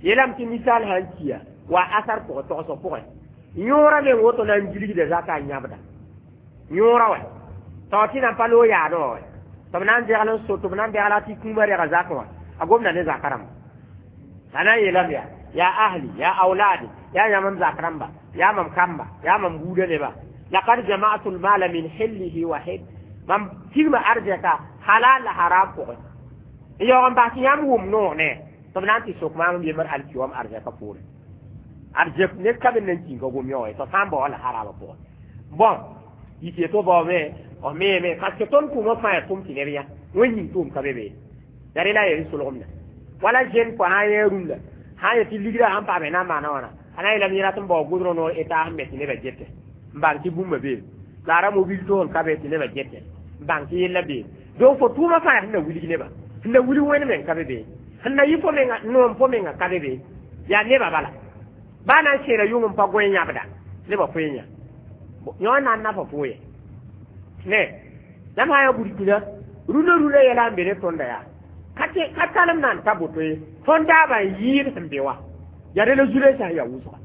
yeelame tɩ ninsaal sã n kiya wa asar pʋgẽ togsg pʋgẽ yõorã meng woto na n gilgda zaka n yãbda yõorã wɛ tao tɩ nan pa loog yaadẽ wã wɛ tɩ b na n degl n so tɩ b na n degla tɩ kũumã rega zakẽ wã a gomda ne zaka rãmba la na n yeelame yaa ya ahli ya auladi ya yãmb m zak rãmba yaa mam kamba yaa mam buudã neba laqad jama'tu lmala min hillihi wa hil mam tigma arzɛka halal la haram pʋgẽ n yaoog n bas tɩ yãmb wʋm noog ne tɩ b na n tɩ sok maam n yembr alkiwam arzɛka poorẽ arzɛk ned ka be nan kĩnga gom yã wa tɩ sã n bao la harama pʋgẽ bon yik yeto baoome f meeme parce que tõnd kũumã fãa yaa tʋm tɩ neb yã wẽn yĩng tʋʋm ka be be ya rẽ la yaa solgemda wala jeune fo sã n yã rũndã Sã n yet tɩ ligrã sãn paame na n maana wãna, a na n yeelame yẽ rat n bao goudron noor eta sẽn me tɩ nebã gete n bãng tɩ bũmba beeme la a ra mobil toosem ka be tɩ nebã gete n bãng tɩ yella beeme. Donc fo tʋʋmã fãa sẽn na wilg nebã, sẽn na wilg wẽnd meng ka be be, sẽn na yɩ fo menga noom fo menga ka be be, yaa nebã bala baa na n seera yʋng n pa gõe yãbda nebã koe yã yõ na n nafa fo ye ne. Yãmb sã n yaa burkina rũndã rũndã yɛla n be ne tõnda yaa ka talem na n ta boto ye. Tõnd daabã n yɩɩd sẽn be wa yaa rela zu-lensã sẽn yaa wʋsga.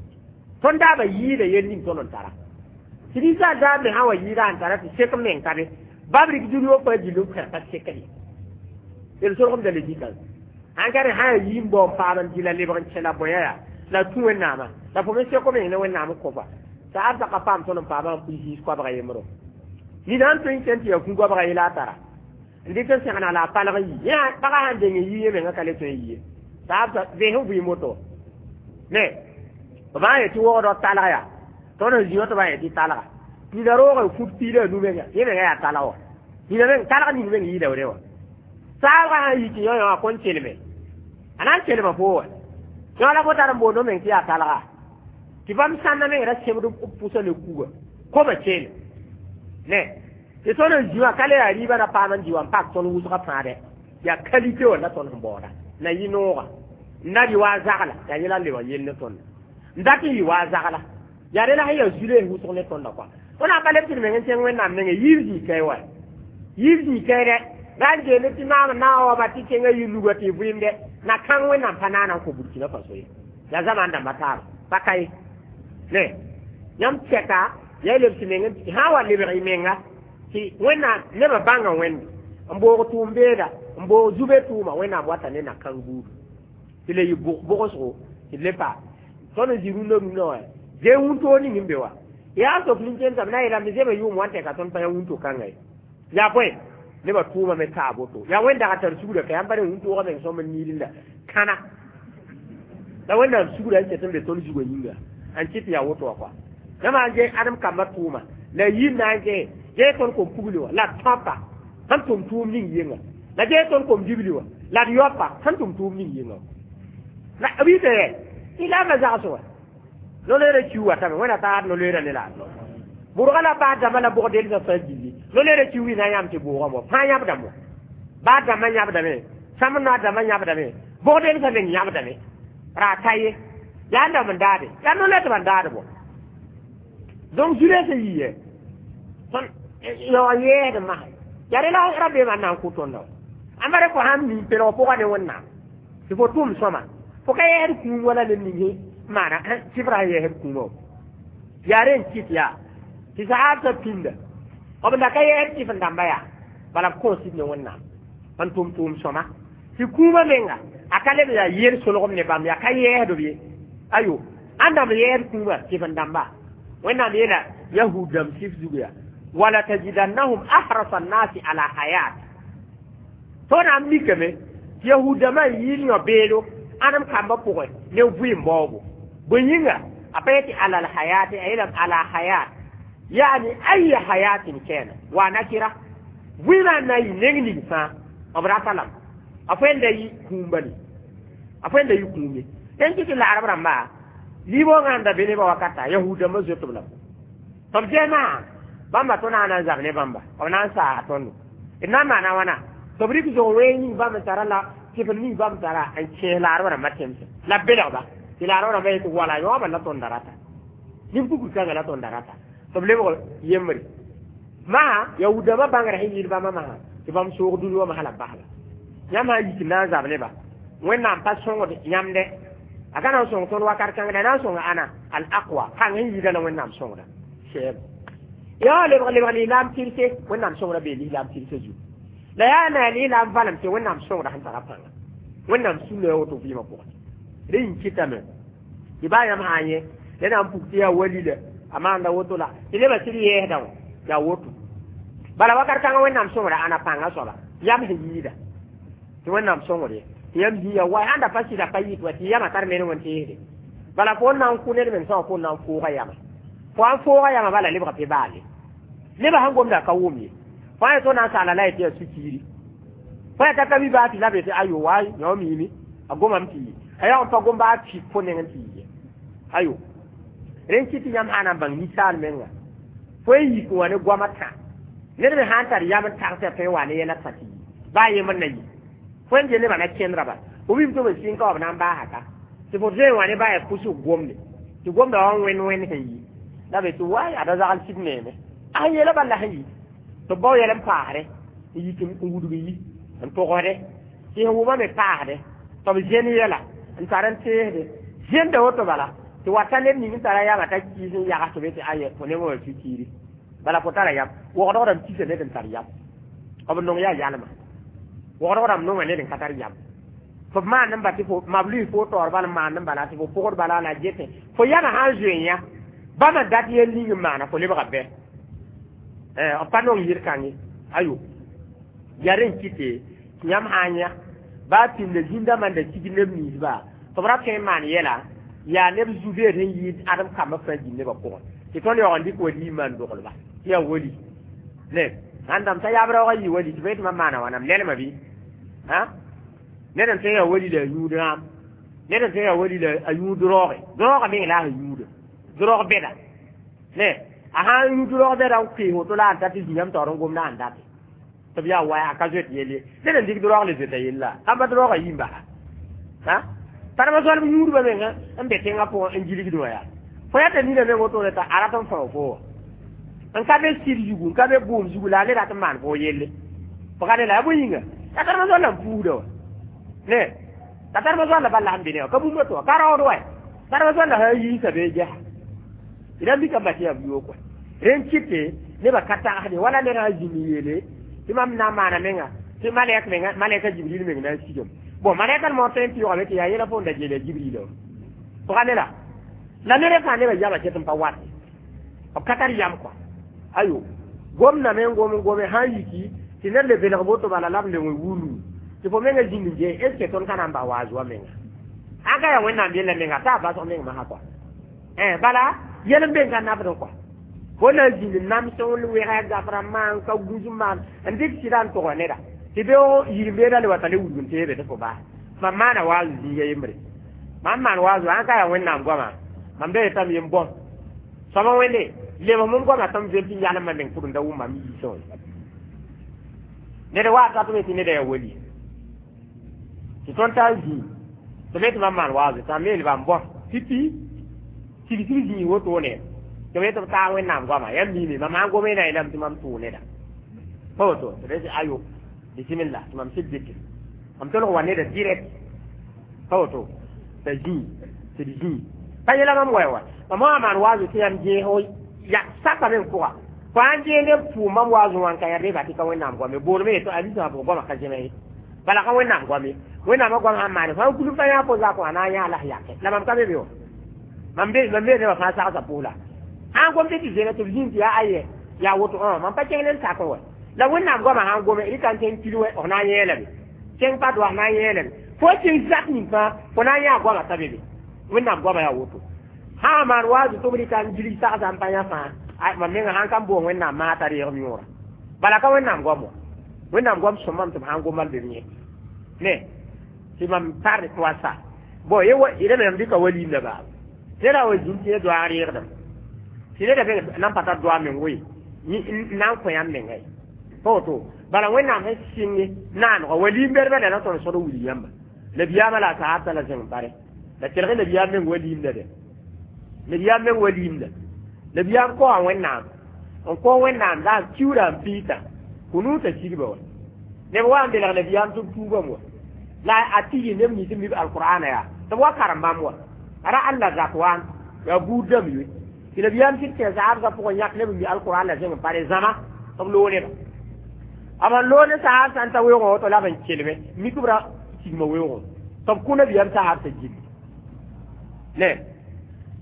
Tõnd daabã yɩɩda yel ning tõnd n tara tɩ ninsaal daab me sã wa yɩɩda n tara tɩ sek n meng ka be babrik dũni wã fãa gill n kẽr pa sekd ye d solgemda le dĩkã sãn ka rẽ sã yaa yii n bao n paam n dɩ la lebg n kẽ la bõe yaa la tũ Wẽnnaamã la fo me sek meng ne Wẽnnaam n kõfa t'a ab ka paam tõnd n paamã n pʋɩ zĩis koabga yembro. Nina n tõe n kẽn tɩ yaa kũ-goabga yela a tara n dɩk n segna la a palg n yi yẽ pagã sãn deng n yi yẽ menga ka le tõe n yi ye t'a ab vees n vɩɩm woto ne b maan yetɩ wogdɔ talg yaa tõnd sẽn zĩ wã tɩ b yetɩ talga nina roog n fut piida a nu menga yẽ menga yaa talg wã nina meng talg ning meng yɩɩda re wã saabgã sãn yi tɩ yõ yõ a kõn kelme a na n kelma fo wa yõ la fo tar n boond meng tɩ yaa talga tɩ bãmb sãnna meng ra sẽbd b pʋsa ne kuga koma keel ne tɩ tõnd n zĩ wã ka le yaa rɩɩbã ra paam n dɩ wa n pak tõnd wʋsgã fãa dɛ yaa qualité wã la tõnd sẽn baooda na yɩ nooga n na rɩ wa a zagla yaa yẽla n lebg yell ne tõnda n dat n yɩ wa a zagla yaa rela sẽn yaa zu-loees wʋsg ne tõnda kɔa tõnd na n pa leb tɩ d meng n kẽng Wẽnnaam nengẽ yiib zĩig kae wa yiib zĩig kae dɛ ra n geele tɩ maam na n waoba tɩ kẽngã yɩ luga tɩ vɩɩmdɛ na kãng Wẽnnaam pa naana n kõ Burkina Faso ye yaa zamaan dãmba taaba pa ka ye ne yãmb tɛka yaa lebs meng sã n wa lebg y menga tɩ Wẽnnaam nebã bãnga Wẽnde n boog tʋʋm beeda n boog zube tʋʋma Wẽnnaam wata ne na-kãng buudu tɩ le yɩ bʋgsgo tɩ le pa tõnd n zĩ rũndã rũndã wã zee wũntoo ning n be wa yaa sof nin-kẽensame na n yeelame zema yʋʋm wa n tɛka tõnd pa yã wũnto-kãnga ye yaa bõe nebã tʋʋma me taa boto yaa Wẽnd dag tar sugrã ka yãmb pa ne wũntoogã meng sõm n niilda kãna la Wẽnnaam sugrã n ket n be tõnd zugã yĩnga n kɩt yaa woto wã kɔa yãmb n gee ãdem kambã tʋʋma la yir na n gee gee tõnd kom pugli wã la d tõpa sẽn tʋm tʋʋm ning yɩnga la gee tõnd kom dibli wã la d yaopa sẽn tʋm tʋʋm ning yɩnga la b yita yɛ tɩ la ma zags wã no-loeerã kiu watame Wẽnna taar no-loeerã ne la bʋrga la baa dãmbã la bʋg delsã fãa gilli no-loeerã kiu wɩ na yãmb tɩ bʋʋgã mo fãa yãbdame baa dãmbã yãbdame sãmb noa dãmbã yãbdame bʋg delsã meng yãbdame ra ka ye yaa n dãmb n daade yaa no-loeer tɩ ban daad bɔ donc zu-rɛɛsã yii yɛ tõnd yaoog yɛɛsd masã yaa re la rabeemã n na n kʋ tõnda wa ãmba re fo sãn mi pelg pʋgã ne Wẽnnaam tɩ fo tʋʋm sõma fo ka yɛɛsd kũum wala ned ning maana sɩfrã sẽn yɛɛsd kũumã wa yaa re n kɩt yaa tɩ sahaabsã pĩnda b da ka yɛɛsd sɩf n dãmba yaa bala b kõos ne Wẽnnaam n tʋm tʋʋm sõma tɩ kũumã menga a ka leb yaa yel solgem ne bãmb yaa ka yɛɛsd b ye ayo ãn dãmb yɛɛsd kũumã sɩf n dãmba Wẽnnaam yeela yahud dãmb sɩf zug yaa wala tajidannahum ahrasa nnasi ala hayat tõnd n mikame tɩ yahud dãmbã n yɩɩl yõ beedo ãdem kambã pʋgẽ ne vɩɩm baoobo bõe yĩnga a pa yetɩ ala lhayati a yeelame ala hayat yani aya hayatin kɛna wa nakira vɩɩmã n na n yɩ neng ning fãa b rata lame a fo da yɩ kũum bali a fo da yɩ kũum ye tẽn kɩ tɩ laarb rãmba liibongã n da be nebã wakata yahud dãmbã zoet b lame tɩ b gɛɛmã bãmba tõ na n zab ne bãmba b na n saa tõndo d na n maana wãna tɩ b rɩk zog ween ning bãmb n tara la sɩfr ning bãmb tara n kẽes laarb rãmbã tẽmsẽ la b belgba tɩ laarb rãmbã yetɩ wala yõobã la tõnda rata nin-pukr kãngã la tõnda rata tɩ b lebg yembre masã yaood-dãmbã bãngrã sẽn yɩɩd bãmba masã tɩ bãmb soog dũni wã masã la b basba yãmb sã n yik n na n zab neba Wẽnnaam pa sõngd yãmb dɛ a ka na n sõng tõnd wakat kãngda na n sõnga ãna al aqwa kãng sẽn yɩɩda la Wẽnnaam sõngda sɛɛb yaa lebg lebg lislaam tɩrse Wẽnnaam sõngda bee lislaam tɩrse zugu la yaa na yaa lislaam valem tɩ Wẽnnaam sõngda sẽn tara pãnga Wẽnnaam sũnda yaa woto vɩɩmã pʋgẽ rẽ yĩn kɩtame tɩ baa yãmb sã n yẽ la na n puk tɩ yaa wali la a maanda woto la tɩ nebã sɩd yɛɛsda wã yaa woto bala wakat kãngã Wẽnnaam sõngda ãna pãngã soaba yam sẽn yɩɩda tɩ Wẽnnaam sõngd ye tɩ yãmb zĩ ya wa ãnda pa sɩda pa yɩt wa tɩ yamã tar meneng n teesde bala fo n na n kʋ ned meng sã wã fo n na n fooga yama fo n fooga yama bala lebga pɩ baale nebã sẽn gomda ka wʋm ye fo ã yetɩ na n saala la yetɩ yaa sũ-kiiri fo yaa t'a ka mi baa tɩ la be tɩ ayo wa yõ miime a gomame tɩ A yaa n pa gom baa pik fo neng n tɩ yɩ ye. Ayo. Rẽn kɩ tɩ yãmb sã na n bãng ninsaal menga. Fo n yik n wa ne goamã tã. Ned me sã n tar yam n tagsã tõe n wa ne yɛl tã tɩ yɩ. Baa yembr na yɩ. Fo n gel nebã na kẽndra bala. Fo mim tɩ b sɩng ka wa b na n baasa ka. Tɩ fo zoe n wa ne baa yaa pʋsg gomde. Tɩ gomda wa n wẽnd wẽnd sẽn yi. La be tɩ waay ada zagl sɩd neeme. A sẽn yeela bala sẽn yi. Tɩ b bao yɛl n paasdɛ. N yik n wudg yi. N togsdɛ. Tɩ sẽn wʋma me paasdɛ. Tɩ b zẽn yɛla. N tar n teesde. Zẽnda woto bala. Tɩ wata ned ning n tara yama t'a kiis n yags tɩ be tɩ aye fo nengã wã fikiiri. Bala fo tara yam. Wogdg rãmb kisa ned n tar yam. B nong yaa yalma. Wogdg rãmb nonga ned n ka tar yam. Fo maan n ba tɩ fo mab lʋɩ fo taoor bal n maan n bala tɩ fo pʋgd bala la getẽ. Fo yamã sã n zoe yã bãmba dat yel ning n maana fo lebga bɛ. B pa nong yir-kãng ye. Ayo. Yaa rẽn kɩte tɩ yãmb sã n yã baa pĩnda zĩndãmbã n da sig neb ninsba tɩ b ra tõe n maan yɛla yaa neb zu-beed sẽn yɩɩd ãdem kambã fãa gil nebã pʋgẽ. Tɩ tõnd yaoog n dɩk wali n maan doglba. Tɩ yaa wali. Ne sãn dãmb t'a yaab raoogã yɩ wali tɩ b yetɩ mam maana wãnam lɛlmã bɩ. Ned n tõe n yaa wali la a yũud rãam. Ned n tõe n yaa wali la a yũud raooge. Raoogã meng la a sẽn yũuda. Raoog bɛda. Ne a sã n yũud raoog bɛda n koees woto la a n ta tɩ zĩ yãmb taoor n gomda a n date. Tɩ b yaa waya a ka zoet yell ye. Ned n dɩk raoog le zoeta yella. Sãn pa raoogã yi n basa. Tarma zoalb yũudbã menga n be tẽngã pʋgẽ n gilgd wã yaa. Fo yaa t'a nina meng wotone t'a a rat n fao fo wã. N ka be sɩd zugu n ka be bʋʋm zugu la a le rat n maan fo yelle. Fo ka ne la yaa bõe yĩnga. La tarma zoal la n puusda wã. Ne la tarma zoal la bal la sẽn be ne wã ka bũmb tɩ wã ka raood wa. Tarma zoal la sã n yiisa bee gɛsa. D na mika tɩ yaa yoog wã. Rẽn kɩte nebã ka tagsde wala ned sã n zĩnd n yeele tɩ mam na n maana menga tɩ malɛk menga malɛka Jibril meng na n sigame. Bon malɛka moor tõe n pɩʋgame tɩ yaa yẽla fo n da geel Jibril wã. Fo ka ne la. La ned fãa nebã yama ket n pa wat. B ka tar yam kɔa. Ayo. Gomdame n gom n gome sã n yiki tɩ ned le belg boto bala la b le wẽ wulu. Tɩ fo menga zĩnd n gee est ce que tõnd ka na n ba waaz wa menga. Sã n ka yaa Wẽnnaam yella menga t'a basg meng masã kɔa. Bala yɛl n be n ka nabd kɔa. Fo na n zĩnd n nams n wega gafra maan ka gũs n maan n dɩk sɩda n tʋga neda. Tɩ beoog yir-n-beeda le wa t'a le wudg n teebe tɩ fo baas. Mam maana waaz zĩiga yembre. Mam maan waaz sã n ka yaa Wẽnnaam goama mam da yetame yem bõn. Sõma wẽnde lebs mum goama tɩ m vel tɩ yalmã meng pʋgẽ da wʋm mam yiisẽ wã. Ned wa tat me tɩ neda yaa wali. Tɩ tõnd tar zĩig tɩ be tɩ mam maan waaz t'a me yeelba n bõn pipi sig-sig zĩig wotone tɩ b yetɩ b taa Wẽnnaam goama yãmb miime mam sã n gome na yeelame tɩ mam tʋʋ neda. Pa woto tɩ b ayo bisimilla tɩ mam sɩd dɩke. Mam tolg wa neda direct. Pa woto t'a zĩig tɩ d zĩig. Pa yɛla mam wa wa. Mam wã maan waaz tɩ yãmb gẽes ya saka meng pʋga. Fo sã n gee neb pʋʋm mam waaz wã n ka yã reba tɩ ka Wẽnnaam goame boolme yetɩ a lisã pʋgẽ goamã ka zẽme ye. Bala ka Wẽnnaam goame. Wẽnnaamã goam sãn maane fo sã n kuil fa yã fo zak wã na n yã la s yake. La mam ka be be wã. Mam be mam be nebã fãa sagsa pʋʋla. Sã n gom tɩ tɩ zẽna tɩ b zĩnd tɩ yaa aye yaa woto mam pa kẽng ne n sak wa. La Wẽnnaam goamã sã n gome rɩka n kẽng kil wɛ f na n yẽelame. Kẽng pa doa f na n yẽelame. Fo kẽng zak ning fãa fo na n yã goamã t'a be be. Wẽnnaam goamã yaa woto. Sã n maan waaz tɩ b rɩka n gilg sagsa n pa yã fãa mam menga sã n ka n boog Wẽnnaam maa t'a reeg yõora. Bala ka Wẽnnaam goam wã. Wẽnnaam goam sõmame tɩ b sã n gom be b yẽ. Ne tɩ mam tar tɩ wa sa. Bon ye wa rẽ me dɩka waliimda baaba. Neda wa zĩnd tɩ yẽ doaag reegdame. Tɩ neda beng nan pa tar doa meng woe n na n kõ yãmb menga ye. Pa woto bala Wẽnnaam sẽn sɩnge naanegã waliim-bɛdbã la na tõnd sõd n wilg yãmba. Nabiyaamã la a sahabtã la zẽng bare. La kelg nabiyaam meng waliimda dɛ. Nabiyaam meng waliimda. Nabiyaam koa Wẽnnaam. N kõ Wẽnnaam la n kiuura n piita. Kũnuutã sigba wa. Neb wa n belg nabiyaam tɩ b tuubame wa. La a tɩ neb nins n mib alqur'ana yaa. Tɩ b wa karem bãmb wa. Ara Allah Zakwaan yaa buud dãmb yoe. Tɩ nabiyaam sɩd kẽ sahabsã pʋgẽ yãk neb n mi alqur'an la zẽng n pare zãma tɩ b loog neba. B sẽn loog ne sahab sã n ta weoogẽ woto la b n kelme mik b ra sigma weoogẽ. Tɩ b kõ nabiyaam sahabsã gilli. Ne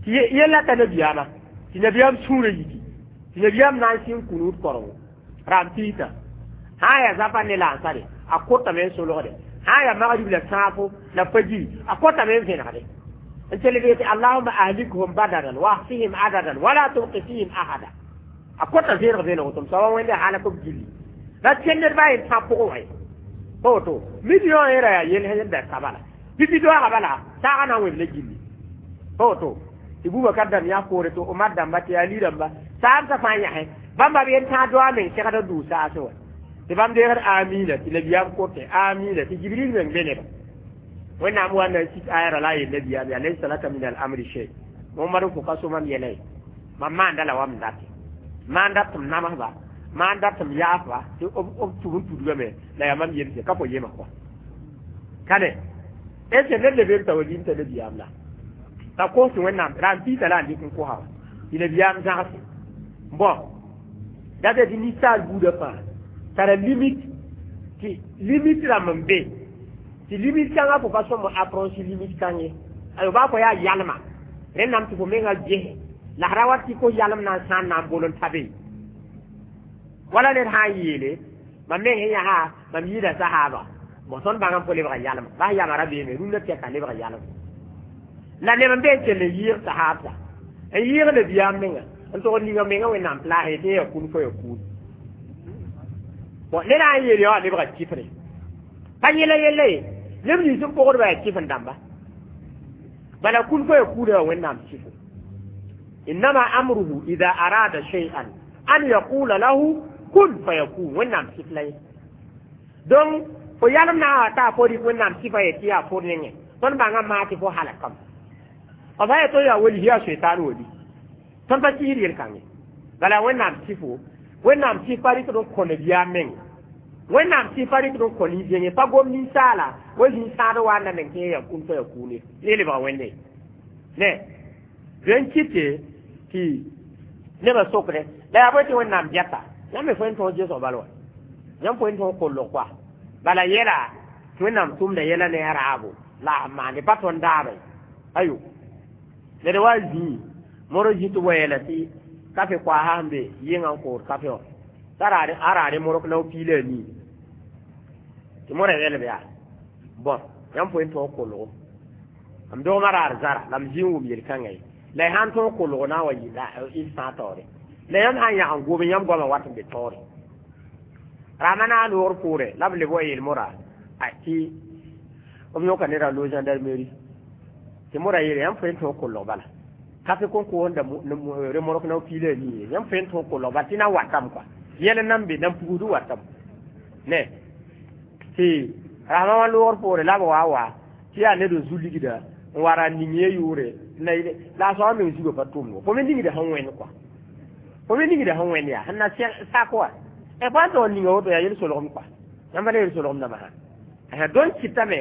tɩ yella t'a nabiyaamã tɩ nabiyaam sũurã yiki tɩ nabiyaam na n sɩng kũnuud korengo raam piita. Sã n yaa zapa ne la ansare a kotame n solgde. Sã n yaa magrib la sãafo la fajiri a kotame n vẽnegde. N kelg yetɩ allahuma ahlikhum badadan wa ahsihim adadan wala tubqi fihim ahada. A kota vẽeneg vẽeneg tɩ m soaba wẽnde halak b gilli. La kẽnd ned baa yen tã pʋgẽ wã ye. Pa woto million yẽra yaa yel sẽn da ka bala. Pipi doaga bala saaga na n wẽb la gilli pa woto tɩ Bubakar dãmb yã poore tɩ Omar dãmba tɩ Ali dãmba saamsã fãa yãsẽ bãmba b yen tãag doa meng segda dʋʋ saasẽ wã tɩ bãmb deegd amina tɩ nabiyaam kote amina tɩ Jibril meng be neba Wẽnnaam wa na n sik aya ra la a yel nabiyaam yaa laysa laka min al amri shay. Momadu fo ka so mam yɛla ye mam maanda la wa m date maan dat tɩ m namsba maan dat tɩ m yaafba tɩ b tug n tudgame la yaa mam yemse ka fo yema kɔa kane est ce ned le t'a wa lim t'a nabiyaam la t'a kos tɩ Wẽnnaam ra n piisa la n dɩk n kosa wa tɩ nabiyaam zãgse. Bon, date tɩ ninsaal buudã fãa tara limite tɩ limite rãmb n be tɩ limite kãngã fo pa sõm approche limite kãng ye ayo baa fo yaa yalma rẽndame tɩ fo mengã gese la ra wat tɩ ko yalem na n sãan na n bol n ta be wala ned sã n yeele mam meng sẽn yãsa mam yɩɩda sahaba. Bon, tõnd bãng n fo lebga yalem bas yama ra beeme rũndã tɛka lebga yalem la neb n be n kell n yɩɩg sahaabsa n yɩɩg nabiyaam menga n tog ninga menga Wẽnnaam plaase tɩ ya kũn fo ya kuun. Bon, ned sã n yeel ya wã lebga kifre pa yɛla yella ye neb nins n pʋgdba yaa kif n dãmba bala kun fo ya kuuda wa Wẽnnaam sifo innama amruhu ida arada shay'an an yaqula lahu kun fayakun. Wẽnnaam sif la ye donc fo yalem na wa taa fo rɩk Wẽnnaam sifa ye tɩ yaa fo nengẽ tõnd bãngã maa tɩ fo halakame f sã yetɩ yaa wali yaa soetaan wali tõnd pa kiisd yel-kãngẽ bala Wẽnnaam sifo Wẽnnaam sif pa rɩkd n kõ nabiyaam menge Wẽnnaam sif pa rɩkd n kõ nin-zẽnge pa gom ninsaala wa zĩig sãad wa n na meng tɩ ya kũn fa ya kuune ne lebga Wẽnde ne rẽn kɩte tɩ nebã sokre la yaa bõe tɩ Wẽnnaam gɛta yãmb me fo n tõog gesg bal wa yãmb fo n tõog kollg koa bala yɛla tɩ Wẽnnaam tʋmda yɛla ne a raabo la a maande pa tõnd daabã ayo ned wa zĩig moro zĩ tɩ wa yɛla tɩ kafe koaasa sẽn be yɩngã n kood kafe wã t'a a raare mork la piila a nii tɩ mora yɛlb yaa bõn yãmb fo n tõog kolgo m dogmã raar zara la m zĩ n wʋm yel-kãngã ye la y sãn tõog kolgo na n wa yɩ fãa taoore la yãmb sãn yãg n gome yãmb goamã wat n be taoore rama na a noor poore la b leb wa yeel mora tɩ b yõka neda lo gendarmerie tɩ mora yeele yãmb fo n tõog kolg bala kafe kõn koosda remork na piila a nii yãmb fo n tõog kolg bala tɩ na watame kɔa yɛl nan be nan pugusd watame ne tɩ rasma wã loogr poore la b wa wa tɩ yaa ned n zu ligda n wa ra ning ye yʋʋre la a soaba meng zugã pa tʋmd fo me ningda sẽn wẽnd kɔa fo me ningda sẽn wẽnd yaa sẽn na sak wa fo sãn tog n ninga woto yaa yel-solgem kɔa yãmb la yel-solgem dãmba sã donc kɩtame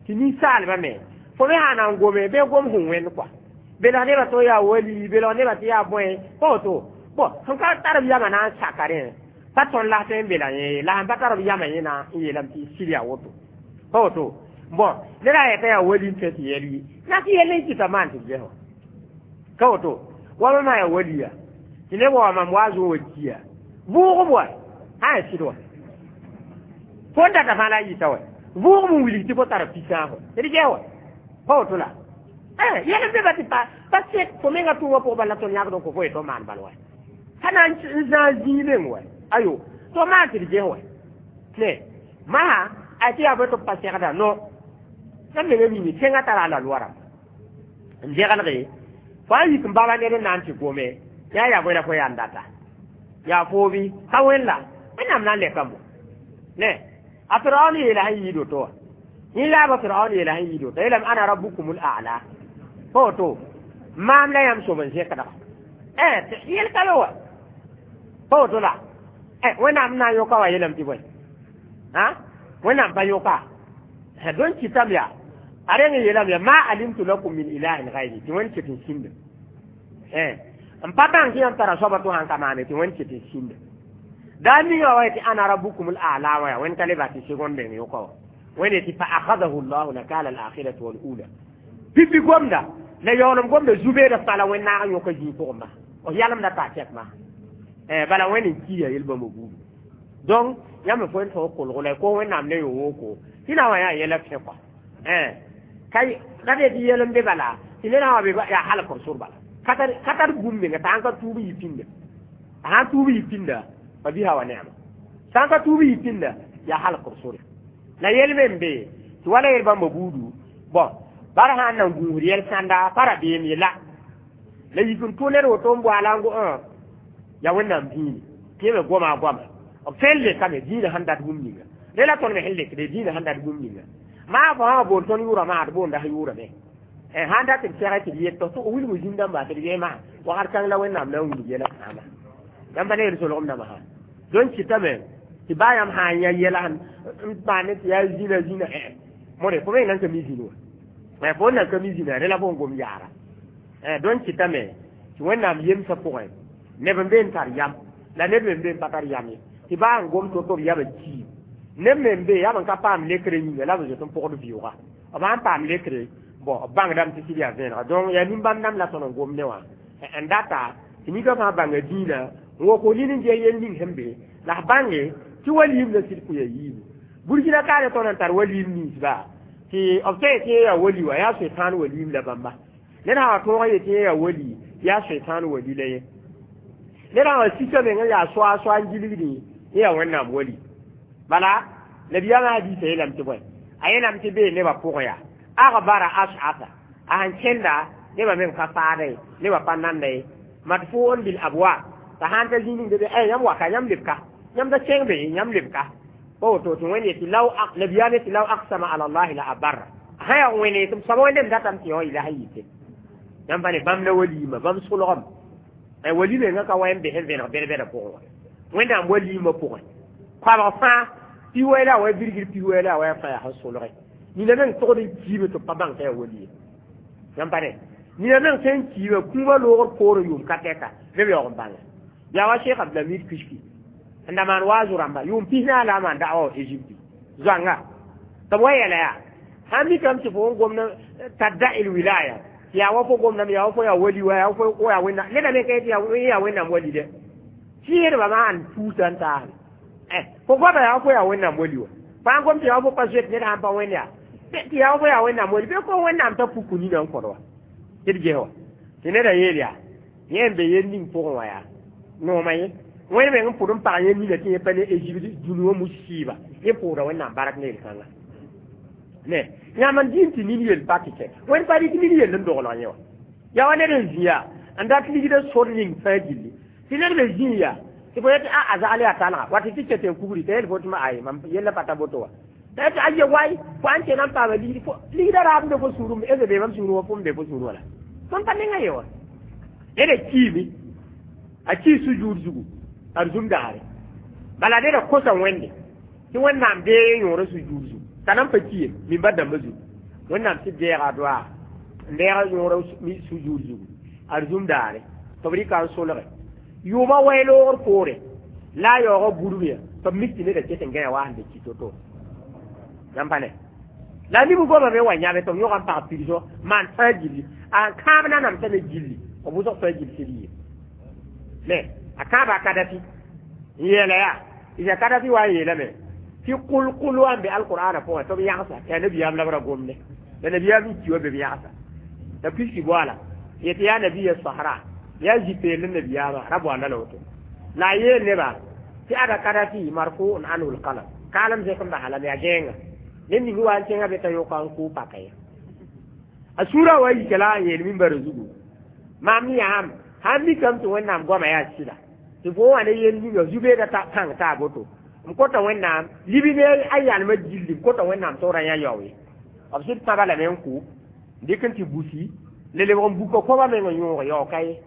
tɩ ninsaalbã me fo me sã na n gome bɩ gom sẽn wẽnd kɔa belg nebã tɩ yaa wali belg nebã tɩ yaa bõe pa woto bon sẽn ka tar b yamã na n saka rẽ pa tõnd la tõe n bela yẽ la sẽn pa tar b yamã yẽ na n yeelame tɩ sɩd yaa woto pa woto bon ned a yeta yaa wali n tõe tɩ yɛl yi na tɩ yɛl n kɩta maan tɩ ges ka woto wa mam yaa waliya tɩ neb wa mam wa zõ wa kiya vʋʋgb wa sã yaa sɩd wa fo n data fãa la a yɩta wa vʋʋgb n wilg tɩ fo tara pi-sãasgo d ges wa pa woto la yɛl n be ba tɩ pa pa sek fo menga tʋʋmã pʋgã bala tõnd yãgd n kõ fo ye tɩ maan bal wa ka na n zãag zĩig meng wa ayo to maan tɩ d ges wa ne masã a tɩ yaa bõe tɩ b pa segda no yãmb menga mimi tẽngã tara la loa rãmb n degelge fo a yik n baba ned n na n tɩ gome yaa yaa bõe la fo yaa n data yaa foobi ka wẽn la Wẽnnaam na n lɛkame ne a Firaon yeela sẽn yɩɩd woto wã yẽ laaba Firaon yeela sẽn yɩɩd woto yeelame ana rabukumul a'la pa woto maam la yãmb sob n zẽkdga yel ka be wa pa woto la Wẽnnaam na n yõka wa yeelame tɩ bõe Wẽnnaam pa yõka donc kɩtame yaa a reng n yeelame yaa ma alimtu lakum min ilahin gayri tɩ Wẽnd ket n sĩnda n pa bãng tɩ yãmb tara soaba tɩ sãn ka maane tɩ Wẽnd ket n sĩnda daa ninga wa tɩ ana rabukum al-a'la wa Wẽnd ka le bas tɩ segonde meng yõka wa Wẽnd tɩ fa akhadahu llahu nakala al-akhirati wal ula pipi gomda la yaoolem gomda zu-beeda fãa la Wẽnd naag n yõka zĩig pʋgẽ ma f yalemda taa tɛk ma bala Wẽnd n kiya yel-bãmba buudu donc yãmb fo n tõog kolgo la ko Wẽnnaam ne yo-woko tɩ na wa yaa yɛla fẽ kɔa ka ra tɩ yɛl n be bala tɩ ned sã wa be yaa halk sor bala ka tar bũmb menga t'a sãn ka tuub yɩ pĩnda a sãn tuub yɩ pĩnda fa bisa wa neema sãn ka tuub yɩ pĩnda yaa halk sore la yel me n be tɩ wala yel bãmba buudu Bon bara sã n na n gũusd yɛl sãnda pa rabeem ye la la yik n tʋ ned woto n boala n go yaa Wẽnnaam dĩini tɩ me goma a goama b tõe n lekame dĩinã sẽn dat bũmb ninga re la tõnd me sẽn lekde dĩinã sẽn dat bũmb ninga maa fo sã bool tõnd yʋʋra maa d boonda sã yʋʋrame sãn dat tɩ d sɛgɛ tɩ d yet tɩ wilg zĩn-dãmba tɩ d gee maa wakat kãng la Wẽnnaam na n wilg yɛla kãama yãmb pa ne yel-solgem dãmbã sã dõn kɩtame tɩ baa yãmb sã n yã yɛla n paane tɩ yaa zĩna zĩna modẽ fo me nan ka mi zĩni wa fo nan ka mi zĩna rẽ la fo n gom yaara dõn kɩtame tɩ Wẽnnaam yemsã pʋgẽ neb n be n tar yam la neb me n be n pa tar yam ye tɩ baa n gom to-to b yamã kiim neb me n be yaa b n ka paam lekre yĩnga la b zoet n pʋgd vɩʋʋga b sãn paam lekre bon b bãngdame tɩ sɩd yaa vẽenega donc yaa nin-bãmb dãmb la tõnd n gom ne wã n data tɩ nika fãa bãnga dĩinã n wok fo nin n ges yel ning sẽn be la f bãnge tɩ waliim la sɩd kʋya yiibu Burkina kaane tõnd n tar waliim ninsba tɩ b tõe tɩ yaa wali wa yaa soetãan waliim la bãmba ned sã wa tõog n yetɩ yaa wali yaa soetãan wali la ye ned sã wa sika meng n yaa soa soa n gilgdẽ yaa Wẽnnaam wali bala nabiyaamã hadiisa yeelame tɩ bõe a yeelame tɩ bee nebã pʋgẽ yaa agbara ash'asa a sẽn kẽnda nebã meng pa faada ye nebã pa nanda ye madfuun bil abwab t'a sãn ta zĩ ning be ay yãmb waka yãmb lebka yãmb da kẽng be yãmb lebka pa woto tɩ Wẽnd yetɩ law nabiyaam yetɩ law aqsama ala allahi la abarra sã yaa wẽne tɩ m soaba Wẽndem datame tɩ yõ yɩla sã yɩte yãmb pa ne bãmb la waliima bãmb solgem wali mengã ka wa n bes n vẽneg bɛd-bɛdã pʋgẽ wa Wẽnnaam waliimã pʋgẽ koabg fãa pi wɛ la wa birgr pi wɛ la wa fãa yaa sẽn solge nina meng togd n kiime tɩ b pa bãng t'a yaa wali ye yãmb pa ne nina meng sẽn kiime kũumã loogr poorẽ yʋʋm ka tɛka neb yaoog n bãnga yaa wa Sheikh Abdulhamid Kishki n da maan waazu rãmba yʋʋm pis naag la a maan da'wa wa Égypte zoanga tɩ b wa yɛla yaa sãn mikame tɩ fo n gomd tadda il wilaya yaa wa fo gomdame yaa wa fo yaa wali wa yaa fo yaa Wẽnnaam neda me ka yetɩ yaa Wẽnnaam wali dɛ sɩɩdbã maan puusa n taasme fo goama yaa fo yaa Wẽnnaam wali wa fãa gom tɩ yaa fo pa zoet ned sãn pa wẽnd yaa tɩ yaa fo yaa Wẽnnaam wali bɩ ko Wẽnnaam t'a puku nina n kõd wa tɩ d ges wa tɩ neda yeel yaa yẽ n be yel ning pʋgẽ wã yaa noomã ye Wẽnd meng n pʋd n pag yẽ nina tɩ yẽ pa ne Égypte dũni wã mus-sɩɩba yẽ pʋʋda Wẽnnaam bark ne yel-kãnga ne yãmb n dĩm tɩ nin yel pa tɩ kɛ Wẽnd pa rɩk nin yell n doglg yẽ wa yaa wa ned n zĩ yaa n dat ligda sor ning fãa gilli tɩ ned me zĩ yaa tɩ fo yetɩ a zagl yaa talga wa tɩ tɩ ket n kugri t'a yel fo tɩ ma ay mam yella pa ta boto wa t'a yetɩ aye way fo an kẽna n paama ligd fo ligda raab n be fo sũurẽ ese be mam sũurẽ wa fo n be fo sũurẽ wala tõnd pa nenga ye wa neda kiime a kii sujuud zugu a zum daare bala neda kosa Wẽnde tɩ Wẽnnaam dee yõora sujuud zugu t'a nan pa ki ye min-ba dãmbã zugu Wẽnnaam tɩ deega doaa n deega yõora sujuud zugu a zum daare tɩ b rɩka n solge yʋʋmã wɛ loogr poore la a yaoogã burmã tɩ b mik tɩ neda ket n gãe wa sẽn be ki to-to yãmb pa ne la nib goma me wa yãbe tɩ b yõg n pag pirsõ maan fãa gilli a kãab nanam tame gilli b wʋsg fãa gill sɩd yɩ ne a kãaba a Kadafi n yeela yaa isa Kadafi wa n yeelame tɩ kʋl-kʋl wa n be alqur'ana pʋgẽ tɩ b yagsa yaa nabiyaam la b ra gomde la nabiyaam n ki wa be b yagsa la piski boala yetɩ yaa nabiya sahara yaa zipeel n nabiyaamã ra boanda la woto la a yeel nebã tɩ ada Kadafi marfuun anhu lqalam kaalem zẽk n basa lame yaa gẽenga ned ning wa n kẽngã be t'a yõka n kʋ paka ye a sũurã wa yika la n yeel mimbara zugu maam yãam sãn mikame tɩ Wẽnnaam goama yaa sɩda tɩ fo wã ne yel ninga zu-beeda pãng taa boto m kota Wẽnnaam libi ne a yalmã gilli m kota Wẽnnaam tɩ ra yã yao ye b sɩd pãba lame n kʋ dɩk n tɩ busi le lebg n buka koabã meng n yõog yao ka ye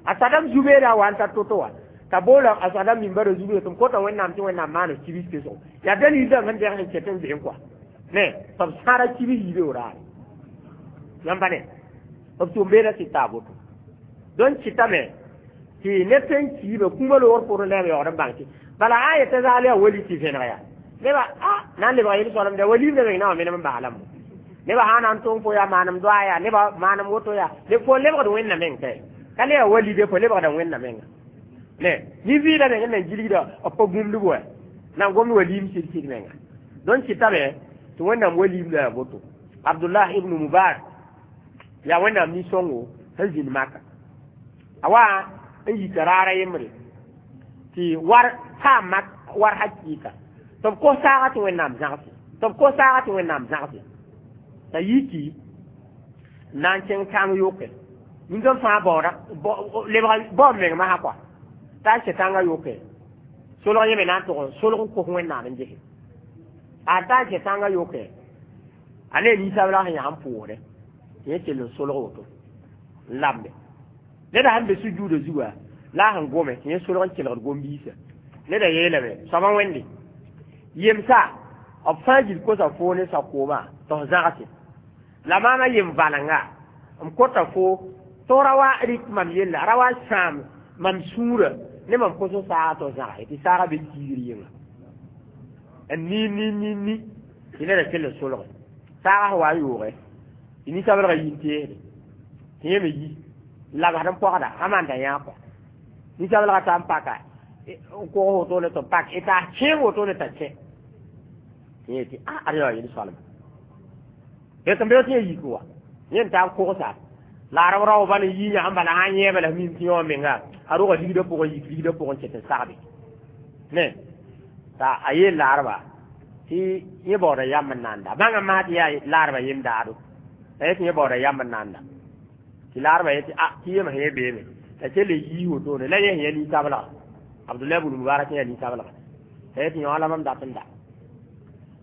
a Sadam zu-beeda wa n tar to-to wa t'a boola a Sadam mimbara zugu tɩ m kota Wẽnnaam tɩ Wẽnnaam maan kibis pesgo yaa dalil dãmb sẽn dẽg sẽn ket n zoe kɔa ne tɩ b sãara kibis yibe raare yãmb pa ne b tʋm-beeda sɩd taa boto donc kɩtame tɩ ned sẽn kiime kũumã loogr pʋgẽ la b yaood n bãng tɩ bala a yetã zaal yaa wali tɩ vẽneg yaa nebã a na n lebga yel-soalemda waliimda meng na wã menem n baslame nebã sã na n tõng fo yaa maanem doa yaa nebã maanem woto yaa fo lebgd Wẽnna meng kɛ ka le yaa wali de fo lebgda Wẽnna menga ne nin-vɩɩda meng n na gilgda b pa gũmdb wa na n gomd waliim sɩd sɩd menga donc kɩtame tɩ Wẽnnaam waliimda yaa boto Abdullah ibn Mubarak yaa Wẽnnaam nin-sõngo sẽn zĩnd Maka a wa n yika raara yembre tɩ war paam mak war hakɩɩka tɩ b kos saaga tɩ Wẽnnaam zãgse tɩ b kos saaga tɩ Wẽnnaam zãgse T'a yiki na n kẽng tãng yoke nin-gã fãa baooda lebg bao meng masã kɔa t'a n kẽ tãngã yoke solg yẽ me na n tʋg n solg n kos Wẽnnaam n gese a t'a n kẽ tãngã yoke a ne ninsabla sẽn yã n pʋʋsdɛ tɩ yẽ kell n solg woto n lamde neda sẽn be sujuudã zuga la a sẽn gome tɩ yẽ solg n kelgd gom-biisã neda yeelame soaba wẽnde yemsa b fãa gil kosa foo ne sakoomã tɩ f zãgse la maama yem valenga m kota fo tɩ ra wa rɩk mam yella ra wa sãam mam sũurã ne mam kos n saaga tɩ f zãgse tɩ saaga be kiigr yĩnga n ni ni ni ni tɩ neda kell n solge saaga sẽn wa n yooge tɩ ninsabelgã yi n teesde tɩ yẽ me yi n labsd n pɔgda a maanda yã kɔ ninsabelgã ta n paka n kog wotone tɩ pak y taas kẽeg wotone t'a kẽ tɩ yẽ tɩ a ad yaa yel soalma tɩ n be tɩ yẽ yik wa yẽ n taa n kogsa la a rao bal n yi yã n bala sã n yẽeba la mim tɩ yõ menga a roga ligdã pʋgẽ yik ligdã pʋgẽ ket n sagbe ne t'a a yeel laarba tɩ yẽ baooda yam n nanda bãngã maa tɩ yaa laarba yem daado la yẽ tɩ yẽ baooda yam n nanda tɩ laarba yetɩ a tɩ yem sã yẽ beeme t'a kell n yii wotone la yẽ sẽn ya ninsablega Abdullah ibn Mubarak ya ninsablega t'a yetɩ yõ la mam dat n da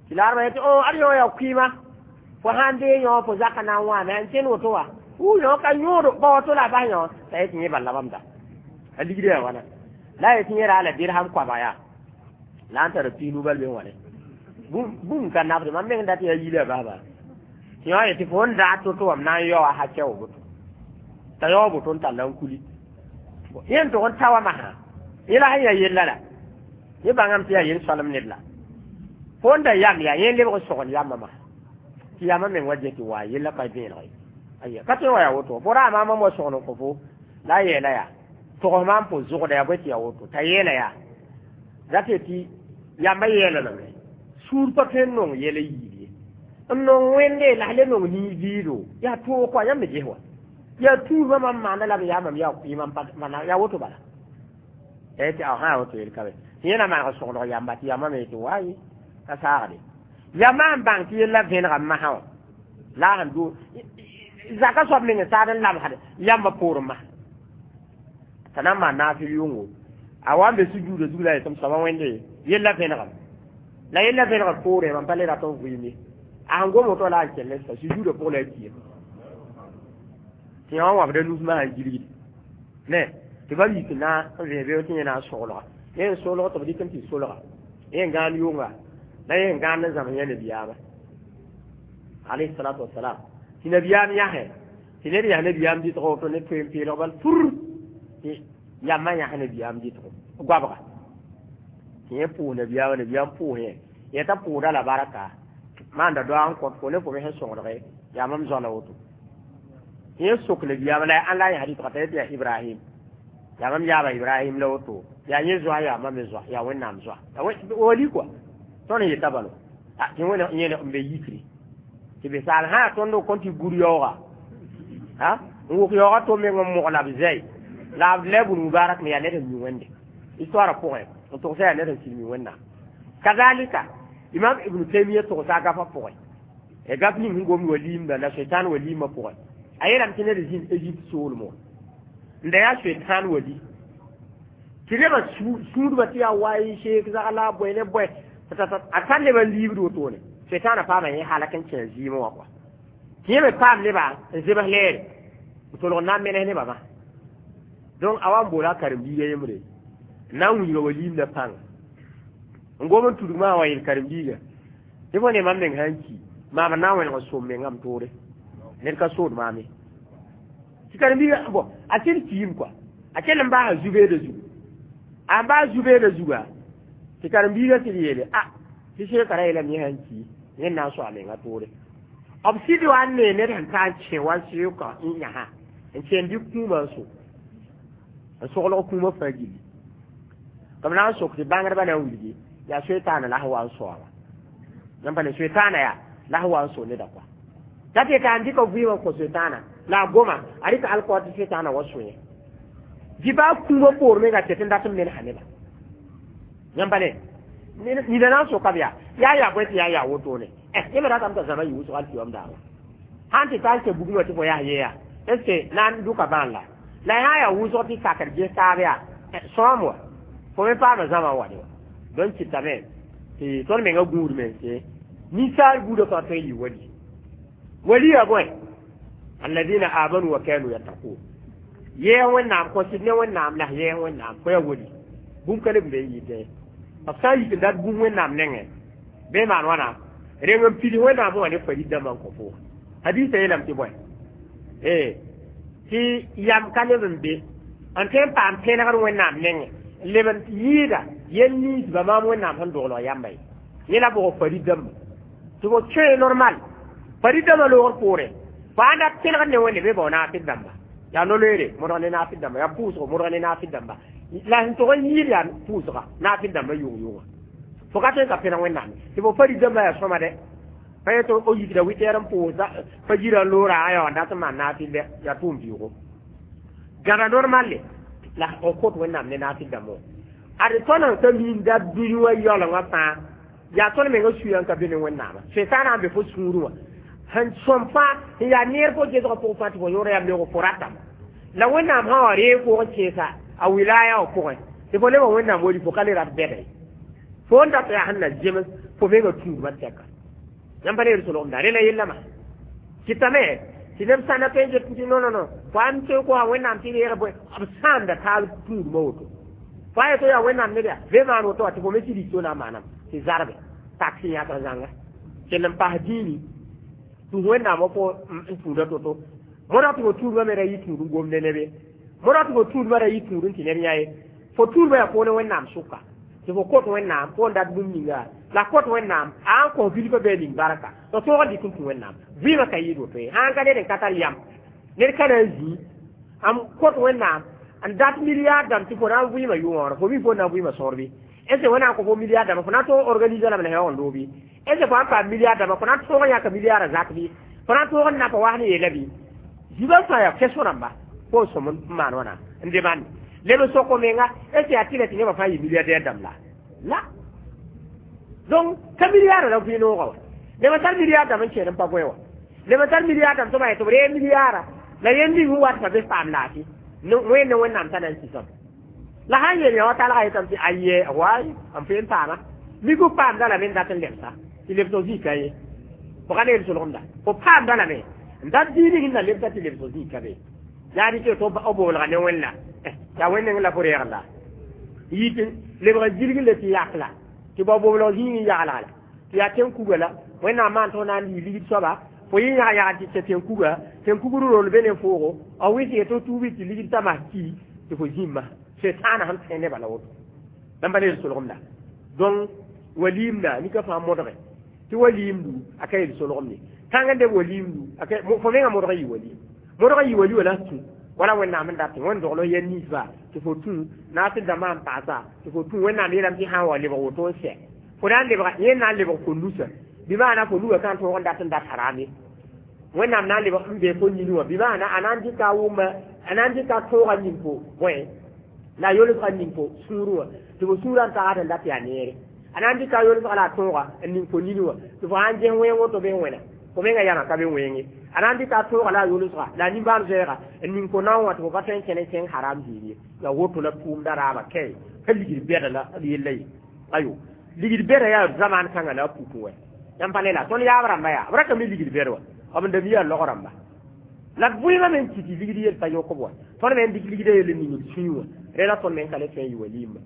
tɩ laarba yetɩ o ad yõ yaa kʋɩɩma fo sãn dee yõ fo zaka na n wãame n kẽnd woto wa wu yõ ka yõodo ba woto la a bas yõ t'a yetɩ yẽ bal la mam da a ligdã yaa wãna la a yetɩ yẽ raa la dirham koaba yaa la n tara piinu bal be wãne bũmb ka nabde mam meng dat yaa yila basba tɩ yõ yetɩ fo n daa to-to wam na n yaoa hakɛ wa boto t'a yao boto n talla n kuli yẽ n tʋg n ta wa masã yẽ la sẽn yaa yella la yẽ bãngame tɩ yaa yel soalem ned la fo n da yam yaa yẽ lebg n sogl yambã masã tɩ yambã meng wa dẽ tɩ wa yella pa vẽeneg ye aya ka tõe n wa yaa woto fo raa maam wa sogl n kõ fo la a yeela yaa togs maam fo zʋgda yaa bõe tɩ yaa woto t'a yeela yaa dat tɩ yamba yeela lame sũur pa tõe n nong yɛla yiib ye n nong wẽnde la le nong nin-vɩɩdo yaa toog kɔa yãmb me ges wa yaa tuubã mam maanda la b yaa mam yaa kʋɩɩmã yaa woto bala ya tɩ a sã woto yel ka be tɩ yẽ na maneg soglg yamba tɩ yambã me tɩ waaye ka saagde yamba sẽn bãng tɩ yella vẽnega masã wã la a sẽn do zaka soab meng n saad n lamsd yambã poorẽ masã t'a na n maan naafɩl yʋngo a wa n be sujuudã zug la yetɩ m soaba wẽnde yella vẽnegame la yella vẽnegr poorẽ mam pa le rat n vɩɩm ye a sẽn gom woto la a n kell sa sujuudã pʋg la a kiime tɩ yã wã wãbda nus masã n gilgd ne tɩ bam yik na n vẽ beo tɩ yẽ na n soglga yẽ n solg tɩ b dɩk n tɩ solga yẽ n gãan yʋnga la yẽ n gãand n zãms yã nabiyaamã alayhi salatu wasalam tɩ nabiyaam yãsẽ tɩ ned yas nabiyaam dɩtg woto ne toeen peelg bal fur tɩ yambã yãs nabiyaam dɩtgo goabga tɩ yẽ pʋʋs nabiyaamã nabiyaam pʋʋs yẽ yẽ t'a pʋʋda la barka maanda doag n kõt fo ne fo me sẽn sõgdge yaa mam zoa la woto yẽ sok nabiyaamã la ãn la a yãs dɩtga t'a yetɩ yaa Ibrahim yaa mam yaaba Ibrahim la woto yaa yẽ zoa yaa mam me zoa yaa Wẽnnaam zoa wali kɔa tõnd n yeta balo tɩ wẽn yẽ n be yikre tɩ be saal sã tõnd kõn tɩ gur yaooga n wʋk yaooga to meng n mogla b zɛy la Abdullah ibn Mubarak me yaa ned n mi wẽnde histoire pʋgẽ n tʋgsa yaa ned n sɩd mi Wẽnnaam kazalika Imam Ibn Taymiya tʋgsa a gafã pʋgẽ ya gaf ning sẽn gomd waliimda la shaitan waliimã pʋgẽ a yeelame tɩ ned zĩnd Egypte soolem wã n da yaa shaitan wali tɩ nebã sũudbã tɩ yaa wayi sheek zagla bõe ne bõe a tar nebã n liibd wotone shaitanã paama yẽ halak n kẽ zɩɩmẽ wã kɔa tɩ yẽ me paam nebã n zems leere n tolg n na n menes nebã ma donc a wa n boola a karen-biiga yembre n na n wilga waliimdã pãnga n gom n tudg maa wa yel karen-biiga tɩ fo ne mam meng sã n ki maam n na n wẽneg n som mengame toore ned ka sood maam ye tɩ karen-biiga bon a sẽd kiim kɔa a kell n baasa zu-beedã zugu a n baas zu-beedã zuga tɩ karen-biiga sɩd yeele a tɩ seekã ra yeelame yẽ sã n ki yẽ na n soa menga toore b sɩd wa n nee ned sẽn ta n kẽ wa seoka n yãsa n kẽnd dɩ kũumã n so n soglg kũumã fãa gilli tɩ b na n sok tɩ bãngdbã na n wilgi yaa soetaana la sẽn wa n soaba yãmb pa ne soetaana yaa la sẽn wa n so neda kɔa ta tɩ ka n dɩka vɩɩmã n kõ soetaana la a goma a rɩka alkɔɔ tɩ soetaana wa sõe dɩ baa kũumã poor menga tɩ tɩ n dat n mensa neba yãmb pa ne nina na n soka b yaa yaa yaa bõe tɩ yaa yaa wotone yẽ me ratame t'a zãma yɩ wʋsg al tɩ wam daaba Sãn tɩ tar n kẽ bugmã tɩ fo yaa yeya, est ce que na n dʋka bãan la la sã yaa wʋsg tɩ sakd ges taab yaa sõam wa fo me paama zãma n wa de wa. Donc kɩtame tɩ tõnd menga gũud mense ninsaal buudã fãa tõe n yɩ wali. Wali yaa bõe? Alladina amanu wa kanu yattaqun. Yɛɛg Wẽnnaam kõ sɩd ne Wẽnnaam la yɛɛg Wẽnnaam fo yaa wali. Bũmb ka leb n be n yɩtẽ b sã n yik n dat bũmb Wẽnnaam nengẽ bɩ maan wãna reng n pids Wẽnnaam wã ne farid dãmbã n kõ fo. Hadiisã yeelame tɩ bõe ee tɩ yam ka leb n be n tõe n paam pẽnegr Wẽnnaam nengẽ n leb n yɩɩda yel ninsba maam Wẽnnaam sẽn doglg yamba ye. Yẽ la bʋg farid dãmba tɩ fo kẽe normal farid dãmbã loogr poorẽ fo ãn dat pẽnegd ne Wẽnde bɩ bao naafɩd dãmba yaa no-loeere modg ne naafɩd dãmba yaa pʋʋsgo modg ne naafɩd dãmba la sẽn tog n yɩɩd yaa pʋʋsga naafɩd dãmba yʋng-yʋnga fo ka tõe n ka pẽneg Wẽnnaam tɩ fo farid dãmbã yaa sõma dɛ pa yetɩ o yikda witɛɛr n pʋʋs pa jirã loora a yaa n dat n maan naafɩd dɛ yaa tʋʋm vɩʋʋgo gãda normalle la f kõt Wẽnnaam ne naafɩd dãmbã wã ad tõnd n ka miinda dũni wã yaoolengã fãa yaa tõnd menga suya n ka be ne Wẽnnaamã sẽn-tãana n be fo sũurẽ wã sẽn sõm fãa n yaa neer fo gesgã pʋgẽ fãa tɩ fo yõor yaa leoog fo ratame la Wẽnnaam sã wa reeg pʋgẽ kẽesa a wilaya wã pʋgẽ tɩ fo lebg Wẽnnaam wali fo ka le rat bɛda ye fo n dat yaa sẽn na zems fo menga tũudmã tɛka yãmb pa ne solgemda rẽna yellame kɩtame tɩ neb sãnda tõe n get tɩ non non non fo ãn tõe n kosa Wẽnnaam tɩ reeg bõe b sãamda taab tũudmã woto fo a yeto yaa Wẽnnaam ned yaa be maan woto wa tɩ fo me sɩd to na n maanam tɩ zarbe taksi yãkr zãnga kell n pas dĩini tũ Wẽnnaam wa fo n tũuda to-to moda tɩ fo tũudmã me ra yɩ tũud n gom ne neb ye moda tɩ fo tũudmã ra yɩ tũud n tɩ neb yã ye fo tũudmã yaa poone Wẽnnaam sʋka tɩ fo kot Wẽnnaam fo n dat bũmb ninga la kot Wẽnnaam a n kõ bilfã bɩ a ning barka tɩ tõog n dɩk n tũ Wẽnnaam vɩɩmã ka yɩɩd woto ye sãn ka ned n ka tar yam ned ka na n zĩ n kot Wẽnnaam n dat milliard dãmb tɩ fo na n vɩɩmã yʋ-wãoora fo mi fo na n vɩɩmã sõor bɩ est ce Wẽnnaam kõ fo milliard dãmbã fo na n tõog organiser lame la sã n loog bɩ est ce fo sãn paam milliard dãmbã fo na n tõog n yãka milliardã zak bɩ fo na n tõog n napa wa sẽn yeela bɩ zibã fãa yaa question rãmba fo n sõm n maan wãna n demande leb n sok menga est ce yaa tɩ la tɩ nebã fãa yɩ milliardaire dãmb la la donc ka milliard la vɩ noogã wa leb n tar milliard dãmb n kẽed n pa bõe wa leb n tar milliard dãmb tɩ b tɩ b ree milliarda la yẽnd ning sẽn wat fa be paam laafɩ wẽnd ne Wẽnnaam t'a na n sisame la sãn yeel yã wa talga yetame tɩ aye way n tõe n paama mik f paamda lame n dat n lebsa tɩ lebsg zĩig ka ye fo ka ne yel solgemda fo paamda lame n dat zĩig ning n na lebsa tɩ lebsg zĩig ka be yaa dɩ tɩ b boolga ne Wẽnna yaa Wẽnd neng la fo reegl la yɩ tɩ lebg zilg le tɩ yak la tɩ bao boblg zĩig n yaglga la tɩ yaa tẽn-kuga la Wẽnnaam maan tɩ f na n lii ligd soaba fo yɩ yãg yagl tɩ kẽ tẽn-kuga tẽn-kugr rol be ne foogo b wɩs ye tɩ tuubi tɩ ligd t'a mas ki tɩ fo zĩmma setaana sẽn tõe nebã la woto bãmba ne yel solgemda donc waliimda nika fãa modge tɩ waliimdu a ka yel solgem ye tãng n deb waliimdu fo menga modg n yɩ waliim modg n yɩ wali wala tũ wala Wẽnnaam n dat Wẽnd dogl yɛl ninsba tɩ fo tũ naasɩ dãmbã n paasa tɩ fo tũ Wẽnnaam yeelame tɩ sã n wa lebg woto n sɛ fo na n lebga yẽ na n lebg fo nusa bɩ maana fo nuga ka n tõog n dat n dat haram ye Wẽnnaam na n lebg n bee fo nini wã bɩ maana a na n dɩka a wʋma a na n dɩka tõoga ning fo bõe la a yolsga ning fo sũurẽ wã tɩ fo sũurã n tagad n dat yaa neere a na n dɩka a yolsga la a tõoga n ning fo nini wã tɩ fo sãn ges wẽng woto bɩ n wẽna fo menga yãma ka be wẽnge a na n dɩka a tõoga la a yolsga la a nimbãan-zoɛɛga n ning fo nao wã tɩ fo pa tõe n kẽne kẽng haram ziir ye la woto la tʋʋmda raaba kae ka ligd bɛda la d yella ye ayo ligd bɛda yaa zamaan kãngã la a pukẽ wɛ yãmb pa ne la tõnd yaab rãmba yaa b ra ka mi ligd bɛd wa b n da mi yaa log rãmba la d vɩɩmã me n kɩ tɩ ligd yel pa yõkb wa tõnd me n dɩk ligdã yel n ning d sũyẽ wã rẽ la tõnd me n ka le tõe n yɩ waliimba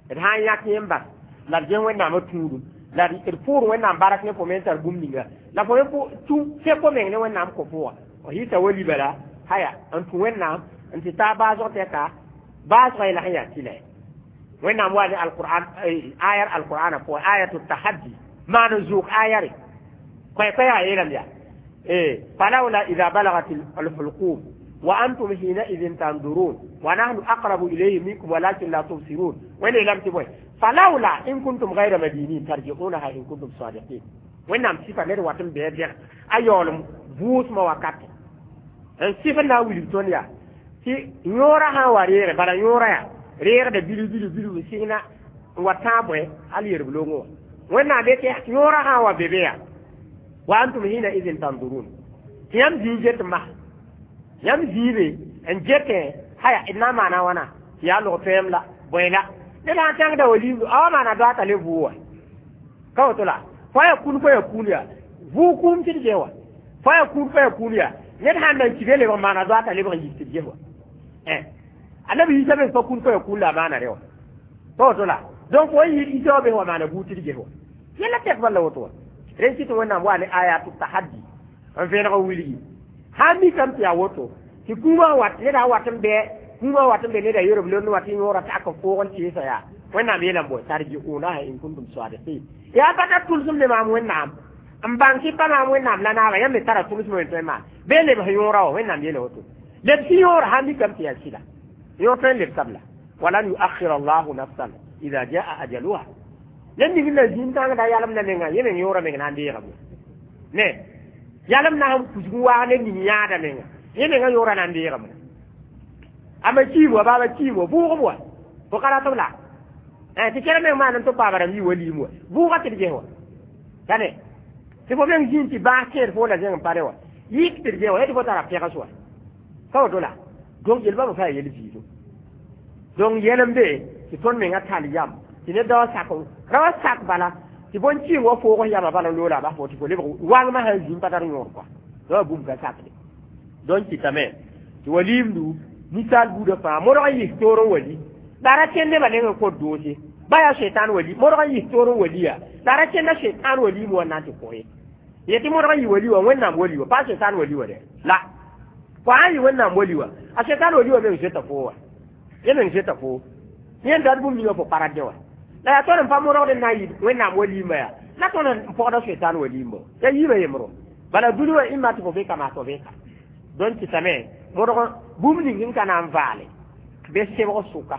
d sã n yãk yẽ n bas la d ges Wẽnnaamã tũudum la d pʋʋr Wẽnnaam bark ne fo me n tar bũmb ninga la fo me tũ fẽk fo meng ne Wẽnnaam kõ fo wã f yɩta wali bala haya n tũ Wẽnnaam n tɩ taa baasg tɛka baasgã yɛla sẽn yaa tɩla Wẽnnaam wa ne alqur'an ayar alqur'ana pʋgẽ ayatu tahaddi maan n zʋʋg ayare koɛ-koɛɛgã yeelame yaa فلولا إذا بلغت الحلقوم وأنتم حينئذ تنظرون ونحن أقرب إليه منكم ولكن لا تبصرون وين لم تبوي فلولا إن كنتم غير مدينين ترجعونها إن كنتم صادقين وين نام صفة نير واتم بيدير أيولم بوس ما وكات n sɩf n na n wilg tõnd yaa tɩ yõorã sã n wa reege bala yõorã yaa reegda bilu bilu bilu n sɩngna n wa tãag bõe hal yerb loongẽ wã Wẽnnaam yetɩ yõorã sã n wa be be yaa wa antum hina idin tanzurun Tɩ yãmb zĩig get n bas yãmb zĩibe n getẽ haya d na n maana wãna tɩ yaa log tõem la bõe la ned sã n tãngda waliimdu a wa maana doata le vʋʋg wã ka woto la fo ya kũun fo ya kũun yaa vʋʋg kũum tɩ d ges wa fo ya kũun fo ya kũun yaa ned sãn nan ki be lebg n maana doata lebg n yis tɩ d ges wa annabi Isa me fa kũun fo ya kũun la a maana re wa pa woto la donc fo yɩ Isa wa be wa maana buud tɩ d ges wa yẽla tɛk bala woto wa rẽn kɩ tɩ Wẽnnaam wa ne ayatu tahaddi n vẽeneg n wilgi sã n mikame tɩ yaa woto tɩ kũumã wat neda wat n bɩ kũumã wat n be neda yerb lond wat n yõora tak n foog n tɩɩsa yaa Wẽnnaam yeelame bõe tarji'unaha in kuntum sadiqin yaa pa tar tʋlsem ne maam Wẽnnaam n bãng tɩ pa maam Wẽnnaam la naaba yãmb me tara tʋlsem n tõe n maan bɩ lebs yõora wa Wẽnnaam yeela woto lebs yõora sã n mikame tɩ yaa sɩda yõor tõe n lebsa b la walan yuakhir allahu nafsan idha jaa ajaluha ned ning la zĩn tãngda yalem na menga yẽ meng yõora meng na n deegame ne yalem na sẽn kusg n waag ned ning yãada menga yẽ menga yõora na n deegame ama kiim wa baaba kiim wa vʋʋgem wa fo ka ratb la tɩ kɛrɛ meng maan n tɩ paama rãmb yi wa liim wa vʋʋga tɩ d ges wa tane tɩ fo meng zĩn tɩ bãas kẽed fo la zẽng n pa re wa yik tɩ d ges wa yetɩ fo tara pɛgs wa ka woto la donc yel bãmb fa yel viido donc yɛlem be tɩ tõnd menga tall yam tɩ ned da wa sak ra wa sak bala tɩ bõn kɩɩng wa foog yama bala loola a bas fo tɩ fo lebg wãngmã sã n zĩm pa tar yõor kɔa wa bũmb ka sakde donc kɩtame tɩ waliimdu ninsaal buudã fãa modg n yis toor n wali la ra kẽnd nebã neng n kõt doose ba yaa setan wali modg n yis toor n wali yaa la ra kẽnda setan waliim wa n na n tɩ kõ ye yetɩ modg n yɩ wali wa Wẽnnaam wali wa pa setan wali wa dɛ la fo sã n yɩ Wẽnnaam wali wa a setan wali wa meng zoeta foo wa yẽ meng zoeta foo yẽ dat bũmb ninga fo pa ra dẽ wa la yaa tõnd n pa modgd n na n yɩ Wẽnnaam waliimã yaa la tõnd n pɔgda setan waliimba ya yiibã yembro bala dũni wã ĩmma tɩ fo be ka maa fo be ka donc kɩtame modg bũmb ning n ka na n vaale bɩ sebg sʋka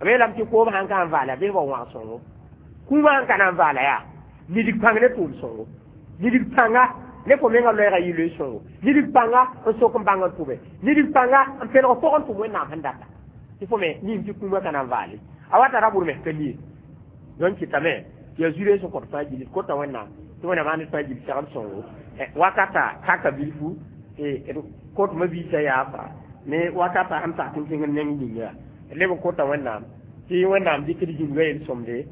b yeelame tɩ koom sãn ka n vaala bɩ wa wãg sõngo kũumã sãn ka na n vaala yaa nidig pãng ne tʋʋm sõngo nidig pãnga ne fo menga loɛɛga yɩ loe sõngo nidig pãnga n sok n bãng n tʋbe nidig pãnga n pelg pʋgẽ tʋm Wẽnnaam sẽn data tɩ fo me nin tɩ kũumã ka na n vaale a wata ra bʋr mes ka nie donc kɩtame tɩ yaa zuree sẽn kõt fãa gilid kota Wẽnnaam tɩ Wẽnnaam maan d fãa gil segd sõngo wakata kaka bilfu tɩ d kõtmã biisã yaa ne wakata sẽn tak n zĩng n neng yĩnga leb n kota Wẽnnaam tɩ Wẽnnaam dɩk d zĩnga yel sõmde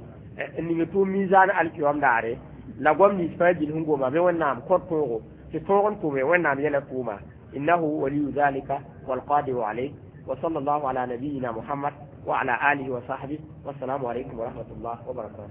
n ning tʋʋm mizaan alkiyom daare la goam nins fãa gil sẽn goma bɩ Wẽnnaam kõt tõogo tɩ tõog n tʋme Wẽnnaam yɛla tʋʋma innahu waliyu dhalika walqadiru alayh wa sallallahu ala nabiyina Muhammad wa ala alihi wa sahbihi wassalamu alaykum wa rahmatullah wa barakatuh.